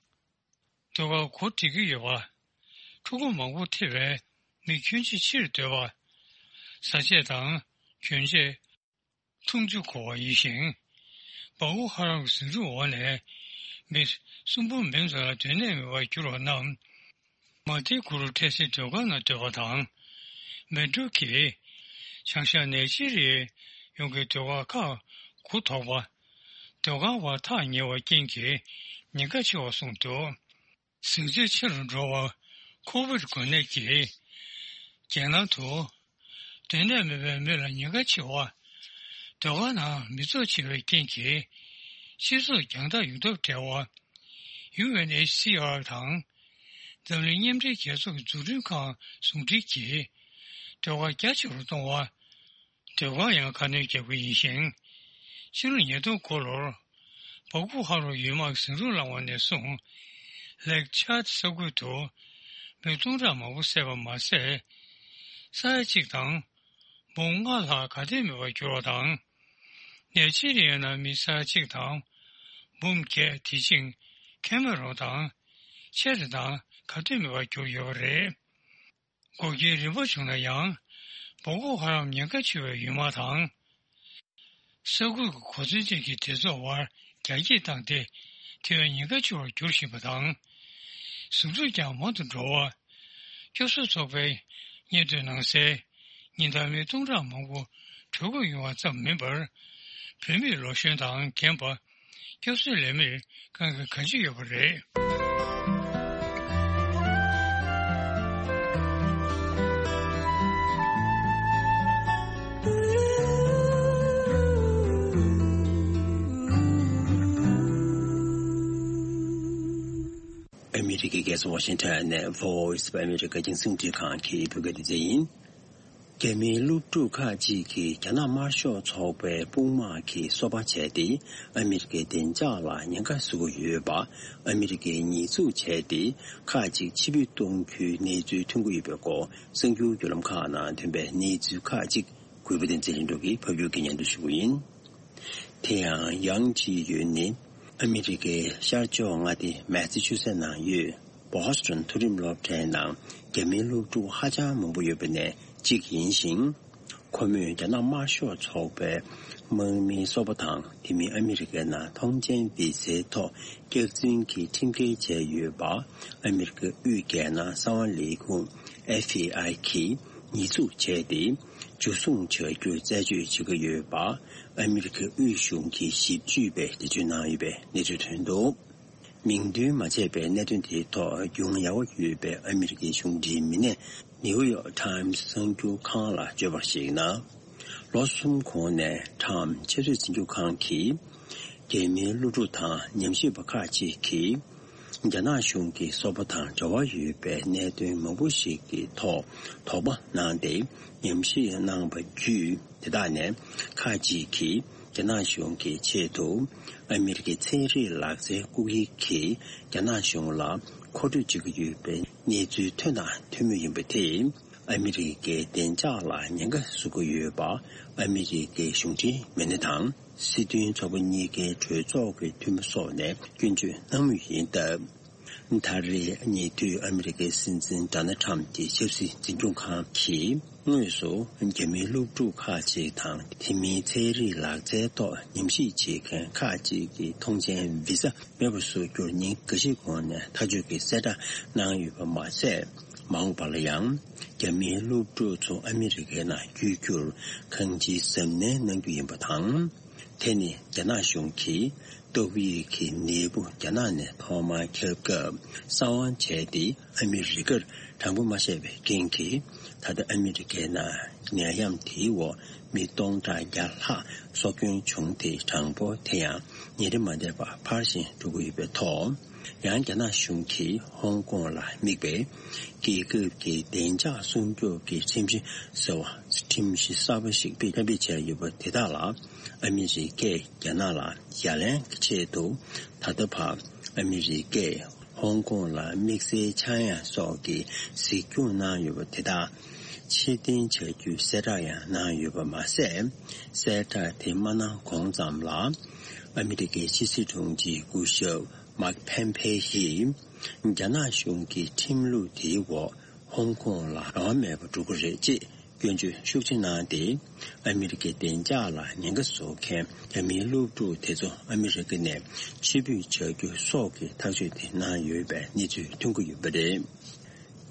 སྡོད་སྒར་གོ་སྒྲིག་གི་ཡོད་པ། ཕྲུ་གུ་མང་པོ་ཐེ་བའི་མི་ཁྱོན་ཆེ་ཕྱིར་སྡོད་པ། བཟའ་ཆས་དང་གྱོན་ཆས། འཐུང་ཆུ་མཁོ་བ་ཡིན་ཞིང་། སྦག་སྦུག་ཧ་རམ་གྱི་ཟིང་འཁྲུག་འོག་ནས་མི་གསུམ་འབུམ་མན་ཙམ་ལ་སྡོད་གནས་མེད་པར་གྱུར་བ་རྣམས། མ་ཏི་གུ་རུ་ཐེ་སེ་སྡོད་སྒར་ནང་སྡོད་པ་དང་། མེ་ཏྲོ་གིས་བྱང་ཤར་ནེ་ཇི་རི་ཡའི་ཡོངས་ཀྱི་སྡོད་སྒར་ཁག་དགུ་ཐོག་པ། སྡོད་སྒར་བ་ཐག་ཉེ་བ་རྐྱེན་གྱིས་ཉེན་ཁ་ཆེ་བར་གསུངས་འདུག་ཟིང་ཆ་ཆེ་རུ་འགྲོ་བར་ཁོ་བིད་འགོས་ནད་ཀྱིས་རྒྱལ་ནང་དུ་སྡོད་གནས་མེད་པའི་མི་ལ་ཉེན་ཁ་ཆེ་བ། སྡོད་སྒར་ནང་མི་ཚོགས་ཆེ་བའི་རྐྱེན་གྱིས་སྤྱི་ཚོགས་རྒྱང་ཐག་ཡོང་ཐབས་བྲལ་བ། ཡུ་ཨེན་ཨེཆ་སི་ཨར་དང་འཛམ་གླིང་མཉམ་འབྲེལ་རྒྱལ་ཚོགས་ཀྱི་འཛུགས་སྐྲུན་ཁང་ཟུང་འབྲེལ་གྱིས་སྡོད་སྒར་རྒྱ་ཆེ་རུ་གཏོང་བ། སྡོད་སྒར་ཡང་ཁ་སྣོན་རྒྱག་གི་ཡིན་ཞིང་། ཕྱི་ལོ་ཉིས་སྟོང་དགུ་ལོར་སྦག་སྦུག་ཧ་རོ་ཡུལ་དམག་གིས་ཟིང་འཁྲུག་བསླངས་པ་ནས་བཟུང་། ལེག་ཆཱད་ས་ཁུལ་དུ་མི་སྟོང་ཕྲག་མང་པོ་བསད་པ་མ་ཟད། ས་ཡ་གཅིག་དང་འབུམ་ལྔ་ལྷག་ག་དུས་མེད་པར་གྱུར་བ་དང་། ནེ་ཇི་རི་ཡ་ནང་མི་ས་ཡ་གཅིག་དང་འབུམ་བརྒྱད། དེ་བཞིན་ཁེ་མེ་རོན་དང་ཆེ་རི་དང་ག་དུས་མེད་པར་གྱུར་ཡོད་པ་རེད། འགོག་རྐྱེན་རིམ་པ་བྱུང་ན་ཡང་། སྦག་སྦུག་ཧ་རམ་ཉེན་ཁ་ཆེ་བའི་ཡུལ་དམག་དང་། ས་ཁུལ་གྱི་གོ་མཚོན་ཅན་གྱི་སྡེ་ཚོགས་དབར་རྒྱ་སྐྱེད་བཏང་སྟེ། དེ་བས་ཉེན་ཁ་ཆེ་བར་འགྱུར་བཞིན་པ་དང་། ཟིང་འཁྲུག་ཀྱང་མང་དུ་འགྲོ་བ། སྐྱོབ་གསོ་ཚོགས་པའི་སྙན་ཐོའི་ནང་གསལ། ཉིན་ལྟར་མི་སྟོང་ཕྲག་མང་པོ་བྲོས་འགོ་ཡོང་བ་ཙམ་མིན་པར། བོད་མིས་ལོ་གཞོན་དང་རྒན་པ། སྐྱབས་བཅོལ་ལས་མིར་དཀའ་ངལ་གང་ཅི་ཡོད་པ་རེད། ཨ་མི་རི་ཀའི་རྒྱལ་ས་ཝ་ཤིང་ཊོན་ནས་Voice of America རྒྱང་སྲིང་རླུང་འཕྲིན་ཁང་གི་བོད་སྐད་སྡེ་ཚན་ཡིན། རྒྱ་མིའི་སློབ་ཕྲུག་ཁག་ཅིག་གིས་རྒྱ་ནག་དམར་ཤོག་ཚོགས་པའི་དཔུང་དམག་གིས་སོ་པ་བྱས་ཏེ་ཨ་མི་རི་ཀའི་བདེ་འཇགས་ལ་ཉེན་ཁ་བཟོ་གི་ཡོད་པ། ཨ་མི་རི་ཀས་ཉེས་འཛུགས་བྱས་ཏེ་ཁག་ཅིག་ཕྱིར་འབུད་གཏོང་རྒྱུའི་གནས་ཚུལ་ཐོན་གྱི་ཡོད་པའི་སྐོར་གསར་འགྱུར་བརྒྱུད་ལམ་ཁག་ནང་ཐོན་པའི་གནས་ཚུལ་ཁག་ཅིག་གུས་པ་བསྟན་འཛིན་ལྷུན་གྲུབ་ཀྱིས་ཕབ་སྒྱུར་གྱིས་སྙན་སྒྲོན་ཞུ་གི་ཡིན། དེ་ཡང་ཡང་ཅི་ཡོན་ནི་ཨ་མི་རི་ཀའི་ཤར་ཕྱོགས་མངའ་སྡེ་མེ་སི་ཆུ་སེ་ནང་ཡོད་བྷོ་སི་ཊོན་མཐོ་རིམ་སློབ་གྲྭའི་ནང་རྒྱ་མིའི་སློབ་ཕྲུག་ཧ་ཅང་མང་པོ་ཡོད་པ་ནས་གཅིག་ཡིན་ཞིང་། ཁོ་མོས་རྒྱ་ནག་དམར་ཤོག་ཚོགས་པའི་ དམག་མིའི་སོ་པ་དང་དེ་མིན་ཨ་མི་རི་ཀའི་ནང་ཐོངས་མཆན་བི་ཟའི་ཐོག་སྐྱག་རྫུན་གྱི་ཁྲིམས་འགལ་བྱས་ཡོད་པ། ཨ་མི་རི་ཀའི་དབུས་རྒྱལ་ནང་གསང་བ་ལས་ཁུངས་ཨེཕ་བི་ཨའི་གིས་ཉེས་འཛུགས་བྱས་ཏེ། འཇུ་བཟུང་བྱ་རྒྱུར་རྩད་གཅོད་བྱེད་ཀྱི་ཡོད་པ། ཨ་མི་རི་ཀའི་དབུས་གཞུང་གི་ཞིབ་དཔྱོད་པས་འགྲེལ་བརྗོད་གནང་ཡོད་པའི་གནས་ཚུལ་ཐོན་འདུག་མིང་འདོན་མ་བྱས་པའི་གནད་དོན་དེའི་ཐོག་རྒྱུས་མངའ་ཡག་པོ་ཡོད་པའི་ཨ་མི་རི་ཀའི་གཞུང་འབྲེལ་མི་སྣས་ནིའུ་ཡོག་ཊའིམ་གསར་འགྱུར་ཁང་ལ་བརྗོད་པར་གཞིགས་ན། ལོ་གསུམ་གོང་ནས་ཊའིམ་ཆབ་སྲིད་འཛིན་སྐྱོང་ཁང་གིས། རྒྱ་མིའི་སློབ་ཕྲུག་དང་ཉམས་ཞིབ་པ་ཁག་ཅིག་གིས། རྒྱ་ནག་གཞུང་གི་སོ་པ་དང་འབྲེལ་བ་ཡོད་པའི་གནད་དོན་མང་པོ་ཞིག་གི་ཐོག་དོགས་པ་གནང་སྟེ་ཉམས་ཞིབ་གནང་བ་བརྒྱུད། དེ་དག་ནས་ཁག་ཅིག་གིས་རྒྱ་ནག་གཞུང་གི་ཆེད་དུ་ཨ་མི་རི་ཀའི་ཚན་རིག་ལག་རྩལ་བཀོད་སྒྲིག་གིས་རྒྱ་ནག་གཞུང་ལ་མཁོ་སྤྲོད་བྱེད་ཀྱི་ཡོད་པའི་གནས་ཚུལ་ཐོན་དང་ཐོན་མུས་ཡིན་པ་དེས། ཨ་མི་རི་ཀའི་བདེ་འཇགས་ལ་ཉེན་ཁ་བཟོ་གི་ཡོད་པ། ཨ་མི་རི་ཀའི་གཞུང་འབྲེལ་མི་སྣ་དང་སྲིད་དོན་ཚོགས་པ་གཉིས་ཀའི་གྲོས་ཚོགས་ཀྱི་འཐུས་མི་སོགས་ནས་སྐྱོན་བརྗོད་གནང་མུས་ཡིན་སྟབས། ད་རེས་ཉེ་དུས་ཨ་མི་རི་ཀའི་སྲིད་འཛིན་ཌོ་ནལ་ཊམ་གྱི་ཆབ་སྲིད་འཛིན་སྐྱོང་ཁང་གིས་དངོས་སུ་རྒྱ་མིའི་སློབ་ཕྲུག་ཁག་ཅིག་དང་། དེ་མིན་ཚན་རིག་ལག་རྩལ་ཐོག་ཉམས་ཞིབ་བྱེད་མཁན་ཁག་ཅིག་གི་ཐོངས་མཆན་བི་ཟ་མེད་པར་བཟོ་རྒྱུར་ཉིན་འགའ་ཤས་གོང་ནས་ཐག་གཅོད་ཀྱི་གསལ་བསྒྲགས་གནང་ཡོད་པ་མ་ཟད། མ་འོངས་པ་ལ་ཡང་རྒྱ་མིའི་སློབ་ཕྲུག་ཚོ་ཨ་མི་རི་ཀའི་ནང་བསྐྱོད་རྒྱུར་གང་ཅིའི་གཟབ་ནན་གནང་རྒྱུ་ཡིན་པ་དང་། དེ་ནི་རྒྱ་ནག་གཞུང་གིས་ཏོག་དབྱིབས་ཀྱི་ནད་འབུ་རྒྱ་ནག་ནས་ཐོག་མར་ཁྱབ་སྐབས་གསང་བ་བྱས་ཏེ། ཨ་མི་རི་ཀར་དྲང་པོ་མ་བཤད་པའི་རྐྱེན་གྱིས། ད་ལྟ་ཨ་མི་རི་ཀའི་ནང་ནད་ཡམས་དེའི་འོག་མི་སྟོང་ཕྲག་བརྒྱ་ལྷག་སྲོག་སྐྱོན་བྱུང་སྟེ། གྲངས་འབོར་དེ་ཡང་ཉིན་རེ་མ་བསྡད་པར་འཕར་བཞིན་འགྲོ་གི་ཡོད་པའི་ཐོག་ཡང་རྒྱ་ནག་གཞུང་གིས་ཧོང་ཀོང་ལ་དམིགས་པའི་རྒྱལ་ཁབ་ཀྱི་བདེ་འཇགས་སྲུང་སྐྱོབ་ཀྱི་ཁྲིམས་གཞི་ཟེར་བ། ཁྲིམས་གཞི་གསར་པ་ཞིག་གཏན་འབེབས་བྱས་ཡོད་པ་དེ་དག་ལ། ཨ་མི་རི་ཀས་རྒྱ་ནག་ལ་ཡ་ལན་གྱི་ཆེད་དུ། ད་ལྟ་བར་ཨ་མི་རི་ཀས་ཧོང་ཀོང་ལ་དམིགས་བསལ་ཆག་ཡང་སོགས་ཀྱི་གཟིགས་སྐྱོང་གནང་ཡོད་པ་དེ་དག་ཕྱིར་འཐེན་བྱ་རྒྱུའི་གསལ་བསྒྲགས་ཡང་གནང་ཡོད་པ་མ་ཟད། གསལ་བསྒྲགས་དེ་མ་གནང་གོང་ཙམ་ལ། ཨ་མི་རི་ཀའི་ཕྱི་སྲིད་དྲུང་ཆེ་སྐུ་ཞབས་མཱིག་ཕེམ་ཕེ་ཡིས། རྒྱ་ནག་གཞུང་གི་ཁྲིམས་ལུགས་དེའི་འོག་ཧོང་ཀོང་ལ་རང་དབང་མེད་པར་འགྲོ་གི་རེད་ཅེས་སྐྱོན་བརྗོད་ཤུགས་ཆེ་གནང་སྟེ། ཨ་མི་རི་ཀའི་བདེ་འཇགས་ལ་ཉེན་ཁ་བཟོ་མཁན་རྒྱ་མིའི་སློབ་ཕྲུག་དེ་ཚོ་ཨ་མི་རི་ཀ་ནས་ཕྱིར་འབུད་བྱ་རྒྱུ་སོགས་ཀྱི་ཐག་གཅོད་དེ་གནང་ཡོད་པའི་གནས་ཚུལ་ཐོན་གྱི་ཡོད་པ་རེད།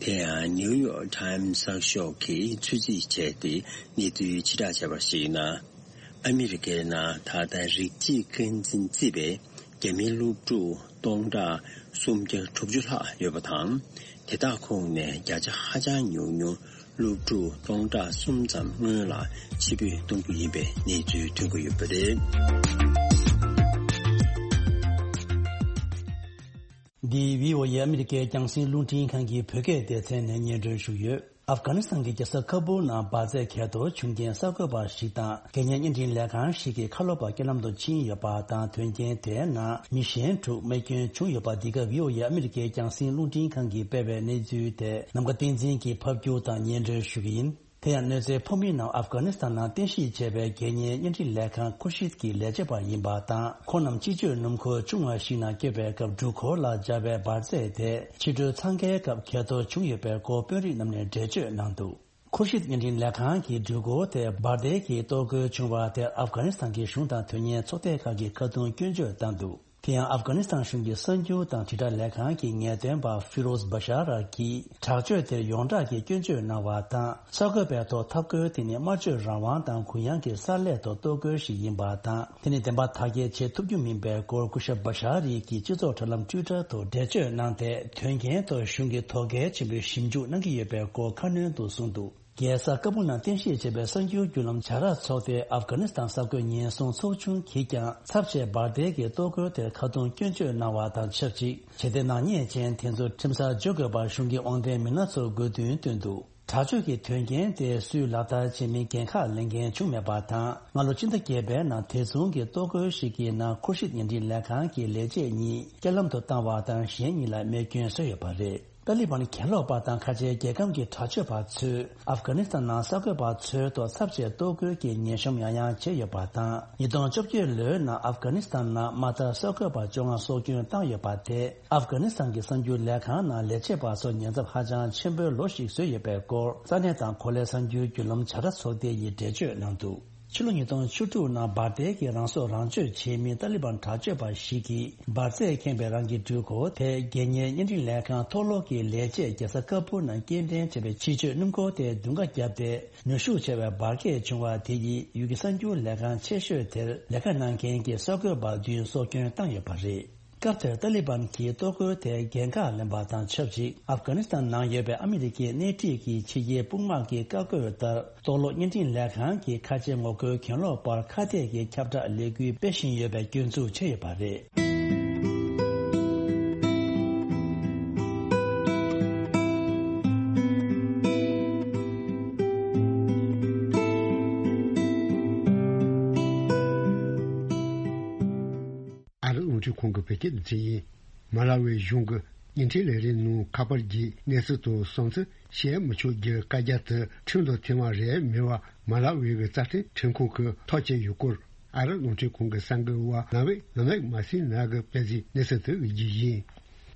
དེ་ཡང་ནིའུ་ཡོག་ཊའིམ་གསར་ཤོག་གིས་ཚོད་རྩིས་བྱས་ཏེ་གནས་ཚུལ་ཕྱིར་བསྒྲགས་བྱས་པར་གཞིགས་ན། ཨ་མི་རི་ཀའི་ནང་ད་ལྟ་རིགས་གཅིག་རྐང་འཛིན་བརྩིས་པའི་རྒྱ་མིའི་སློབ་ཕྲུག་སྟོང་ཕྲག་སུམ་བརྒྱ་དྲུག་ཅུ་ལྷག་ཡོད་པ་དང་། དེ་དག་ཁོངས་ནས་བརྒྱ་ཆ་ཧ་ཅང་ཉུང་ཉུང་སློབ་ཕྲུག་སྟོང་ཕྲག་གསུམ་ཙམ་སྔོན་ལ་ཕྱིར་འབུད་གཏོང་རྒྱུ་ཡིན་པའི་གནས་ཚུལ་ཐོན་གྱི་ཡོད་པ་རེད། འདི་བྷི་ཨོ་ཨེ་ཨ་མི་རི་ཀའི་རྒྱང་སྲིང་རླུང་འཕྲིན་ཁང་གི་བོད་སྐད་སྡེ་ཚན་ནས་སྙན་སྒྲོན་ཞུས་ཡོད། ཨབ་གྷ་ནི་སི་ཐན་གྱི་རྒྱལ་ས་ཁ་བུལ་ནང་འབར་རྫས་གས་གཏོར་བྱུང་རྐྱེན་གསར་འགོད་པ་ཞིག་དང་། རྒྱལ་གཉེར་བརྙན་འཕྲིན་ལས་ཁང་ཞིག་གི་ཁ་ལོ་པ་རྐྱེན་ལམ་དུ་ཕྱིན་ཡོད་པ་དང་། དོན་རྐྱེན་དེའི་ནང་མི་གཞན་དྲུག་རྨས་སྐྱོན་བྱུང་ཡོད་པ། འདི་ག་བྷི་ཨོ་ཨེ་ཨ་མི་རི་ཀའི་རྒྱང་སྲིང་རླུང་འཕྲིན་ཁང་གིས་སྤེལ་བའི་གནས་ཚུལ་དེ་ནམ་མཁའ་བསྟན་འཛིན་གྱིས་ཕབ་སྒྱུར་དང་སྙན་སྒྲོན་ཞུ་གི་ཡིན། དེ་ཡང་གནོད་འཚེ་ཕོག་མིའི་ནང་ཨབ་གྷ་ནི་སི་ཐན་ནང་རྟེན་གཞི་བྱས་པའི་རྒྱལ་གཉེར་བརྙན་འཕྲིན་ལས་ཁང་ཁུར་ཤིད་ཀྱི་ལས་བྱེད་པ་ཡིན་པ་དང་། ཁོང་རྣམས་སྤྱི་སྤྱོད་སྣུམ་འཁོར་ཆུང་བ་ཞིག་ནང་བསྐྱོད་པའི་སྐབས། འགྲུལ་འཁོར་ལ་སྦྱར་བའི་འབར་རྫས་དེ་ཕྱི་དྲོའི་འཚང་ཁའི་སྐབས་གས་གཏོར་བྱུང་ཡོད་པའི་སྐོར་དཔོན་རིགས་རྣམས་ནས་འགྲེལ་བརྗོད་གནང་འདུག་ཁུར་ཤིད་བརྙན་འཕྲིན་ལས་ཁང་གིས་འགྲུལ་འཁོར་དེ་འབར་མདེལ་གྱིས་གཏོར་རྒོལ་བྱུང་བ་དེར་ཨབ་གྷ་ནི་སི་ཐན་གྱི་གཞུང་དང་དོན་གཉེར་ཚོགས་སྡེ་ཁག་གིས་ཁ་རྡུང་སྐྱོན་བརྗོད་བཏང་འདུག་དེ་ཡང་ཨབ་གྷ་ནི་སི་ཐན་གཞུང་གི་གསར་འགྱུར་དང་དྲིལ་བསྒྲགས་ལས་ཁང་གི་ངེས་སྟོན་པ་ཧྥི་རོ་ཛ་བ་ཤ་ར་གིས་དྲག་སྤྱོད་དེར་ཡོངས་གྲགས་ཀྱི་སྐྱོན་བརྗོད་གནང་བ་དང་། གསར་འགོད་པའི་ཐོག་ཐག་བཀོད་དེ་ནི་སྨྲ་བརྗོད་རང་དབང་དང་གུ་ཡངས་ཀྱི་གསར་ལས་ཐོག་གཏོར་རྒོལ་ཞིག་ཡིན་པ་དང་། དེ་ནི་བདེན་པ་དག་སྐྱེལ་བྱེད་ཐུབ་རྒྱུ་མིན་པའི་སྐོར་སྐུ་ཞབས་བ་ཤ་རི་གིས་སྤྱི་ཚོགས་དྲ་ལམ་ཊུའི་ཊར་ཐོག་འགྲེལ་བརྗོད་གནང་སྟེ། དོན་རྐྱེན་ཐོག་གཞུང་གིས་དོ་གལ་ཆེན་པོས་ཞིབ་འཇུག་གནང་གི་ཡོད་པའི་སྐོར་ཁ་སྣོན་དུ་གསུངས་འདུག་རྒྱལ་ས་ཀ་བུལ་ནང་རྟེན་གཞི་བྱས་པའི་གསར་འགྱུར་བརྒྱུད་ལམ་བྱ་ར་ཚོགས་སྡེས་ཨབ་གྷ་ནི་སི་ཐན་གསར་འགོད་ཉེན་སྲུང་ཚོགས་ཆུང་གིས་ཀྱང་ཚབས་ཆེའི་འབར་མདེལ་གྱི་གཏོར་རྒོལ་དེར་ཁ་རྡུང་སྐྱོན་བརྗོད་གནང་བ་དང་ཆབས་ཅིག་བྱེད་གཏེ་ནག་ཉེས་ཅན་དེ་ཚོ་ཁྲིམས་སར་འཇོག་དགོས་པར་གཞུང་གི་དབང་ལྡན་མི་སྣ་ཚོར་དགོས་འདུན་བཏོན་འདུག་དྲག་སྤྱོད་ཀྱི་དོན་རྐྱེན་དེ་སུས་ལག་བསྟར་བྱེད་མིན་འགན་ཁག་ལེན་མཁན་བྱུང་མེད་པ་དང་། སྔ་ལོ་སྤྱི་ཟླ་བརྒྱད་པའི་ནང་དེ་མཚུངས་ཀྱི་གཏོར་རྒོལ་ཞིག་གི་ནང་ཁུར་ཤིད་བརྙན་འཕྲིན་ལས་ཁང་གི་ལས་བྱེད་གཉིས་རྐྱེན་ལམ་དུ་བཏང་བ་དང་། གཞན་གཉིས་ལ་རྨས་སྐྱོན་བཟོས་ཡོད་པ་རེད། ཏཱ་ལི་བན་གྱེན་ལོག་པ་དང་ཁ་ཆེའི་རྒྱལ་ཁམས་ཀྱི་དྲག་སྤྱོད་པ་ཚོས་ཨབ་གྷ་ནི་སི་ཐན་ནང་གསར་འགོད་པ་ཚོའི་ཐོག་ཚབས་ཆེའི་གཏོར་རྒོལ་གྱི་ཉེན་གཤམ་ཡང་ཡང་བྱས་ཡོད་པ་དང་། ཉིས་སྟོང་བཅོ་བརྒྱད་ལོའི་ནང་ཨབ་གྷ་ནི་སི་ཐན་ནང་མ་མཐའ་གསར་འགོད་པ་བཅོ་ལྔ་སྲོག་སྐྱོན་བཏང་ཡོད་པ་དེ་ཨབ་གྷ་ནི་སི་ཐན་གྱི་གསར་འགྱུར་ལས་ཁང་ནང་ལས་བྱེད་པ་ཚོར་ཉེན་ཚབས་ཧ་ཅང་ཆེན་པོའི་ལོ་ཞིག་བཟོས་ཡོད་པའི་སྐོར་ས་གནས་དང་གོ་ལའི་གསར་འགྱུར་བརྒྱུད་ལམ་བྱ་ར་ཚོགས་སྡེ་ཡིས་འགྲེལ་བརྗོད་གནང་འདུག་ཕྱི་ལོ་ཉིས་སྟོང་བཅུ་དྲུག་ནང་འབར་མདེལ་གྱིས་རང་སྲོག་རང་གཅོད་བྱེད་མི་ཏཱ་ལི་བན་དྲག་སྤྱོད་པ་ཞིག་གིས་འབར་རྫས་ཁེངས་པའི་རང་གི་འགྲུལ་འཁོར་དེ་རྒྱལ་གཉེར་བརྙན་འཕྲིན་ལས་ཁང་མཐོ་སློབ་ཀྱི་ལས་བྱེད་རྒྱལ་ས་ཀ་པུར་ནང་སྐྱེལ་འདྲེན་བྱས་པའི་ཕྱི་སྤྱོད་སྣུམ་འཁོར་དེ་མདུན་ཁ་བརྒྱབ་སྟེ། ནུས་ཤུགས་ཆེ་བའི་འབར་གས་བྱུང་བ་དེ་ཡིས་ཡུལ་གྱི་གསར་འགྱུར་ལས་ཁང་ཆེ་ཤོས་དེར་ལས་ཀ་གནང་མཁན་གྱི་གསར་འགོད་པ་བདུན་སྲོག་སྐྱོན་བཏང་ཡོད་པ་རེད། སྐབས་དེར་ཏཱ་ལི་བན་གྱིས་གཏོར་རྒོལ་དེར་འགན་ཁག་ལེན་པ་དང་ཆབས་ཅིག་ཨབ་གྷ་ནི་སི་ཐན་ནང་ཡོད་པའི་ཨ་མི་རི་ཀའི་སྣེ་ཁྲིད་ཀྱི་ཕྱི་རྒྱལ་དཔུང་དམག་གིས་བཀའ་བཀོད་ལྟར། གཏོར་བརླག་བརྙན་འཕྲིན་ལས་ཁང་གི་ཁ་ཆེ་ངོ་རྒོལ་གྱེན་ལོག་པར་ཁ་གཏད་ཀྱི་ཁྱབ་བསྒྲགས་ལས་འགུལ་སྤེལ་བཞིན་ཡོད་པའི་སྐྱོན་འཛུགས་བྱས་ཡོད་པ་རེད། ཨ་རི་རླུང་འཕྲིན་ཁང་གི་བོད་སྐད་སྡེ་ཚན་ཡིན། མ་ལ་ཝི་གཞུང་གི་བརྙན་འཕྲིན་ལས་རིགས་ནང་ཁ་པར་གྱི་གནས་ཚུལ་དང་བསམ་ཚུལ་བཤད་མི་ཆོག་རྒྱུའི་བཀའ་རྒྱ་དེ་ཁྲིམས་དང་མཐུན་པ་རེད་མེད་པ་མ་ལ་ཝི་གི་རྩ་ཁྲིམས་ཁྲིམས་ཁང་གིས་ཐག་བཅད་ཡོད་སྐོར། ཨ་རི་རླུང་འཕྲིན་ཁང་གི་གསར་འགོད་པ་ནོ་ཝེ་ནོ་ཝེག་མ་སི་ན་གིས་སྤེལ་གཟིགས་གནས་ཚུལ་དེ་བརྒྱུད་ཡིན།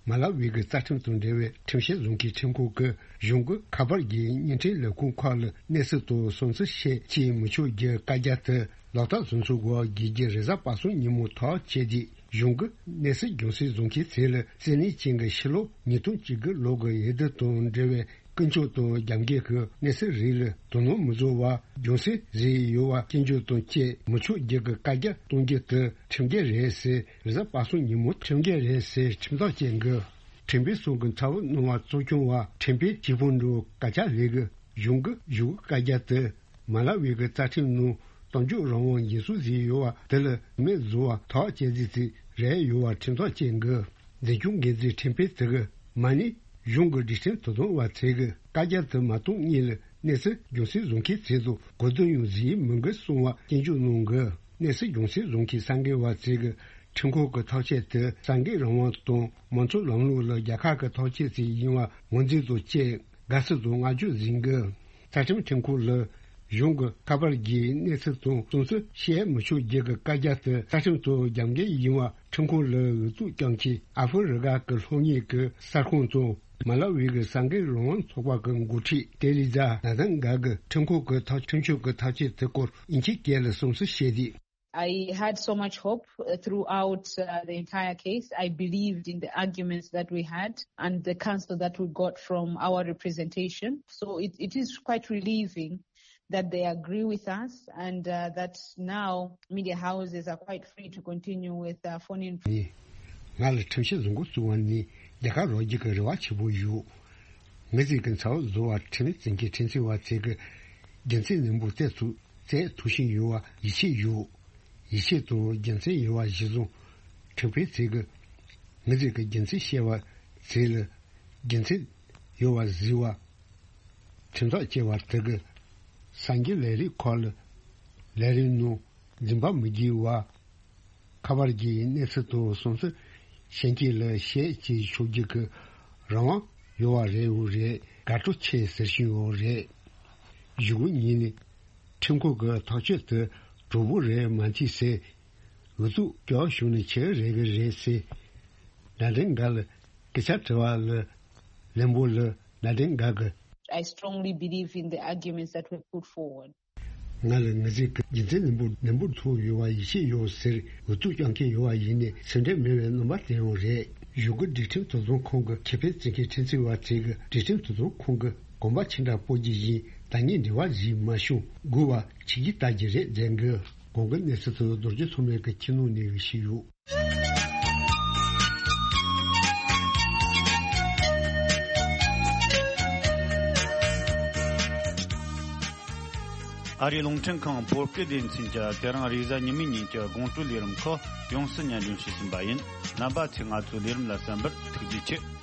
མ་ལ་ཝི་གི་རྩ་ཁྲིམས་དང་འབྲེལ་བའི་ཁྲིམས་བཤེར་བཟོ་མཁན་ཁྲིམས་ཁང་གིས་གཞུང་གི་ཁ་པར་གྱི་བརྙན་འཕྲིན་ལས་ཁུངས་ཁག་ལ་གནས་ཚུལ་དང་བསམ་ཚུལ་བཤད་བྱེད་མི་ཆོག་རྒྱུའི་བཀའ་རྒྱ་དེ་ལག་བསྟར་བཟོ་ཚུལ་སྐོར་དགོས་རྒྱུ་རེས་གཟའ་པ་སངས་ཉིན་མོ་ཐག་བཅད་དེ། གཞུང་གིས་གནས་ཚུལ་རྒྱང་སྲིང་བཟོ་མཁན་ཚོ་ལ་བརྩིས་ལེན་བྱེད་མཁན་ཕྱི་ལོ་ཉིས་སྟོང་བཅུ་དགུ་ལོ་གི་འོས་བསྡུ་དང་འབྲེལ་བའི་ཀུན་སྤྱོད་དང་རྒྱབ་འགལ་གྱི་གནས་ཚུལ་རིགས་ལ་དོ་སྣང་མི་བཟོ་བར་རྒྱང་སྲིང་བཟོས་ཡོད་པ་སྐྱོན་བརྗོད་དང་བཅས་མི་ཆོག་རྒྱུ་གི་བཀའ་རྒྱ་གཏོང་རྒྱུ་དེ་ཁྲིམས་འགལ་རེད་ཟེར་རེས་གཟའ་པ་སངས་ཉིན་མོ་ཁྲིམས་འགལ་རེད་ཟེར་ཁྲིམས་ཐག་བཅད་འགོ། ཁྲིམས་དཔོན་ཚོ་གི་ཚབ་གནང་བ་གཙོ་སྐྱོང་བ་ཁྲིམས་དཔོན་ཞི་ཕུ་འགྲོ་ཀ་ཅ་ལི་གིས་གཞུང་གི་བཞུགས་བཀའ་རྒྱ་དེ། མ་ལ་ཝི་གི་རྩ་ཁྲིམས་ནང་གཏམ་བརྗོད་རང་དབང་འགན་སྲུང་བཟོས་ཡོད་པ་དེ་ལ་མེད་བཟོ་བ་ཐག་བཅད་རྩིས་རྩིས་རེད་ཡོད་པ་ཁྲིམས་ཐག་བཅད་འགོ། འཛིན་སྐྱོང་འགན་འཛིན་ཁྲིམས་དཔོན་དེ་གིས་མ་ཎི་གཞུང་གི་སྒྲིག་ཁྲིམས་དོ་དམ་པ་ཚོས་གི་བཀའ་རྒྱ་དེ་མ་གཏོང་སྔོན་ལ་གནས་ཚུལ་རྒྱང་སྲིང་བཟོ་མཁན་ཚོ་དང་གོ་བསྡུར་ཡང་བཟོས་མི་འགོ་གསུང་བ་སྐྱོན་བརྗོད་གནང་གི། གནས་ཚུལ་རྒྱང་སྲིང་བཟོ་མཁན་གསར་འགོད་པ་ཚོས་གི་ཁྲིམས་ཁང་གི་ཐག་གཅོད་དེ་གསར་འགོད་རང་དབང་དང་མང་གཙོ་ལམ་ལུགས་ལ་རྒྱལ་ཁབ་ཀྱི་ཐག་གཅོད་ཅིག་ཡིན་པ་ངོས་འཛིན་དང་བཅས། དགའ་བསུ་དང་བསྔགས་བརྗོད་གཟིགས་འགོ། རྩ་ཁྲིམས་ཁྲིམས་ཁང་ལ་གཞུང་གི་ཁ་པར་གྱི་གནས་ཚུལ་དང་བསམ་ཚུལ་བཤད་མི་ཆོག་རྒྱུ་གི་བཀའ་རྒྱ་དེ་རྩ་ཁྲིམས་དང་རྒྱབ་འགལ་ཡིན་པ་ཁྲིམས་ཁང་ལ་འུ་ཐུག་བསྐྱངས་ཀྱིས་ཨ་ཧྥེ་རི་ཁ་གི་ལྷོ་ངོས་ཀྱི་གསར་ཁང་དང་མ་ལ་ཝི་གི་གསར་འགོད་རང་དབང་ཚོགས་པ་གི་འགོ་ཁྲིད་ཏེ་ལི་ཛ་ན་དང་ག་གིས་ཁྲིམས་ཁང་གི་ཐག་ཁྲིམས་གཅོད་ཀྱི་ཐག་གཅོད་དེ་སྐོར་དབྱིན་ཇིའི་སྐད་ལ་བསམ་ཚུལ་བཤད་དུས། I had so much hope uh, throughout uh, the entire case. I believed in the arguments that we had and the counsel that we got from our representation. So it, it is quite relieving that they agree with us and uh, that now media houses are quite free to continue with uh, phone in. ང་ལ་ཁྲིམས་བཤེར་བཟོ་འགོ་བཙུགས་པ་ནི་རྒྱལ་ཁ་རོགས་རྒྱུ་གི་རེ་བ་ཆེན་པོ་ཡོད། ངེད་ཚོས་ཀྱི་ཚ་བོ་བཟོ་བ་ཁྲིམས་བཙན་གྱི་ཁྲིམས་བཙན་བ་ཚོས་ཀྱི་རྒྱུ་མཚན་ནན་པོ་བཙལ་ཐུབ་བཙལ་ཐུབ་བཞིན་ཡོད་པ་ཡིད་ཆེས་ཡོད། ཡིད་ཆེས་དང་རྒྱུ་མཚན་ཡོད་པ་གཞིར་བཟུང་ཁྲིམས་དཔོན་ཚོས་ཀྱི་ངེད་ཚོས་ཀྱི་རྒྱུ་མཚན་བཤད་པ་ཚོས་ལ་རྒྱུ་མཚན་ཡོད་པ་གཟིགས་པ། ཁྲིམས་ཐག་བཅད་པ་དེ་གི་གསར་འགྱུར་ལས་རིགས་ཁག་ལ་ལས་རིགས་ནང་འཛིན་པ་མི་དགོས་པ། ཁ་པར་གྱི་གནས་ཚུལ་དང་བསམ་ཚུལ་གཞན་གྱིས་ལ་བཤད་ཅེས་ཆོག་རྒྱུ་གི་རང་དབང་ཡོད་པ་རེད། འོ་རེད། དགའ་སྤྲོ་ཆེ་ཟེར་བཞིན་ཡོད་རེད། གཞུག་གུ་ཉིད་ནས་ཁྲིམས་ཁང་གི་ཐག་གཅོད་དེ་གྲོགས་པོ་རེད་མ་མཐུན་ཟེར། འུ་ཐུག་སྐྱོ་བྱུང་ནས་ཆེ་རེད་གི་རེད་ཟེར། ན་དྲན་འགའ་ལ་སྐད་ཆ་དྲི་བ་ལ་ལན་པོ་ལ་ན་དྲན་འགའ་གི I strongly believe in the arguments that were put forward. ང་ལ་ངེད་ཚོས་ཀྱི་རྒྱུ་མཚན་ནན་པོ་ནན་པོ་ཐུག་ཡོད་པ་ཡིད་ཆེས་ཡོད་ཟེར་འུ་ཐུག་སྐྱོང་མཁན་ཡོད་པ་ཡིན་ནས་སེམས་ཁྲལ་མེད་པའི་རྣམ་པ་བསྟན་ཡོད་རེད། གཞུག་གུ་སྒྲིག་ཁྲིམས་དོ་དམ་ཁང་གི་ཁེ་ཕན་བརྩི་མཁན་ཁྲིམས་བཙན་བ་ཚོས་ཀྱི་སྒྲིག་ཁྲིམས་དོ་དམ་ཁང་གི་གོམ་པ་ཆེ་འདྲ་སྤོ་རྒྱུ་ཡིན། ད་ངས་འབྲེལ་བ་བྱས་མ་བྱུང་དགོས་པ་ཆིག་གིས་བལྟ་རྒྱུ་རེད་མཛད་འགོ། གོང་གི་གནས་ཚུལ་དུ་རྡོ་རྗེ་ཐོགས་མེད་ཀྱི་ཁྱིམ་ནང་ནས་ཞུས་ཡོད། ཨ་རིའི་རླུང་འཕྲིན་ཁང་བོད་སྐད་སྡེ་ཚན་གྱིས་དེ་རིང་རེས་གཟའ་ཉི་མའི་ཉིན་གྱི་དགོང་དྲོའི་ལས་རིམ་ཁག་ཡོངས་སུ་སྙན་སྒྲོན་ཞུས་ཟིན་པ་ཡིན། རྣམ་པ་ཚོས་ང་ཚོའི་ལས་རིམ་ལ་གསན་པར་ཐུགས་རྗེ་ཆེ།